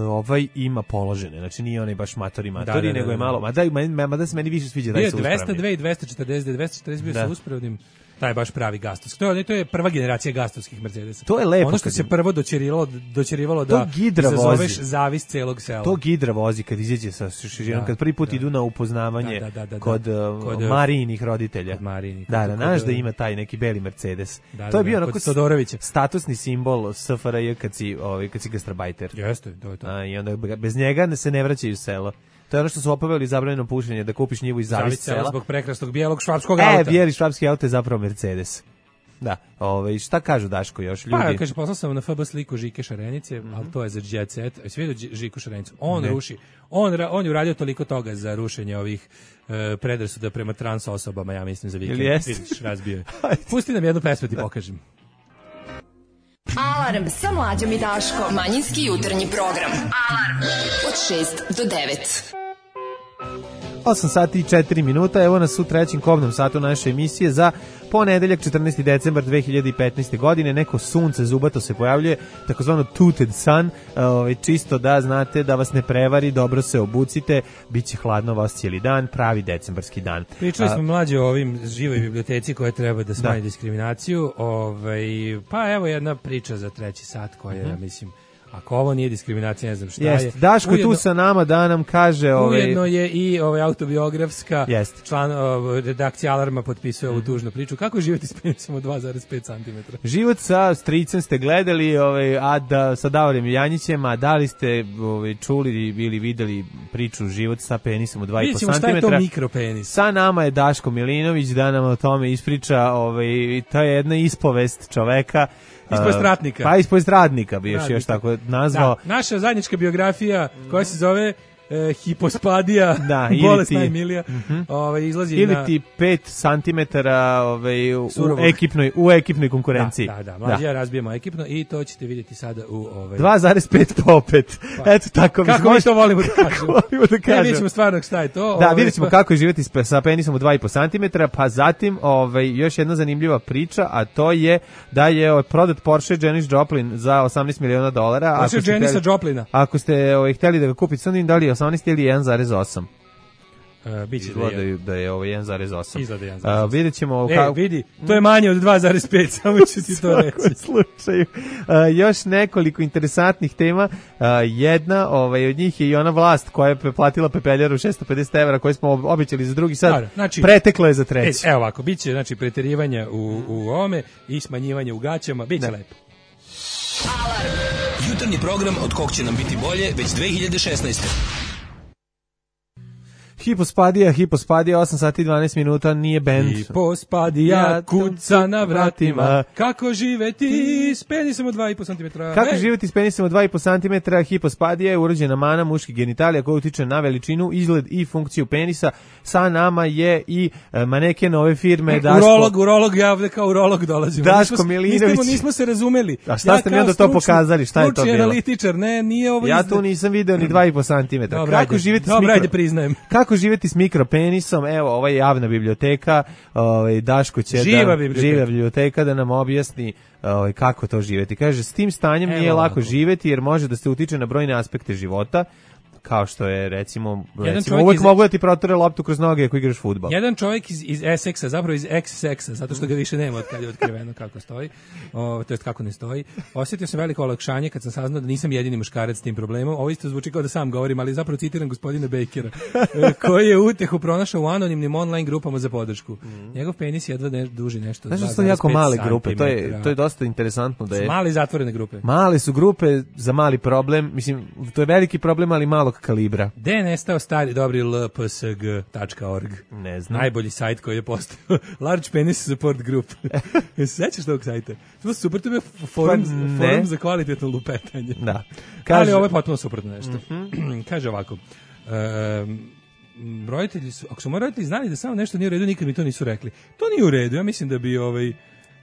ovaj ima položene, znači nije onaj baš matori matori, da, da, nego da, je malo, ma daj, ma, ma da se meni više sviđa da je sa uspravnim. dvesta dva i dvesta četrdeset D, dvesta četrdeset bio sa uspravnim. Taj je baš pravi gastovski. To je, to je prva generacija gastovskih Mercedesa. To je lepo. Ono što se prvo dočerivalo, dočerivalo da zazoveš zavis celog sela. To Gidra vozi kad izađe sa šižinom, da, kad prvi put da. idu na upoznavanje da, da, da, da, kod, da. kod Marijinih roditelja. Kod Marijinih. Da, da, znaš da ima taj neki beli Mercedes. Da, to je bio da, onako statusni simbol S F R J kad si, ovaj, kad si gastrobajter. Jeste, to je to. A, i onda bez njega se ne vraćaju u selo. To je ono što su opavili zabranjeno pušenje, da kupiš njivu iz zavis sela. Zbog prekrasnog bijelog švapskog auta. E, bijeli švapski auto je zapravo Mercedes. Da, ovaj, šta kažu Daško još ljudi? Pa, kaže, poslao sam na F B sliku Žike Šarenice, mm-hmm. ali to je za Jet Set. Jesi vidio Žiku Šarenicu? On ne. ruši, on, on je uradio toliko toga za rušenje ovih uh, predrasuda prema trans osobama, ja mislim, za vikend. Ili jesi? Vidiš, razbio je. Pusti nam jednu pesmu, ti pokažem. Alarm sa Mlađom i Daškom. Manjinski jutarnji program. Alarm od šest do devet. osam sati i četiri minuta, evo nas u trećem kobnom satu naše emisije za ponedeljak četrnaesti decembar dve hiljade petnaeste. godine. Neko sunce zubato se pojavljuje, takozvano tooted sun, ovaj, čisto da znate da vas ne prevari, dobro se obucite, bit će hladno vas cijeli dan, pravi decembarski dan. Pričali smo mlađe o ovim živoj biblioteci koje treba da smanji da. diskriminaciju, ovaj, pa evo jedna priča za treći sat koja je, uh-huh. mislim, Ako ovo nije diskriminacija, ne znam šta Jest. je. Daško je Ujedno- tu sa nama da nam kaže... Ovaj, Ujedno je i ovaj autobiografska Jest. član ovaj, redakcija Alarma potpisuje ovu tužnu priču. Kako živjeti s penisom od dva zarez pet centimetra? Život sa stricem ste gledali, ovaj, a da, sa Davorem Janjićem, a da li ste ovaj, čuli ili videli priču Život sa penisom od dva i po Vidjet ćemo šta je to centimetra? mikropenis. Sa nama je Daško Milinović da nam o tome ispriča, ovaj, to je jedna ispovest čoveka. Ispovest uh, ratnika. Pa ispovest radnika bi još, Radnika. još tako nazvao. Da, naša zajednička biografija koja se zove e, Hipospadija, Da, ili bolest ti- najmilija, ovaj, izlazi Ili na... ti pet centimetara ovaj, u, Surovog. ekipnoj, u ekipnoj konkurenciji. Da, da, da, mlađe ja razbijemo ekipno i to ćete vidjeti sada u... Ovaj... dva zarez pet po opet. Pa. Eto tako. Kako mi to volimo da kažemo. volimo da Ne, kažemo. vidjet ćemo stvarno šta je to. Da, ovaj, vidjet ćemo pa- kako je živjeti s- sa penisom od dva i po centimetra, pa zatim ovaj, još jedna zanimljiva priča, a to je da je ovaj, prodat Porsche Janis Joplin za osamnaest miliona dolara. Porsche Ako ste Janisa hteli- Joplina. Ako ste ovaj, hteli da ga kupite, sad im da li je osamnaest ili jedan zarez osam. E, biće da Izgleda je. je- da je ovo jedan zarez osam. Izgleda jedan zarez osam. A, vidjet ćemo... E, ka- vidi, to je manje od dva zarez pet, samo ću ti to reći. svakom slučaju. A, još nekoliko interesantnih tema. A, jedna ovaj, od njih je i ona vlast koja je platila pepeljaru šesto pedeset evra koje smo ob- obećali za drugi sad. Dobro, znači- preteklo je za E, treći. evo ovako, bit će znači, preterivanja u, u ovome i smanjivanje u gaćama, bit će lepo. Jutarnji program od kog će nam biti bolje već dve hiljade šesnaeste. Hipospadija, Hipospadija, osam sati i dvanaest minuta, nije bend. I pospadija kuca na vratima, kako živeti s penisom od dva i po centimetra. Kako Ej, živjeti s penisom od dva i po centimetra? Hipospadija je urođena mana muških genitalija koja utiče na veličinu, izgled i funkciju penisa. Sa nama je i e, maneken ove firme Daško. Urolog, urolog, ja ovde kao urolog dolazim. Daško Nismo- Milinović. Nismo, nismo se razumeli. A šta ste mi kao onda to stručni- pokazali? Šta je to stručni bilo? analitičar, ne, nije ovo Ja izda- tu nisam video ni dva i po centimetra. Dobro, Kako ajde, živjeti s dobro, mikro... ajde, priznajem. Kako živjeti s mikropenisom? Evo, ovo je javna biblioteka. Ovaj Daško će Živa da biblioteka. živa biblioteka da nam objasni ovaj kako to živjeti. Kaže, s tim stanjem Evo nije lako ovako. živjeti jer može da se utiče na brojne aspekte života, kao što je recimo, Jedan recimo čovjek uvek iz- mogu da ti protore loptu kroz noge ako igraš fudbal. Jedan čovjek iz, iz Essexa, zapravo iz X-Sexa, zato što ga više nema od kad je otkriveno kako stoji, o, to jest kako ne stoji. Osjetio sam veliko olakšanje kad sam saznao da nisam jedini muškarac s tim problemom. Ovo isto zvuči kao da sam govorim, ali zapravo citiram gospodina Bakera, e, koji je utehu pronašao u anonimnim online grupama za podršku. Njegov penis jedva ne, duži nešto. Znaš da dva su to jako zarez pet male grupe, to je, centimetara. to je dosta interesantno da je... Male zatvorene grupe. Male su grupe za mali problem, mislim, to je veliki problem, ali malog kalibra. Gde je nestao stari dobri l p s g tačka org? Ne znam. Najbolji sajt koji je postao. Large Penis Support Group. Jel se sećaš tog sajta? To je super, to je forum, Pa ne. forum za kvalitetno lupetanje. Da. Ali ovo je potpuno suprotno nešto. Kaže ovako, um, roditelji su, ako su moji roditelji znali da samo nešto nije u redu, nikad mi to nisu rekli. To nije u redu, ja mislim da bi ovaj,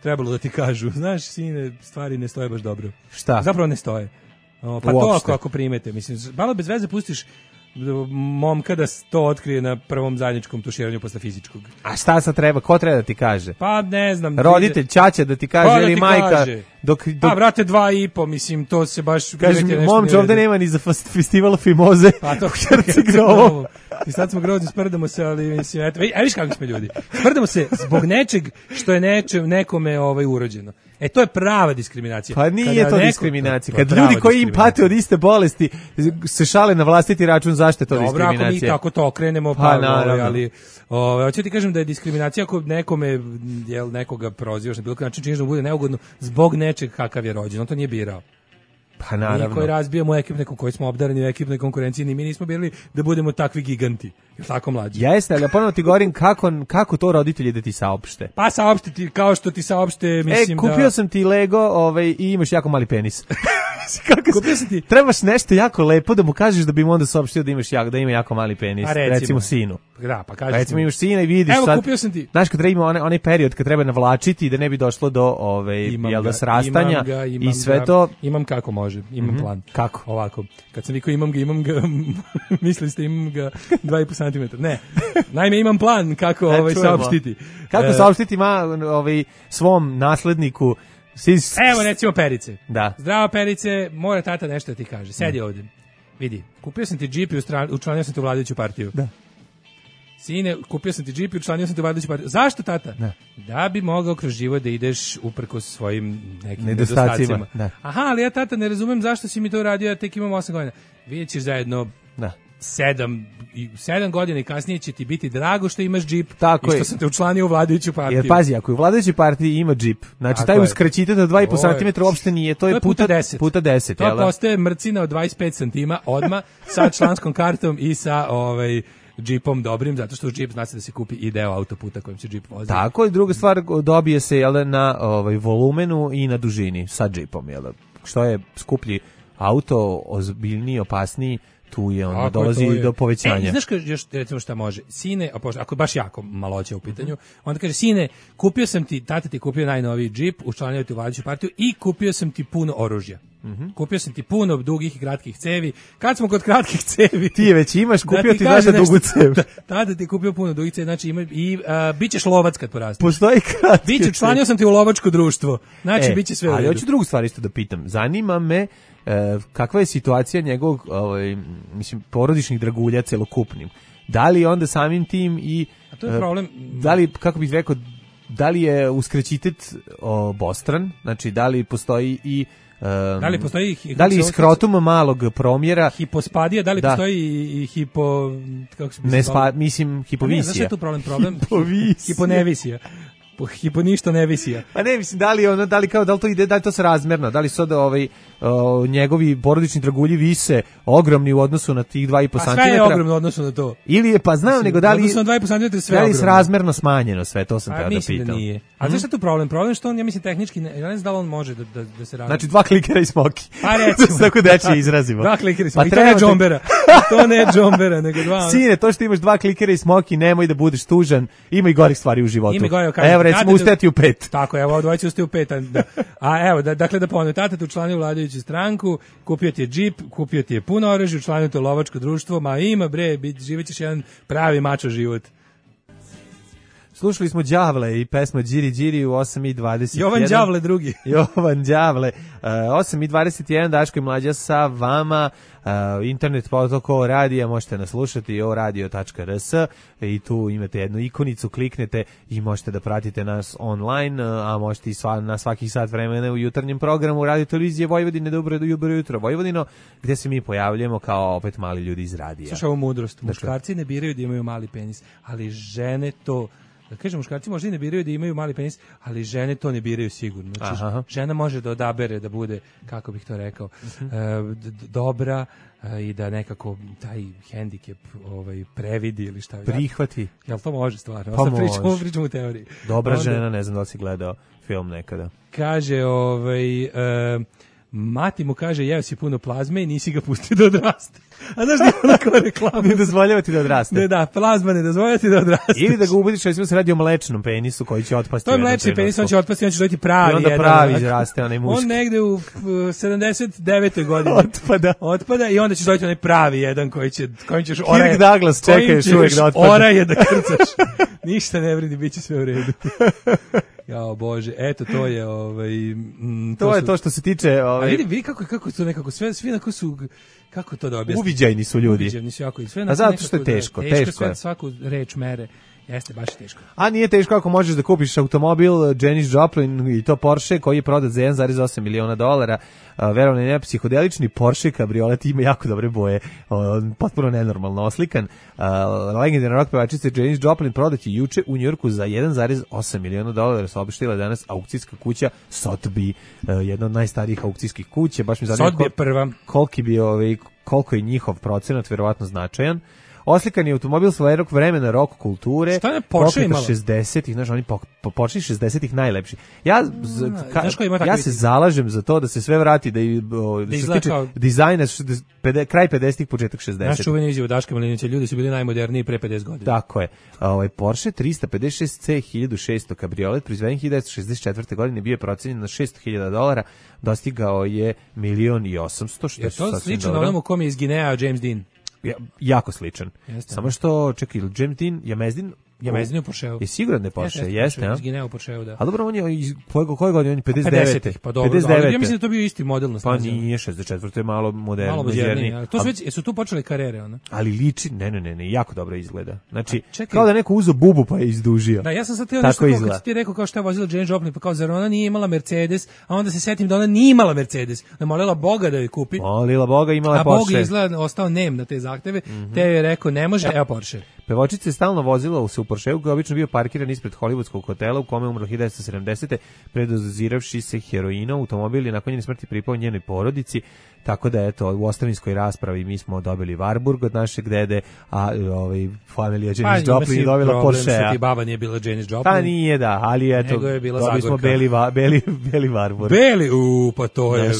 trebalo da ti kažu, znaš, sine, stvari ne stoje baš dobro. Šta? Zapravo ne stoje. O, pa Uopšte. to ako, ako primete, mislim, malo bez veze pustiš momka da to otkrije na prvom zajedničkom tuširanju posle fizičkog. A šta sad treba? Ko treba da ti kaže? Pa ne znam. Roditelj, ćaća da ti kaže Pa da ili ti majka? kaže. Dok, dok Pa, brate, dva i po, mislim, to se baš... kaže uvek je mi, nešto momče, nije u ovde redu. nema ni za fest- festival Fimoze. Pa to u Herceg-Novom. I sad smo grozni, sprdamo se, ali mislim, eto, a viš kako smo ljudi. Sprdamo se zbog nečeg što je neče, nekome ovaj urođeno. E, to je prava diskriminacija. Pa nije Kada to neko- diskriminacija. to je Kad prava ljudi koji im diskriminacija. pate od iste bolesti se šale na vlastiti račun, zašto je to Dobro, ako mi diskriminacija? tako to okrenemo, pa, Pa, ovaj, naravno. ali ovaj, hoću ti kažem da je diskriminacija ako nekome, jel, nekoga prozivaš na bilo koji način, činiš da mu bude neugodno zbog nečeg kakav je rođen. On to nije birao. Pa Mi naravno. koji razbijamo ekipne, koji smo obdareni u ekipnoj konkurenciji, ni mi nismo birali da budemo takvi giganti. Jel tako, mlađi? Jeste, ali ja ponovno ti govorim kako, kako to roditelji da ti saopšte. Pa saopštiti kao što ti saopšte, mislim E, kupio da... sam ti Lego ovaj, i imaš jako mali penis. Kako Kupio sam ti- Trebaš nešto jako lepo da mu kažeš da bi mu onda saopštio da imaš jako, da ima jako mali penis. A recimo. recimo sinu. Da, pa kaži. Recimo imaš sina i vidiš Evo, sad. kupio sam ti. Znaš kad treba ima onaj, onaj period kad treba navlačiti da ne bi došlo do ovaj Imam jel da ga, srastanja imam ga, imam i sve ga, to. imam kako može, imam plan. Kako? Ovako, kad sam vikao imam ga, imam ga, mislili ste imam ga dva i po centimetra. Ne, naime imam plan kako E, ovaj čujemo. saopštiti. Kako E, saopštiti ma ovaj svom nasledniku sis, Evo recimo Perice. Da. Zdravo Perice, mora tata nešto da ti kaže. Sedi ovdje. Vidi, kupio sam ti džip i ustra- učlanio sam te u vladajuću partiju. Da. Sine, kupio sam ti džip i učlanio sam te u vladajuću partiju. Zašto, tata? Da. Da bi mogao kroz život da ideš uprkos svojim nekim Nedostacima, nedostacima. da. Aha, ali ja, tata, ne razumem zašto si mi to uradio, ja tek imam osam godina. Vidjet ćeš zajedno Da. sedam, i sedam godina i kasnije će ti biti drago što imaš džip Tako i što je. sam te učlanio u vladajuću partiju. Jer pazi, ako je u vladajućoj partiji ima džip, znači Tako taj je. uskraćitet od dva i po To je- santimetra uopšte nije, to je, To je puta deset. Puta deset, To jel da? postaje mrcina od dvadeset pet santima odma sa članskom kartom i sa ovaj džipom dobrim, zato što uz džip znači da se kupi i deo autoputa kojim se džip vozi. Tako, i druga stvar, dobije se jel da, na ovaj, volumenu i na dužini sa džipom, jel da? Što je skuplji auto, ozbiljniji, opasniji, tu je onda Tako je, dolazi to je. do povećanja. E, znaš ka, još recimo šta može? Sine, a pošto- ako je baš jako maloća u pitanju, onda kaže, sine, kupio sam ti, tata ti kupio najnoviji džip, učlanio ti u vladajuću partiju i kupio sam ti puno oružja. Kupio sam ti puno dugih i kratkih cevi. Kad smo kod kratkih cevi... Ti je već imaš, kupio ti kaže znaš da dugu nešto- cev. Da, tada ti kupio puno dugih cevi, znači ima, i a, bit ćeš lovac kad porasteš. Postoji kratki. Biće, učlanio sam ti u lovačko društvo. Znači, E, bit će sve u ali redu. hoću drugu stvar isto da pitam. Zanima me e, kakva je situacija njegovog ovaj, mislim, porodičnih dragulja celokupnim. Da li onda samim tim i... A to je e, problem. Da li, kako bih rekao, da li je uskraćitet obostran? Znači, da li postoji i... e, Da li postoji hi- da li iz kako se- skrotuma malog promjera Hipospadija, da li Da. postoji i, i hipo... Kako se bi ne se spa, zvalo? mislim A ne, znaš šta hipovisija. je tu problem? Problem Hipovisija. hiponevisija. Po hipo ništa ne visija. Pa ne, mislim, da li ono, da li kao, da li to ide, da li to se razmerno, da li su da ovaj, o, njegovi porodični dragulji vise ogromni u odnosu na tih dva i po A sve je santimetra. ogromno u odnosu na to. Ili je, pa znam, nego da li, U odnosu na dva i po santimetra sve da li ogromno. je razmerno smanjeno sve, to sam A teo da mislim da pitam. nije. A znaš šta je tu problem? Problem je što on, ja mislim, tehnički, ne, ja ne znam da li on može da, da, da se razmeri. Znači, dva klikera i smoki. Pa recimo. Da se tako dečije izrazimo. Dva klikera i Pa smoki. I to ne treba te- džombera. To ne džombera, nego dva. ono. Sine, to što imaš dva klikera i smoki, nemoj da budeš tužan, ima i gorih stvari u životu. Ima i gore, kažem, Evo, recimo, tata da- ustajati u pet. Tako, evo, ovo dvojice ustaju u pet. A, da. A evo, da, dakle, da ponovim, tata te učlanio u vladajuću stranku, kupio ti je džip, kupio ti je puno oružja, učlanio te u lovačko društvo, ma ima, bre, bit, živećeš jedan pravi mačo život. Slušali smo Đavle i pesma Điri Điri u osam i dvadeset jedan. Jovan Đavle drugi. Jovan Đavle. Uh, osam i dvadeset jedan, Daško i Mlađa sa vama. Uh, internet potok o radija, možete nas slušati o radio tačka r s i tu imate jednu ikonicu, kliknete i možete da pratite nas online, uh, a možete i sva, na svakih sat vremena u jutarnjem programu Radio Televizije Vojvodine, dobro, dobro jutro Vojvodino, gde se mi pojavljujemo kao opet mali ljudi iz radija. Slušaj ovu mudrost. Muškarci ne biraju da imaju mali penis, ali žene to... Da kažem, muškarci možda i ne biraju da imaju mali penis, ali žene to ne biraju sigurno. Znači, Aha. žena može da odabere da bude, kako bih to rekao, Mhm. e, d- d- dobra e, i da nekako taj hendikep ovaj, previdi ili šta. Prihvati. Jel to može stvarno? Pa Sad pričamo, može. pričamo u teoriji. Dobra Onda žena, ne znam da li si gledao film nekada. Kaže, ovaj... E, mati mu kaže, jeo si puno plazme i nisi ga pustio da odraste. A znaš da je ona kao reklama? Ne dozvoljava ti da odraste. Ne, da, plazma ne dozvoljava ti da odraste. Ili da ga ubudiš, recimo se radi o mlečnom penisu koji će otpasti. To je u jednom mlečni penis, on trenutku. će otpasti, on će dobiti pravi. I onda jedan, pravi onak. izraste, onaj muški. On negde u uh, sedamdeset devetoj godini Otpada. otpada i onda ćeš dobiti onaj pravi jedan koji će, kojim ćeš Kirk oraje. Douglas čeka kojim još uvek ćeš da otpadne. oraje da krcaš. Ništa ne vredi, bit će sve u redu. Jao Bože, eto to je ovaj mm, To je su- to što se tiče... A Ovaj, vidi, vidi kako kako to nekako sve svi onako su kako to da objasnim. uviđajni su ljudi. Uviđajni su jako i sve A onako zato što je nekako da- teško, teško, teško sve je. svaku reč mere. Jeste baš teško. A nije teško ako možeš da kupiš automobil Janis Joplin i to Porsche koji je prodat za jedan zarez osam miliona dolara. Verovno je ne, psihodelični Porsche kabriolet ima jako dobre boje. O, potpuno nenormalno oslikan. A, legendarna rock pevačica Janis Joplin prodat je juče u Njujorku za jedan zarez osam miliona dolara. Saopštila danas aukcijska kuća Sotheby, jedna od najstarijih aukcijskih kuća. Baš mi zanima Sotheby je prva. koliki bi ovaj koliko je njihov procenat verovatno značajan. Oslikan je automobil svojeg vremena rock kulture. Šta je Porsche pokreta imala? šezdesetih, znaš, oni po, po Porsche šezdesetih najlepši. Ja z, ka, znaš ko ima takve ja se vidi? zalažem za to da se sve vrati da i o, što se izgleda tiče kao- dizajna šezdeset pede- kraj pedesetih početak Naš šezdesetih. čuveni izjava Daška Milinovića, ljudi su bili najmoderniji pre pedeset godina. Tako je. Ovaj Porsche tristo pedeset šest C hiljadu šesto kabriolet proizveden hiljadu devetsto šezdeset četvrte. godine bio je procenjen na šesto hiljada dolara, dostigao je milion i osamsto, što je Je to sasvim slično dobro. onomu kom je iz Ginea James Dean? Ja, jako sličan. Jeste. Samo što, čekaj, ili James Dean, James Dean, Ja mezdinu u Porscheu. Je siguran da je Porsche, jeste, a? Izgineo u Porscheu, da. A dobro, on je iz koje koje godine, on je pedeset devete. pedesetih, pa dobro. Ali ja mislim da to bio isti model na Pa snazi. nije šezdeset četvrto je malo moderniji. Malo moderniji. To su već, jesu tu počele karijere, ona? Ali liči, ne, ne, ne, ne, jako dobro izgleda. Znači, čekaj. kao da je neko uzeo bubu pa je izdužio. Da, ja sam sad teo nešto kao kad ti rekao kao šta je vozila Janis Joplin, pa kao zar ona nije imala Mercedes, a onda se setim da ona nije imala Mercedes, da molila Boga da je kupi. Molila Boga, imala a Porsche. A Bog je izgleda ostao nem na te zahteve, mm-hmm. te je rekao ne može, evo Porsche. Pevačica je stalno vozila se u Porscheu koji je obično bio parkiran ispred hollywoodskog hotela u kome je umrla hiljadu devetsto sedamdesete predoziravši se heroinom. Automobil je nakon njene smrti pripao njenoj porodici, tako da eto u ostavinskoj raspravi mi smo dobili Warburg od našeg dede, a ovaj familija Janis pa, Joplin je dobila Porschea. Pa baba nije bila Janis Joplin. Pa nije da, ali eto dobili smo beli, beli, beli Warburg. Beli, u, pa to je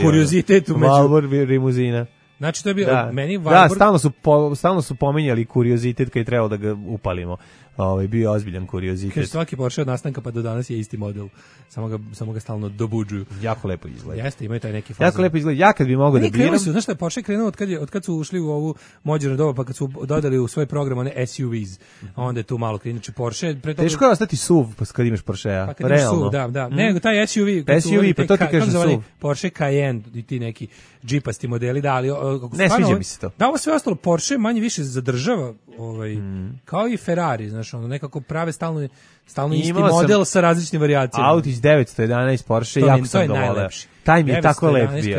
kuriozitet u među. Warburg rimuzina. Znači to je bio da. meni Warburg. Da, stalno su po, stalno su pominjali kuriozitet kad je trebalo da ga upalimo. Ovaj bio ozbiljan kuriozitet. Kaže svaki Porsche od nastanka pa do danas je isti model. Samo ga samo ga stalno dobuđuju. Jako lepo izgleda. Jeste, imaju taj neki fazon. Jako lepo izgleda. Ja kad bi mogao da biram. Su, znaš šta je Porsche krenuo od kad je od kad su ušli u ovu moderno doba, pa kad su dodali u svoj program one S U Vs. A onda je tu malo krenuće Porsche. Pre toga... Teško je ostati S U V pa kad imaš Porschea. Pa kad imaš S U V, da, da. Mm. Nego taj S U V, S U V, pa to ti kaže S U V. Porsche Cayenne i ti neki džipasti modeli, da, ali o, ne sviđa mi se to. Da, ovo sve ostalo Porsche manje više zadržava, ovaj, mm. kao i Ferrari, znaš, ono nekako prave stalno stalno isti model sa različitim varijacijama. Audi devetsto jedanaest Porsche, jako sam ga voleo. Taj mi je tako lep bio.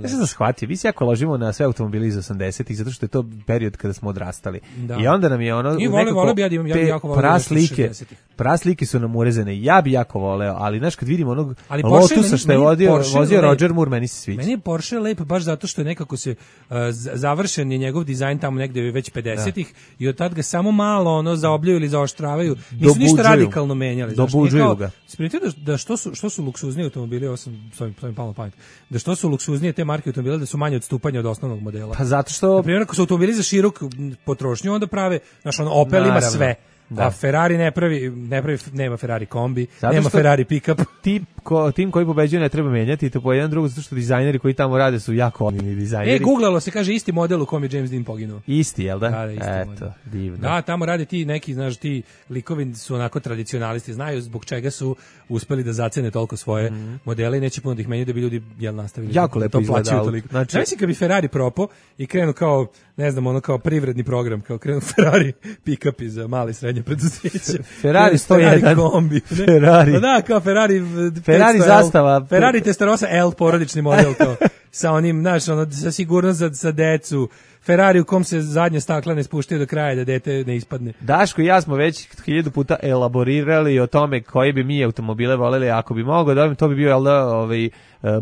Ja sam shvatio, vi se jako ložimo na sve automobili iz osamdesetih, zato što je to period kada smo odrastali. Da. I onda nam je ono I vole, vole bi ja, ja bi jako voleo praslike, praslike su nam urezane. Ja bi jako voleo, ali znaš kad vidim onog Lotusa što je vodio, vozio Roger Moore, meni se sviđa. Meni je Porsche lep baš zato što je nekako se uh, završen je njegov dizajn tamo negde već pedesetih i od tad ga samo malo ono zaobljuju ili zaoštravaju. Nisu ništa radikalno menjali. Dobuđuju ga. Spremite da, da što su što su luksuzni automobili, ovo sam svojim svojim palo pamet. Da što su luksuznije te marke automobila, da su manje odstupanja od osnovnog modela. Pa zato što na primjer ako su automobili za široku potrošnju, onda prave, znaš, ono Opel ima sve. Da. A Ferrari ne pravi, ne pravi, nema Ferrari kombi, zato nema Ferrari pick-up. Tip, ko, tim koji pobeđuje ne treba menjati, to po jedan drugo, zato što dizajneri koji tamo rade su jako omilni dizajneri. E, googlalo se, kaže, isti model u kom je James Dean poginuo. Isti, jel da? Da, da, isti Eto, model. divno. Da, tamo rade ti neki, znaš, ti likovi su onako tradicionalisti, znaju zbog čega su uspeli da zacene toliko svoje mm. modele i neće puno da ih menjaju da bi ljudi, jel, nastavili. Jako lepo to plaćaju toliko. Znači, znači kad bi Ferrari propo i krenu kao, ne znam, ono kao privredni program, kao krenu Ferrari pick-up za male i srednje preduzeće. Ferrari sto jedan kombi, ne? Ferrari. Da, kao Ferrari Ferrari zastava. Ferrari Testarossa L porodični model kao sa onim, znaš, ono sa sigurnost za, za decu. Ferrari u kom se zadnje stakla ne spuštaju do kraja da dete ne ispadne. Daško i ja smo već hiljadu puta elaborirali o tome koji bi mi automobile voleli, ako bi mogao da to bi bio jel da, ovaj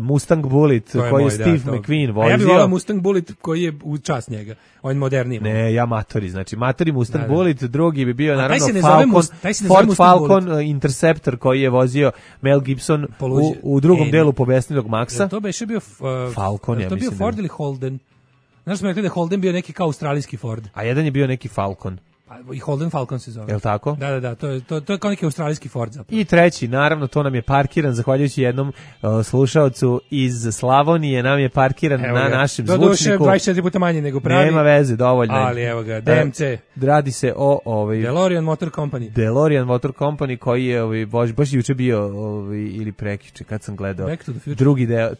Mustang Bullitt je koji moj, je Steve da, McQueen vozio. A ja bih volao Mustang Bullitt koji je u čast njega. On moderniji. Ne, ja matori, znači matori Mustang da, da. Bullitt, drugi bi bio a naravno Falcon, Must, Ford Falcon Bullitt. Interceptor koji je vozio Mel Gibson u, u drugom e, delu Pobesnilog Maxa. To beše bio uh, Falcon, ja to mislim. bio Ford ili Holden? Znaš smo rekli da je Holden bio neki kao australijski Ford. A jedan je bio neki Falcon. I Holden Falcon se zove. Jel' tako? Da, da, da, to je, to, to je kao neki australijski Ford zapravo. I treći, naravno, to nam je parkiran, zahvaljujući jednom uh, slušaocu iz Slavonije, nam je parkiran evo na ga. našem do zvučniku. Doduše dvadeset četiri puta manje nego pravi. Nema veze, dovoljno. Ali evo ga, D M C. Uh, radi se o... Ovaj, DeLorean Motor Company. DeLorean Motor Company koji je ovaj, baš, baš juče bio ovaj, ili prekiče, kad sam gledao. Back to the Future. Drugi deo.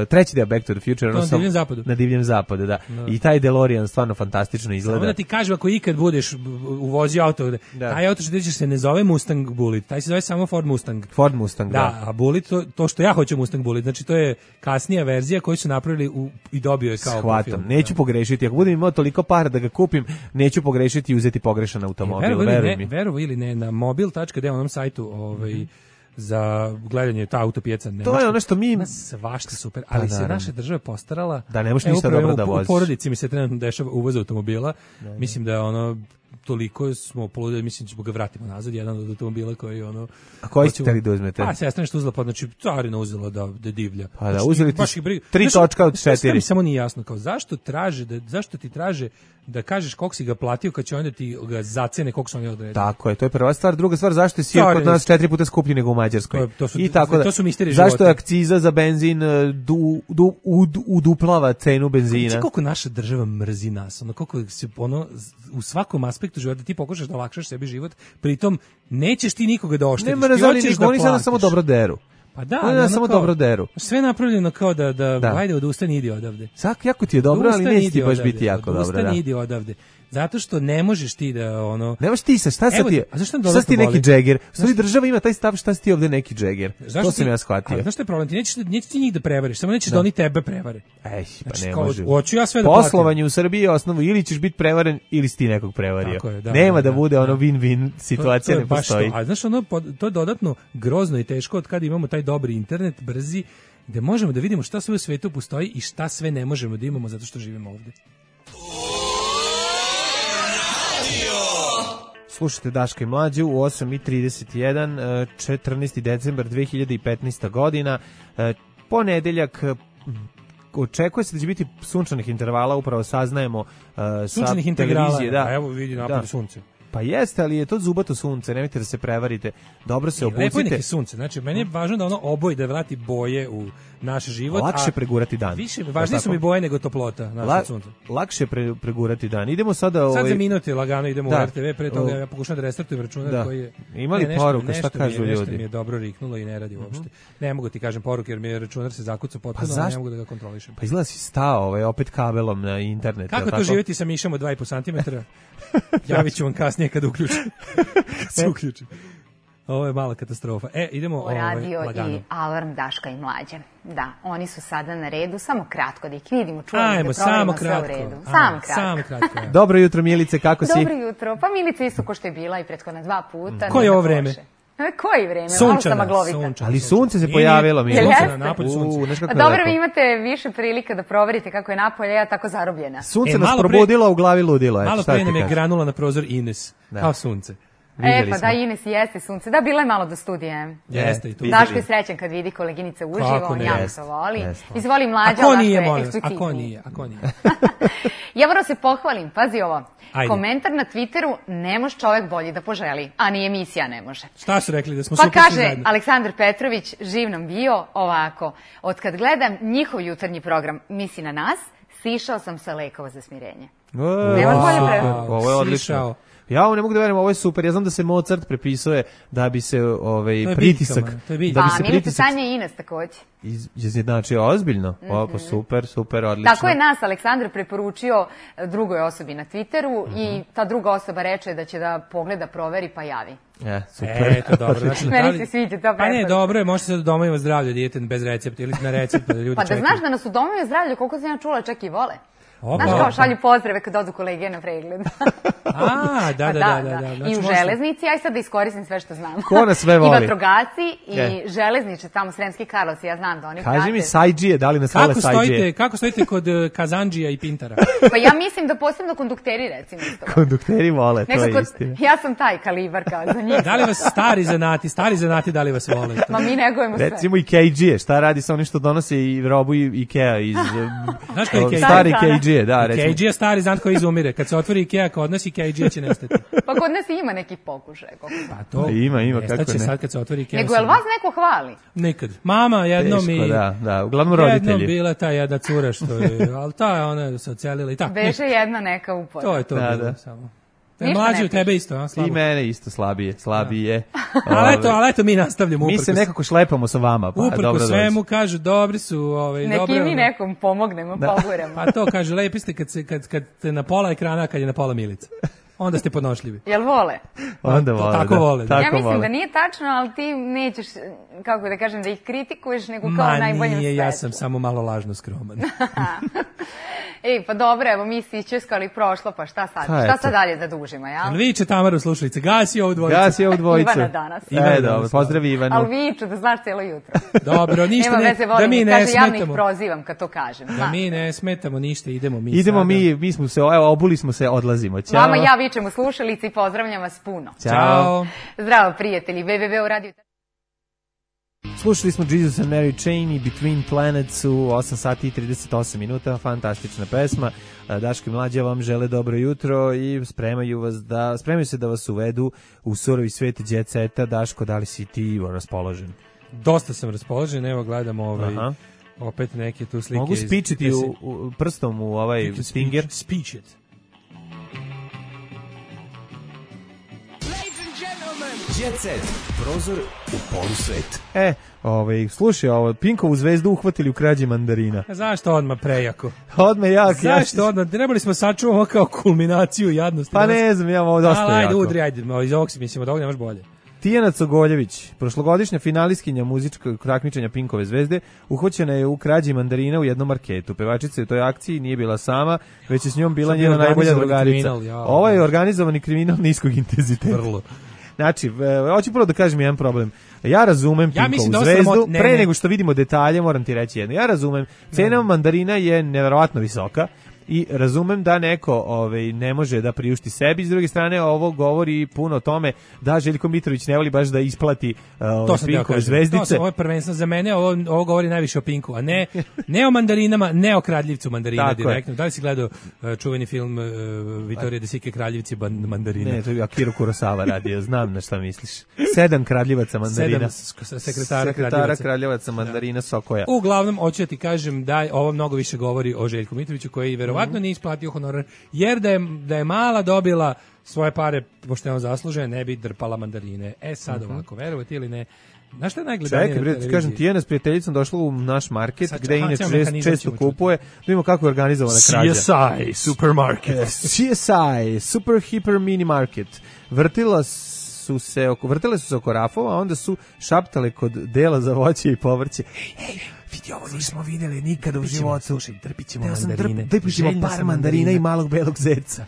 Treći deo Back to the Future na divljem zapadu. Na divljem zapadu, da. No. I taj DeLorean stvarno fantastično izgleda. Samo da ti kažem, ako ikad budeš uvozio auto, da. taj auto što se ne zove Mustang Bullitt, taj se zove samo Ford Mustang. Ford Mustang, da. Da, a Bullitt, to, to što ja hoću Mustang Bullitt, znači to je kasnija verzija koju su napravili u, i dobio je kao Shvatam, neću da. pogrešiti. Ako budem imao toliko para da ga kupim, neću pogrešiti i uzeti pogrešan automobil. E, veruj mi. Verovo ili ne, na mobil tačka de onom sajtu, ovaj, mm-hmm. za gledanje ta autopijeca nemačka. To je ono što mi svašta super, ali pa, se naša država postarala da ne možeš ništa dobro da voziš. U porodici mi se trenutno dešava uvoz automobila. Da, da. Mislim da je ono toliko smo poludeli, mislim da ćemo ga vratimo nazad, jedan od automobila koji ono... A koji ste li da uzmete? Pa, sestra nešto uzela, pa znači carina uzela da, da divlja. Pa da, znači, uzeli ti tri točka od četiri. Sve mi samo nije jasno, kao zašto traže, da, zašto ti traže da kažeš koliko si ga platio kad će onda ti ga zacene koliko su oni odredili. Tako je, to je prva stvar. Druga stvar, zašto je sir kod nas četiri puta skuplji nego u Mađarskoj? To, to su, I tako da, to su misteri zašto života. Je akciza za benzin du, du, ud, uduplava cenu benzina? Znači koliko naša država mrzi nas, ono koliko se ono u svakom aspektu života, ti pokušaš da olakšaš sebi život, pritom nećeš ti nikoga da oštetiš. Nema ti razali hoćeš niko, da oni sada platiš. samo dobro deru. Pa da, Oni nas samo kao- dobro deru. Sve je napravljeno kao da, da, Da. ajde, odustani, idi odavde. Sak, jako ti je dobro, ali Odustani, neće ti idi baš odavde. biti jako dobro. Odustani, Da. idi odavde. Zato što ne možeš ti da, ono... Nemaš ti sa, šta Evo sad ti je? ti, a zašto nam Šta si ti dodatno neki boli? džeger? Stvari država ima taj stav šta si ti ovde neki džeger. To sam ti- ja shvatio. Ali znaš što je problem? Ti nećeš, nećeš ti njih da prevariš, samo nećeš da, oni tebe prevare. Ej, pa Znači, ne kao, može. hoću ja sve da platim. Poslovanje u Srbiji je osnovu ili ćeš biti prevaren ili si ti nekog prevario. Tako je, da, Nema da, da da, bude da. ono win-win situacija, To je ne baš postoji. To. A znaš, ono, pod- to je dodatno grozno i teško od kada imamo taj dobri internet, brzi, gde možemo da vidimo šta sve u svetu postoji i šta sve ne možemo da imamo zato što živimo ovde. Slušajte Daška i Mlađu u osam i trideset jedan, eh, četrnaesti decembar dve hiljade petnaesta godina, eh, ponedeljak, eh, očekuje se da će biti sunčanih intervala, upravo saznajemo eh, sa Sunčanih integrala, televizije. Da. a evo vidi napad Da. sunce. Pa jeste, ali je to zubato sunce, nemojte da se prevarite. Dobro se Lepo je obucite. neki sunce, znači meni je važno da ono oboji, da vrati boje u naš život. Lakše a pregurati dan. Više, Jel važnije su tako? mi boje nego toplota naše La- sunce. lakše pre, pregurati dan. Idemo sada... Sad ovaj, za minute lagano idemo Da. u er te ve, pre toga O- ja pokušavam da restartujem računar Da. koji je... Ima li Ne, nešto- poruka, šta nešto mi je- kažu nešto ljudi? mi je dobro riknulo i ne radi uopšte. Ne mogu ti kažem poruke jer mi je računar se zakucao potpuno, a ne zašto? mogu da ga kontrolišem. Pa izgleda si stao ovaj, opet kabelom na internet. Kako jel to tako? živjeti sa mišom od dva i po santimetra? Javit ću vam kasnije kad uključim. Kad se uključim. Ovo je mala katastrofa. E, idemo ovaj, Radio lagano. i Alarm Daška i Mlađe. Da, oni su sada na redu, samo kratko da ih vidimo, čujemo, Ajmo, da samo proverimo sve kratko. u redu. Ajmo, Samo kratko. Samo kratko. ja. Dobro jutro, Milice, kako si? Dobro jutro, pa Milica isto ko što je bila i prethodna dva puta. Koje je nije ovo tako vreme? loše. E, Koje vreme? Malo Sunčana, sam maglovita. sunčana. Ali sunce se Nije, pojavilo, nije, Milice. sunce na napolju, sunce. U, znaš kako Pa je dobro, lepo. vi imate više prilika da proverite kako je napolje, ja tako zarobljena. Sunce E, nas malo pre- probudilo, a u glavi ludilo. eto, Malo šta pre ti nam je kažem. granula na prozor Ines. Da. Kao sunce. E, Vidjeli pa smo. da, Ines jeste sunce. Da, bila je malo do studije. Jeste i tu. vidjeli. Daško je srećan kad vidi koleginice uživo, Kako on ne, jako jeste, to voli. jeste. Izvoli A Mlađa, ko Daško nije, je molim vas? A eksplicitniji. ko nije? A ko nije? Ja moram se pohvalim, pazi ovo. Ajde. Komentar na Twitteru, ne može čovjek bolji da poželi, a ni emisija ne može. Šta su rekli da smo Pa super svi kaže zajedno? Aleksandar Petrović, živ nam bio, ovako. Od kad gledam njihov jutarnji program, misli na nas, sišao sam sa lekova za smirenje. O, Nema bolje super. pre- Ovo je odlično. Sišao. Ja ovo ne mogu da verujem, ovo je super. Ja znam da se Mozart prepisuje da bi se ovaj To je pritisak, biljkama, to je biljka. da bi A se Milica, pritisak Sanja i Ines takođe. iz- izjednačio ozbiljno. O, pa super, super, odlično. Tako je nas Aleksandar preporučio e, drugoj osobi na Twitteru i ta druga osoba reče da će da pogleda, proveri pa javi. E, super. E, to dobro. Znači, Meni da li- se sviđa ta Pa ne, preporuka. dobro je, možete se doma ima zdravlje dijete bez recepta ili na recept, pa da ljudi Pa da čekaju. znaš da nas u domovima zdravlja, koliko sam ja čula, čak i vole. Opa. Znaš kao šalju pozdrave kad odu kolege na pregled. A, da, Pa da, da, da, da. Znači, I u možete- železnici, aj sad da iskoristim sve što znam. Ko nas sve I voli? vatrogasci, i Je. železniče, tamo Sremski Karlovci, ja znam da oni Kaži prate. mi sajđije, da li nas vole Kako sajđije? stojite, kako stojite kod uh, Kazandžija i Pintara? Pa ja mislim da posebno kondukteri, recimo, isto. Kondukteri vole, to je Nekako, istina. ja sam taj kalibar kao za njih. Da li vas stari zanati, stari zanati, da li vas vole? Ma mi negujemo sve. Recimo i Ikea, šta radi sa onim što donose i robu i Ikea iz... Znaš ko je Ikea? Stari Stari Ikea, da, recimo. Ikea stari zant koji izumire. Kad se otvori Ikea kod nas, Ikea će nestati. Pa kod nas ima nekih pokušaja, koliko znam. Pa to Pa ima, ima, kako nestaće ne. sad kad se otvori Ikea. Nego, jel vas neko hvali? Nikad. Mama jednom Teško, mi... da, da, uglavnom Jednom roditelji. bila ta jedna cura što je, ali ta je ona se ocelila i tako. Beže jedna neka upora. To je to Da, bilo da. samo. E, Ništa mlađi ne od tebe isto, a slabo. I mene isto slabije, slabije. Ali eto, Ove, ali eto mi nastavljamo. mi uprkos- se nekako šlepamo sa vama, pa Uprko dobro dođe. svemu kažu dobri su, ovaj Neki dobro. mi nekom pomognemo, poguramo. Pa to kaže lepi ste kad se kad kad ste na pola ekrana, kad je na pola Milica. Onda ste podnošljivi. Jel vole? Onda To vole, tako da, vole, da. Tako Ja mislim vole. da nije tačno, ali ti nećeš, kako da kažem, da ih kritikuješ, nego kao Ma u najboljem nije, ja svetlu. sam samo malo lažno skroman. Ej, pa dobro, evo mi si ićeskali prošlo, pa šta sad? Pa Šta eto. sad dalje da dužimo, jel? Ali viče Tamaru slušalice, gasi ovu dvojicu. Gasi ovu dvojicu. Ivana danas. Ivana E, danas, dobro, pozdravi Ivanu. Ali viču da znaš cijelo jutro. Dobro, ništa Nema ne, veze, da volim, mi ne kaže, javno ih smetamo. prozivam kad to kažem. Da znaš. mi ne smetamo ništa, idemo mi Idemo sada. mi, mi smo se, evo, obuli smo se, odlazimo. Ćao. Vama ja vičem u slušalici i pozdravljam vas puno. Ćao. Zdravo prijatelji, w w w u radio. Slušali smo Jesus and Mary Chain i Between Planets u osam sati i trideset osam minuta, fantastična pesma. Daško i Mlađa vam žele dobro jutro i spremaju vas da spremaju se da vas uvedu u surovi svet jet seta. Daško, da li si ti raspoložen? Dosta sam raspoložen, evo gledamo ovaj, Aha. opet neke tu slike. Mogu iz- spičiti gde se- u, u, prstom u ovaj You can stinger? Speech, speech it. Jet Set. Prozor u polusvet. E, ovaj, slušaj, ovo, Pinkovu zvezdu uhvatili u krađi mandarina. A zašto odmah prejako? Odmah jak. Zašto ja odmah? Trebali smo sačuvamo kao kulminaciju jadnosti. Pa ne znam, ja ovo dosta jako. Ajde, jako. udri, ajde, iz ovog si mislimo, da ovog nemaš bolje. Tijana Cogoljević, prošlogodišnja finalistkinja muzičkog takmičenja Pinkove zvezde, uhvaćena je u krađi mandarina u jednom marketu. Pevačica u toj akciji nije bila sama, već je s njom bila njena najbolja drugarica. Ovo je organizovani kriminal niskog intenziteta. Vrlo. Znači, hoću prvo da kažem jedan problem. Ja razumem ja Pinkovu da zvezdu, sramot... ne, pre ne. nego što vidimo detalje, moram ti reći jedno. Ja razumem, cena mandarina je neverovatno visoka i razumem da neko ovaj, ne može da priušti sebi. S druge strane, ovo govori puno o tome da Željko Mitrović ne voli baš da isplati uh, Pinkove zvezdice. To sam, ovo je prvenstveno za mene, ovo, ovo govori najviše o Pinku, a ne, ne o mandarinama, ne o kradljivcu mandarina direktno. Da li si gledao uh, čuveni film uh, Vittorio De Sica Kraljevci mandarina? Ne, to je Akira Kurosawa radio, znam na šta misliš. Sedam kradljivaca mandarina. Sedam sekretara, sekretara kradljivaca mandarina da. Sokoja. Uglavnom, hoću da ti kažem da ovo mnogo više govori o Željku Mitroviću, koji verovatno nije isplatio honorar, jer da je, da je mala dobila svoje pare, pošto je on zaslužen, ne bi drpala mandarine. E sad uh-huh. ovako, verovati ili ne, znaš šta je najgledanije? Čekaj, bre, ti kažem, Tijana s prijateljicom došla u naš market, sad, gde inače čest, često kupuje, da vidimo kako je organizovana krađa. C S I Supermarket. C S I, Super Hyper Mini Market. Vrtila su se oko, vrtile su se oko rafova, a onda su šaptale kod dela za voće i povrće. Hej, hej, vidi, ovo nismo videli nikada u životu. Slušaj, trpit ćemo mandarine. Trpit ćemo par mandarina i malog belog zeca.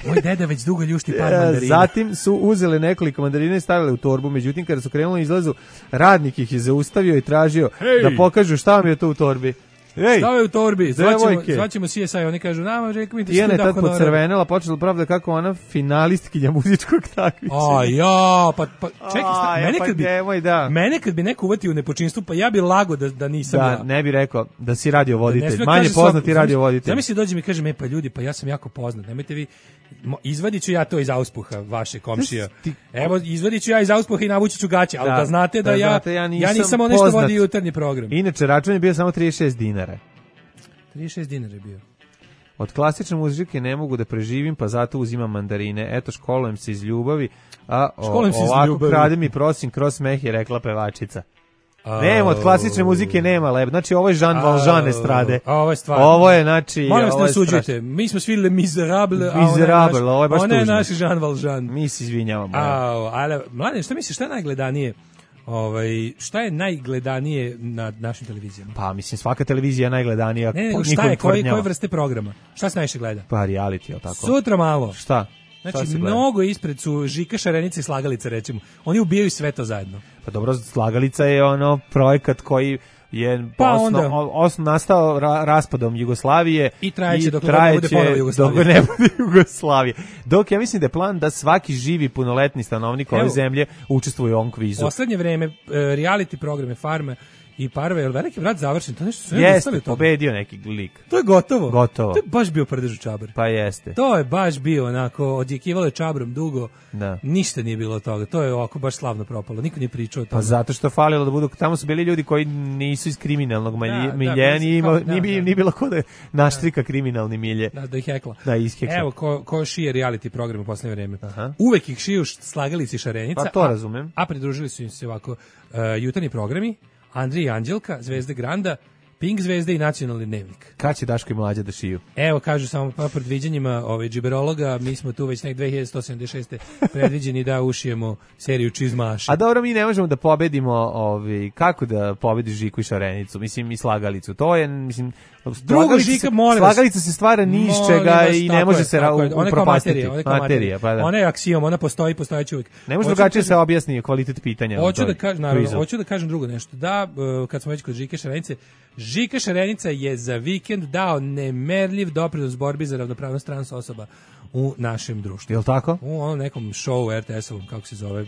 Moj deda već dugo ljušti par mandarina. Zatim su uzele nekoliko mandarina i stavile u torbu, međutim kada su krenuli izlazu, radnik ih je zaustavio i tražio hey. da pokažu šta vam je to u torbi. Ej, stave u torbi, zvaćemo, zvaćemo C S I, oni kažu, nama Željko Mitrović Tijana je tad pocrvenela, počela pravda kako ona finalistkinja muzičkog takmičenja. A ja, pa, pa čekaj, sta, ja, mene, pa kad bi, nemoj, da. mene kad bi neko uvatio u nepočinstvu, pa ja bi lago da, da nisam da, ja. Da, ne bi rekao da si radiovoditelj, da manje poznati radiovoditelj. Zamisli dođe mi kaže, me pa ljudi, pa ja sam jako poznat, nemojte vi, izvadit ću ja to iz auspuha vaše komšija. Ti... Evo, izvadit ću ja iz auspuha i navući ću gaće, ali da, da znate da, da ja, znate, ja nisam, ja nisam ono što vodi jutarnji program. Inače, račun je bio samo trideset šest dinara. trideset šest dinara je bio. Od klasične muzike ne mogu da preživim, pa zato uzimam mandarine. Eto, školujem se iz ljubavi, a o, ovako kradem i prosim kroz smeh, je rekla pevačica. Oh. Nema, od klasične muzike nema lep. Znači, ovo je Jean oh. Valjean estrade. Ovo je stvarno. Ovo je, znači... Molim vas ne osuđujte. Mi smo svi Le Miserable, a Miserable, ovo je baš tužno. Ona je naš Jean Valjean. Mi se izvinjavamo. Oh, ali, mlade, šta misliš, šta je najgledanije? Ovaj, šta je najgledanije na našim televizijama? Pa, mislim, svaka televizija je najgledanija. Ne, ne, šta je, koje, koje vrste programa? Šta se najviše gleda? Pa, reality, je tako? Sutra malo. Šta? Znači, mnogo ispred su Žika Šarenica i Slagalica, recimo. Oni ubijaju sve to zajedno. Pa dobro, Slagalica je ono projekat koji je pa osno, osno nastao ra, raspadom Jugoslavije i trajeće dok ne bude ponovo Jugoslavije. Dok ne bude Jugoslavije. Dok ja mislim da je plan da svaki živi punoletni stanovnik ove zemlje učestvuje u ovom kvizu. Poslednje vreme reality programe Farme i Parve, jel Veliki brat završen, to nešto sve jeste, to. Pobedio neki lik. To je gotovo. Gotovo. To je baš bio prdež u čabar. Pa jeste. To je baš bio onako, odjekivalo je čabrom dugo, da. Ništa nije bilo od toga. To je ovako baš slavno propalo. Niko nije pričao o tome. Pa zato što falilo da budu, tamo su bili ljudi koji nisu iz kriminalnog milje, nije da, da. bilo ko da naštrika kriminalni milje. Da, da ih hekla. Da, ishekla. Evo, ko, ko šije reality program u poslednje vreme. Aha. Uvek ih šiju Slagalica i Šarenica. Pa to razumem. A, a pridružili su im se ovako uh, jutarnji programi, Andrija i Anđelka, Zvezde Granda, Pink Zvezde i Nacionalni dnevnik. Kad će Daško i Mlađa da šiju? Evo, kažu samo pa predviđanjima ovaj, džiberologa, mi smo tu već nek dve hiljade sto sedamdeset šeste predviđeni da ušijemo seriju Čizmaša. A dobro, mi ne možemo da pobedimo, ovaj, kako da pobediš Žiku i Šarenicu, mislim i Slagalicu. To je, mislim, drugo Žika, molim vas. Slagalica se stvara ni iz čega i ne može je, se upropastiti. Ona je kao materija, pa da. Ona je aksijom, ona postoji, postojeće uvijek. Ne može drugačije se objasni kvalitet pitanja. Hoću da kažem, naravno, hoću da kažem drugo nešto. Da, kad smo već kod Žike Šarenice, Žika Šarenica je za vikend dao nemerljiv doprinos borbi za ravnopravnost trans osoba u našem društvu. Jel tako? U onom nekom show R T S-ovom, kako se zove.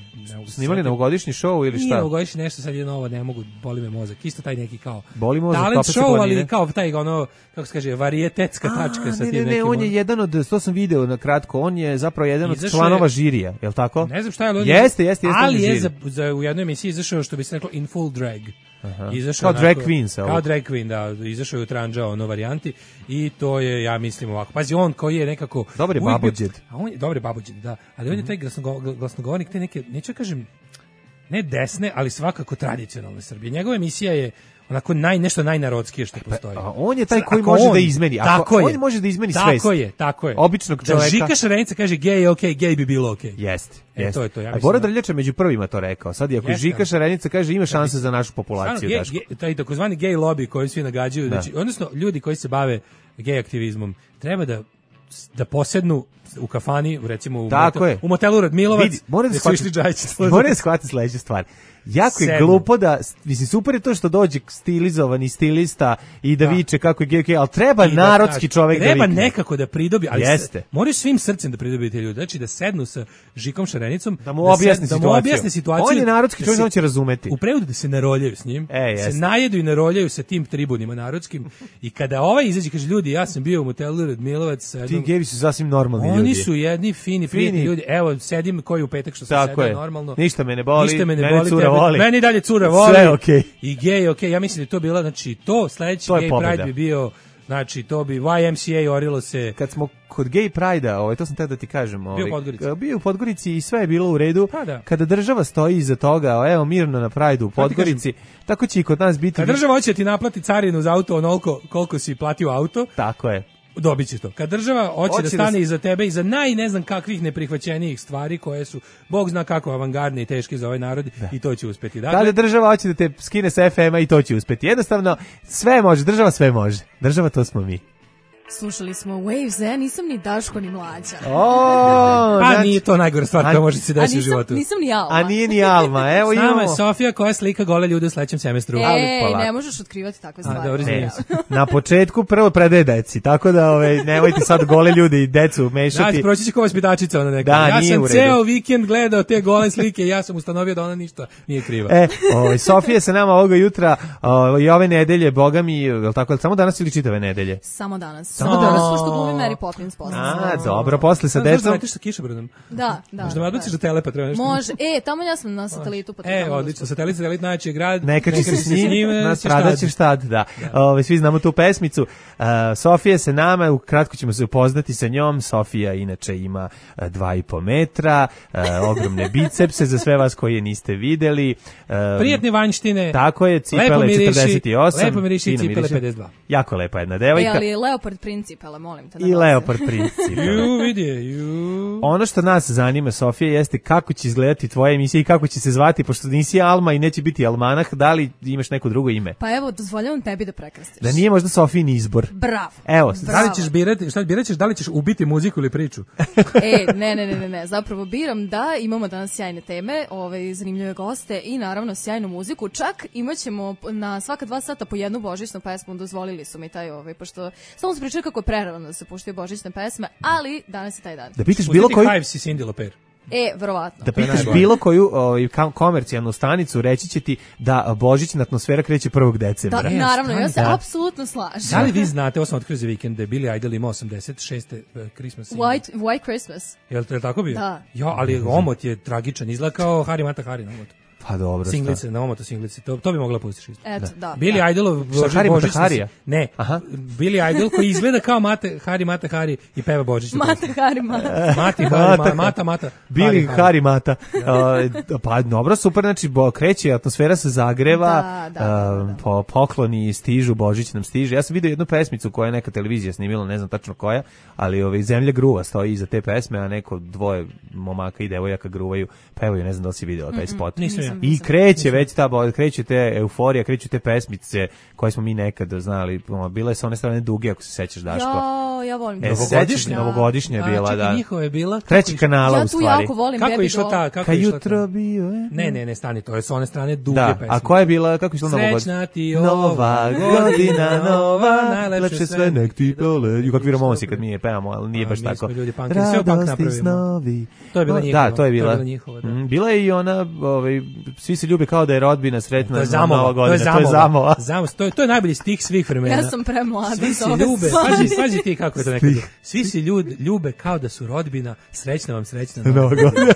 Snimali novogodišnji show ili šta? Nije novogodišnji nešto, sad je novo, ne mogu, boli me mozak. Isto taj neki kao boli mozak, talent show, ali kao taj ono, kako se kaže, varijetetska tačka sa tim nekim. Ne, ne, on je jedan od, to sam video na kratko, on je zapravo jedan od članova žirija, jel tako? Ne znam šta je, ali jeste, jeste, jeste, ali je za, za, u jednoj emisiji izašao, što bi se reklo, in full drag. Izašao kao drag queen sa kao drag queen, da, izašao je u Tranđa ono varijanti i to je, ja mislim ovako, pazi, on koji je nekako dobar je babođed, a on je dobar je babođed, da, ali on je taj glasnogo, glasnogovornik te neke, neću kažem ne desne, ali svakako tradicionalne Srbije. Njegova emisija je onako naj, nešto najnarodskije što postoji. A on je taj koji može on, da izmeni. Ako, tako on je. može da izmeni tako svest. Tako je, tako je. Običnog čoveka. Da Žika Šarenica kaže gej je okej, okay, gej bi bilo okej. Okay. Jeste. E, Jeste. to je to, ja a mislim. Bora Drljač je među prvima to rekao. Sad, ako Žika Šarenica kaže ima šanse za našu populaciju. Gej, gej, taj takozvani gej lobby koji svi nagađaju, da. Znači, odnosno ljudi koji se bave gej aktivizmom, treba da da posednu u kafani, recimo u, motel, u motelu Radmilovac, vidi, mora da shvatiti mora da shvatiti sledeću stvar. Jako je glupo da, mislim, super je to što dođe stilizovani stilista i da, da. viče kako je gej, okay, ali treba I narodski da, čovek da treba vikne. nekako da pridobi, ali Jeste. moraju svim srcem da pridobi te ljudi, znači da sednu sa Žikom Šarenicom, da mu objasni, da, situaciju. Da mu objasni situaciju. On je narodski čovjek, da on će razumeti. U prevodu da se naroljaju s njim, e, se najedu i naroljaju sa tim tribunima narodskim i kada ovaj izađe kaže ljudi, ja sam bio u motelu Radmilovac sa jednom... Ti gejevi su sasvim normalni Oni ljudi. Oni su jedni fini, fini ljudi. Evo, sedim koji u petak što sam sedao normalno. Ništa me ne boli, Ništa me ne mene boli, cura voli. Meni dalje cura voli. Sve okej. Okay. I gej, okej. Okay. Ja mislim da je to bila, znači, to sledeći gej pride bi bio, znači, to bi Y M C A orilo se. Kad smo kod gej pride-a, ovaj, to sam tada da ti kažem. Ovaj, bio u Podgorici. Bio u Podgorici i sve je bilo u redu. Pa da. Kada država stoji iza toga, evo, mirno na pride-u u Podgorici, tako će i kod nas biti... Kad država hoće ti naplati carinu za auto onoliko koliko si platio auto. Tako je. Dobit ćeš to. Kad država hoće, hoće da stane da... iza tebe i za naj ne znam kakvih neprihvaćenijih stvari koje su, Bog zna kako avangardne i teške za ovaj narod, da. I to će uspeti. Dakle, kada država hoće da te skine sa F M-a i to će uspeti. Jednostavno, sve može, država sve može. Država to smo mi. Slušali smo Waves, ja nisam ni Daško ni Mlađa. O, pa znači, nije to najgora stvar koja može se desiti u životu. Nisam ni Alma. A nije ni Alma, evo imamo. S nama je Sofija koja slika gole ljude u sledećem semestru. Ej, ne možeš otkrivati takve stvari. A, dobro, e, na početku prvo predaje deci, tako da ove, nemojte sad gole ljude i decu mešati. Da, proći će kao vaspitačica ona neka. Da, ja sam ceo vikend gledao te gole slike i ja sam ustanovio da ona ništa nije kriva. E, ove, Sofija se nama ovoga jutra ove, i ove nedelje, boga mi, je tako, samo danas ili čitave nedelje? Samo danas. Samo danas. Pošto glumi Mary Poppins posle. A, dobro, posle sa decom. Možda sa kišobranom. Da, da. Možda me odbaciš do Telepa, treba nešto. Može. E, tamo ja sam na satelitu. Pa e, odlično, satelit, satelit najjači je grad. Neka će se s njim, nas radaćeš tad, da. Ove, svi znamo tu pesmicu. Uh, Sofija se nama, ukratko ćemo se upoznati sa njom. Sofija inače ima uh, dva i po metra, uh, ogromne bicepse za sve vas koji je niste videli. Uh, Prijatne vanjštine. Tako je, cipele četrdeset osam. Lepo miriši, cipele pedeset dva. Jako lepa jedna devojka. E, ali Leopard principele, molim te. I Leopard principele. Ju, vidi, ju. Ono što nas zanima, Sofija, jeste kako će izgledati tvoja emisija i kako će se zvati, pošto nisi Alma i neće biti Almanah, da li imaš neko drugo ime? Pa evo, dozvoljavam tebi da prekrstiš. Da nije možda Sofijin izbor. Bravo. Evo, Bravo. Da li ćeš birati, šta biraš, da li ćeš ubiti muziku ili priču? E, ne, ne, ne, ne, ne, zapravo biram da imamo danas sjajne teme, ove zanimljive goste i naravno sjajnu muziku. Čak imaćemo na svaka dva sata po jednu božićnu pesmu, dozvolili su mi taj ovaj, pošto samo se pričaju kako je prerano da se puštaju božićne pesme, ali danas je taj dan. Da pitaš bilo koju... Hives i Cyndi Lauper. E, verovatno. Da pitaš bilo koju o, komercijalnu stanicu, reći će ti da božićna atmosfera kreće prvog decembra. Da, naravno, ja se da. apsolutno slažem. Da li vi znate, ovo sam otkrio za vikend, da je Billy Idol imao osamdeset šeste Christmas. White, White Christmas. Je li tako bio? Da. Ja, ali omot je tragičan, izgleda kao Hari Mata Hari na omotu. Pa dobro. Singlice, na omoto singlice, to, to bi mogla pustiš isto. Eto, da. da Billy da. Idolov božićni. Ne, aha. Billy Idol koji izgleda kao Mate, Hari Mata Hari i peva božićni. Mate Hari Mata. Mati Hari Mata, Mata Mata. Billy Hari Mata. Uh, pa dobro, super, znači bo, kreće, atmosfera se zagreva, da, da, da, da. Uh, po, pokloni stižu, Božić nam stiže. Ja sam vidio jednu pesmicu koja je neka televizija snimila, ne znam tačno koja, ali ovaj, Zemlja gruva stoji iza te pesme, a neko dvoje momaka i devojaka gruvaju, pevaju, ne znam da li si vidjela taj spot. Nisam ja. I kreće već ta, kreće te euforija, kreću te pesmice koje smo mi nekad znali, bile su one strane duge, ako se sećaš, Daško. Ja, ja volim. E, novogodišnja, novogodišnja je bila, da. Njihova je bila. Treći kanala ja u stvari. Ja tu jako volim kako Baby išla ta, kako Ka išla jutro bio je. Ne, ne, ne, stani, to je s one strane duge da, pesme. A koja je bila, kako išla novogodišnja? Srećna ti nova godina, nova, najlepše sve nek ti dole. Ju, kakvi romonsi kad mi je pevamo, ali nije baš tako. Mi smo ljudi punkeri, sve punk napravimo. To je bila njihova. Da, to je bila. Bila je i ona, svi se ljube kao da je rodbina sretna. To je Zamova, to je Zamova. To je to je najbolji stih svih vremena. Ja sam premlada. Svi se ljube, pazi, pazi ti kako je to nekad. Svi se ljube kao da su rodbina, srećna vam srećna nova godina.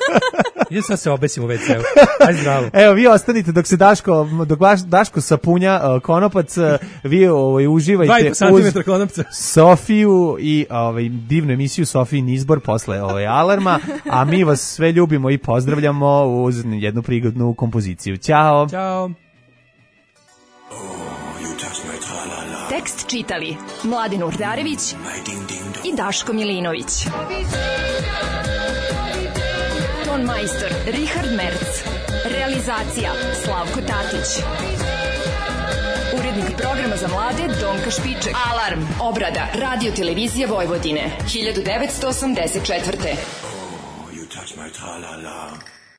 Ja sad se obesim u ve ce u. Ajde zdravo. Evo, vi ostanite dok se Daško, dok vaš Daško sapunja uh, konopac, uh, vi ovaj, uživajte uz konopca. Sofiju i ovaj, divnu emisiju Sofijin izbor posle ovaj, alarma, a mi vas sve ljubimo i pozdravljamo uz jednu prigodnu kompoziciju. Ćao! Ćao! Tekst čitali Mladin Urdarević i Daško Milinović. Ton majstor Richard Merc. Realizacija Slavko Tatić. Urednik programa za mlade Donka Špiček. Alarm! Obrada Radio Televizije Vojvodine. hiljadu devetsto osamdeset četvrte. Oh, you touch my tra-la-la.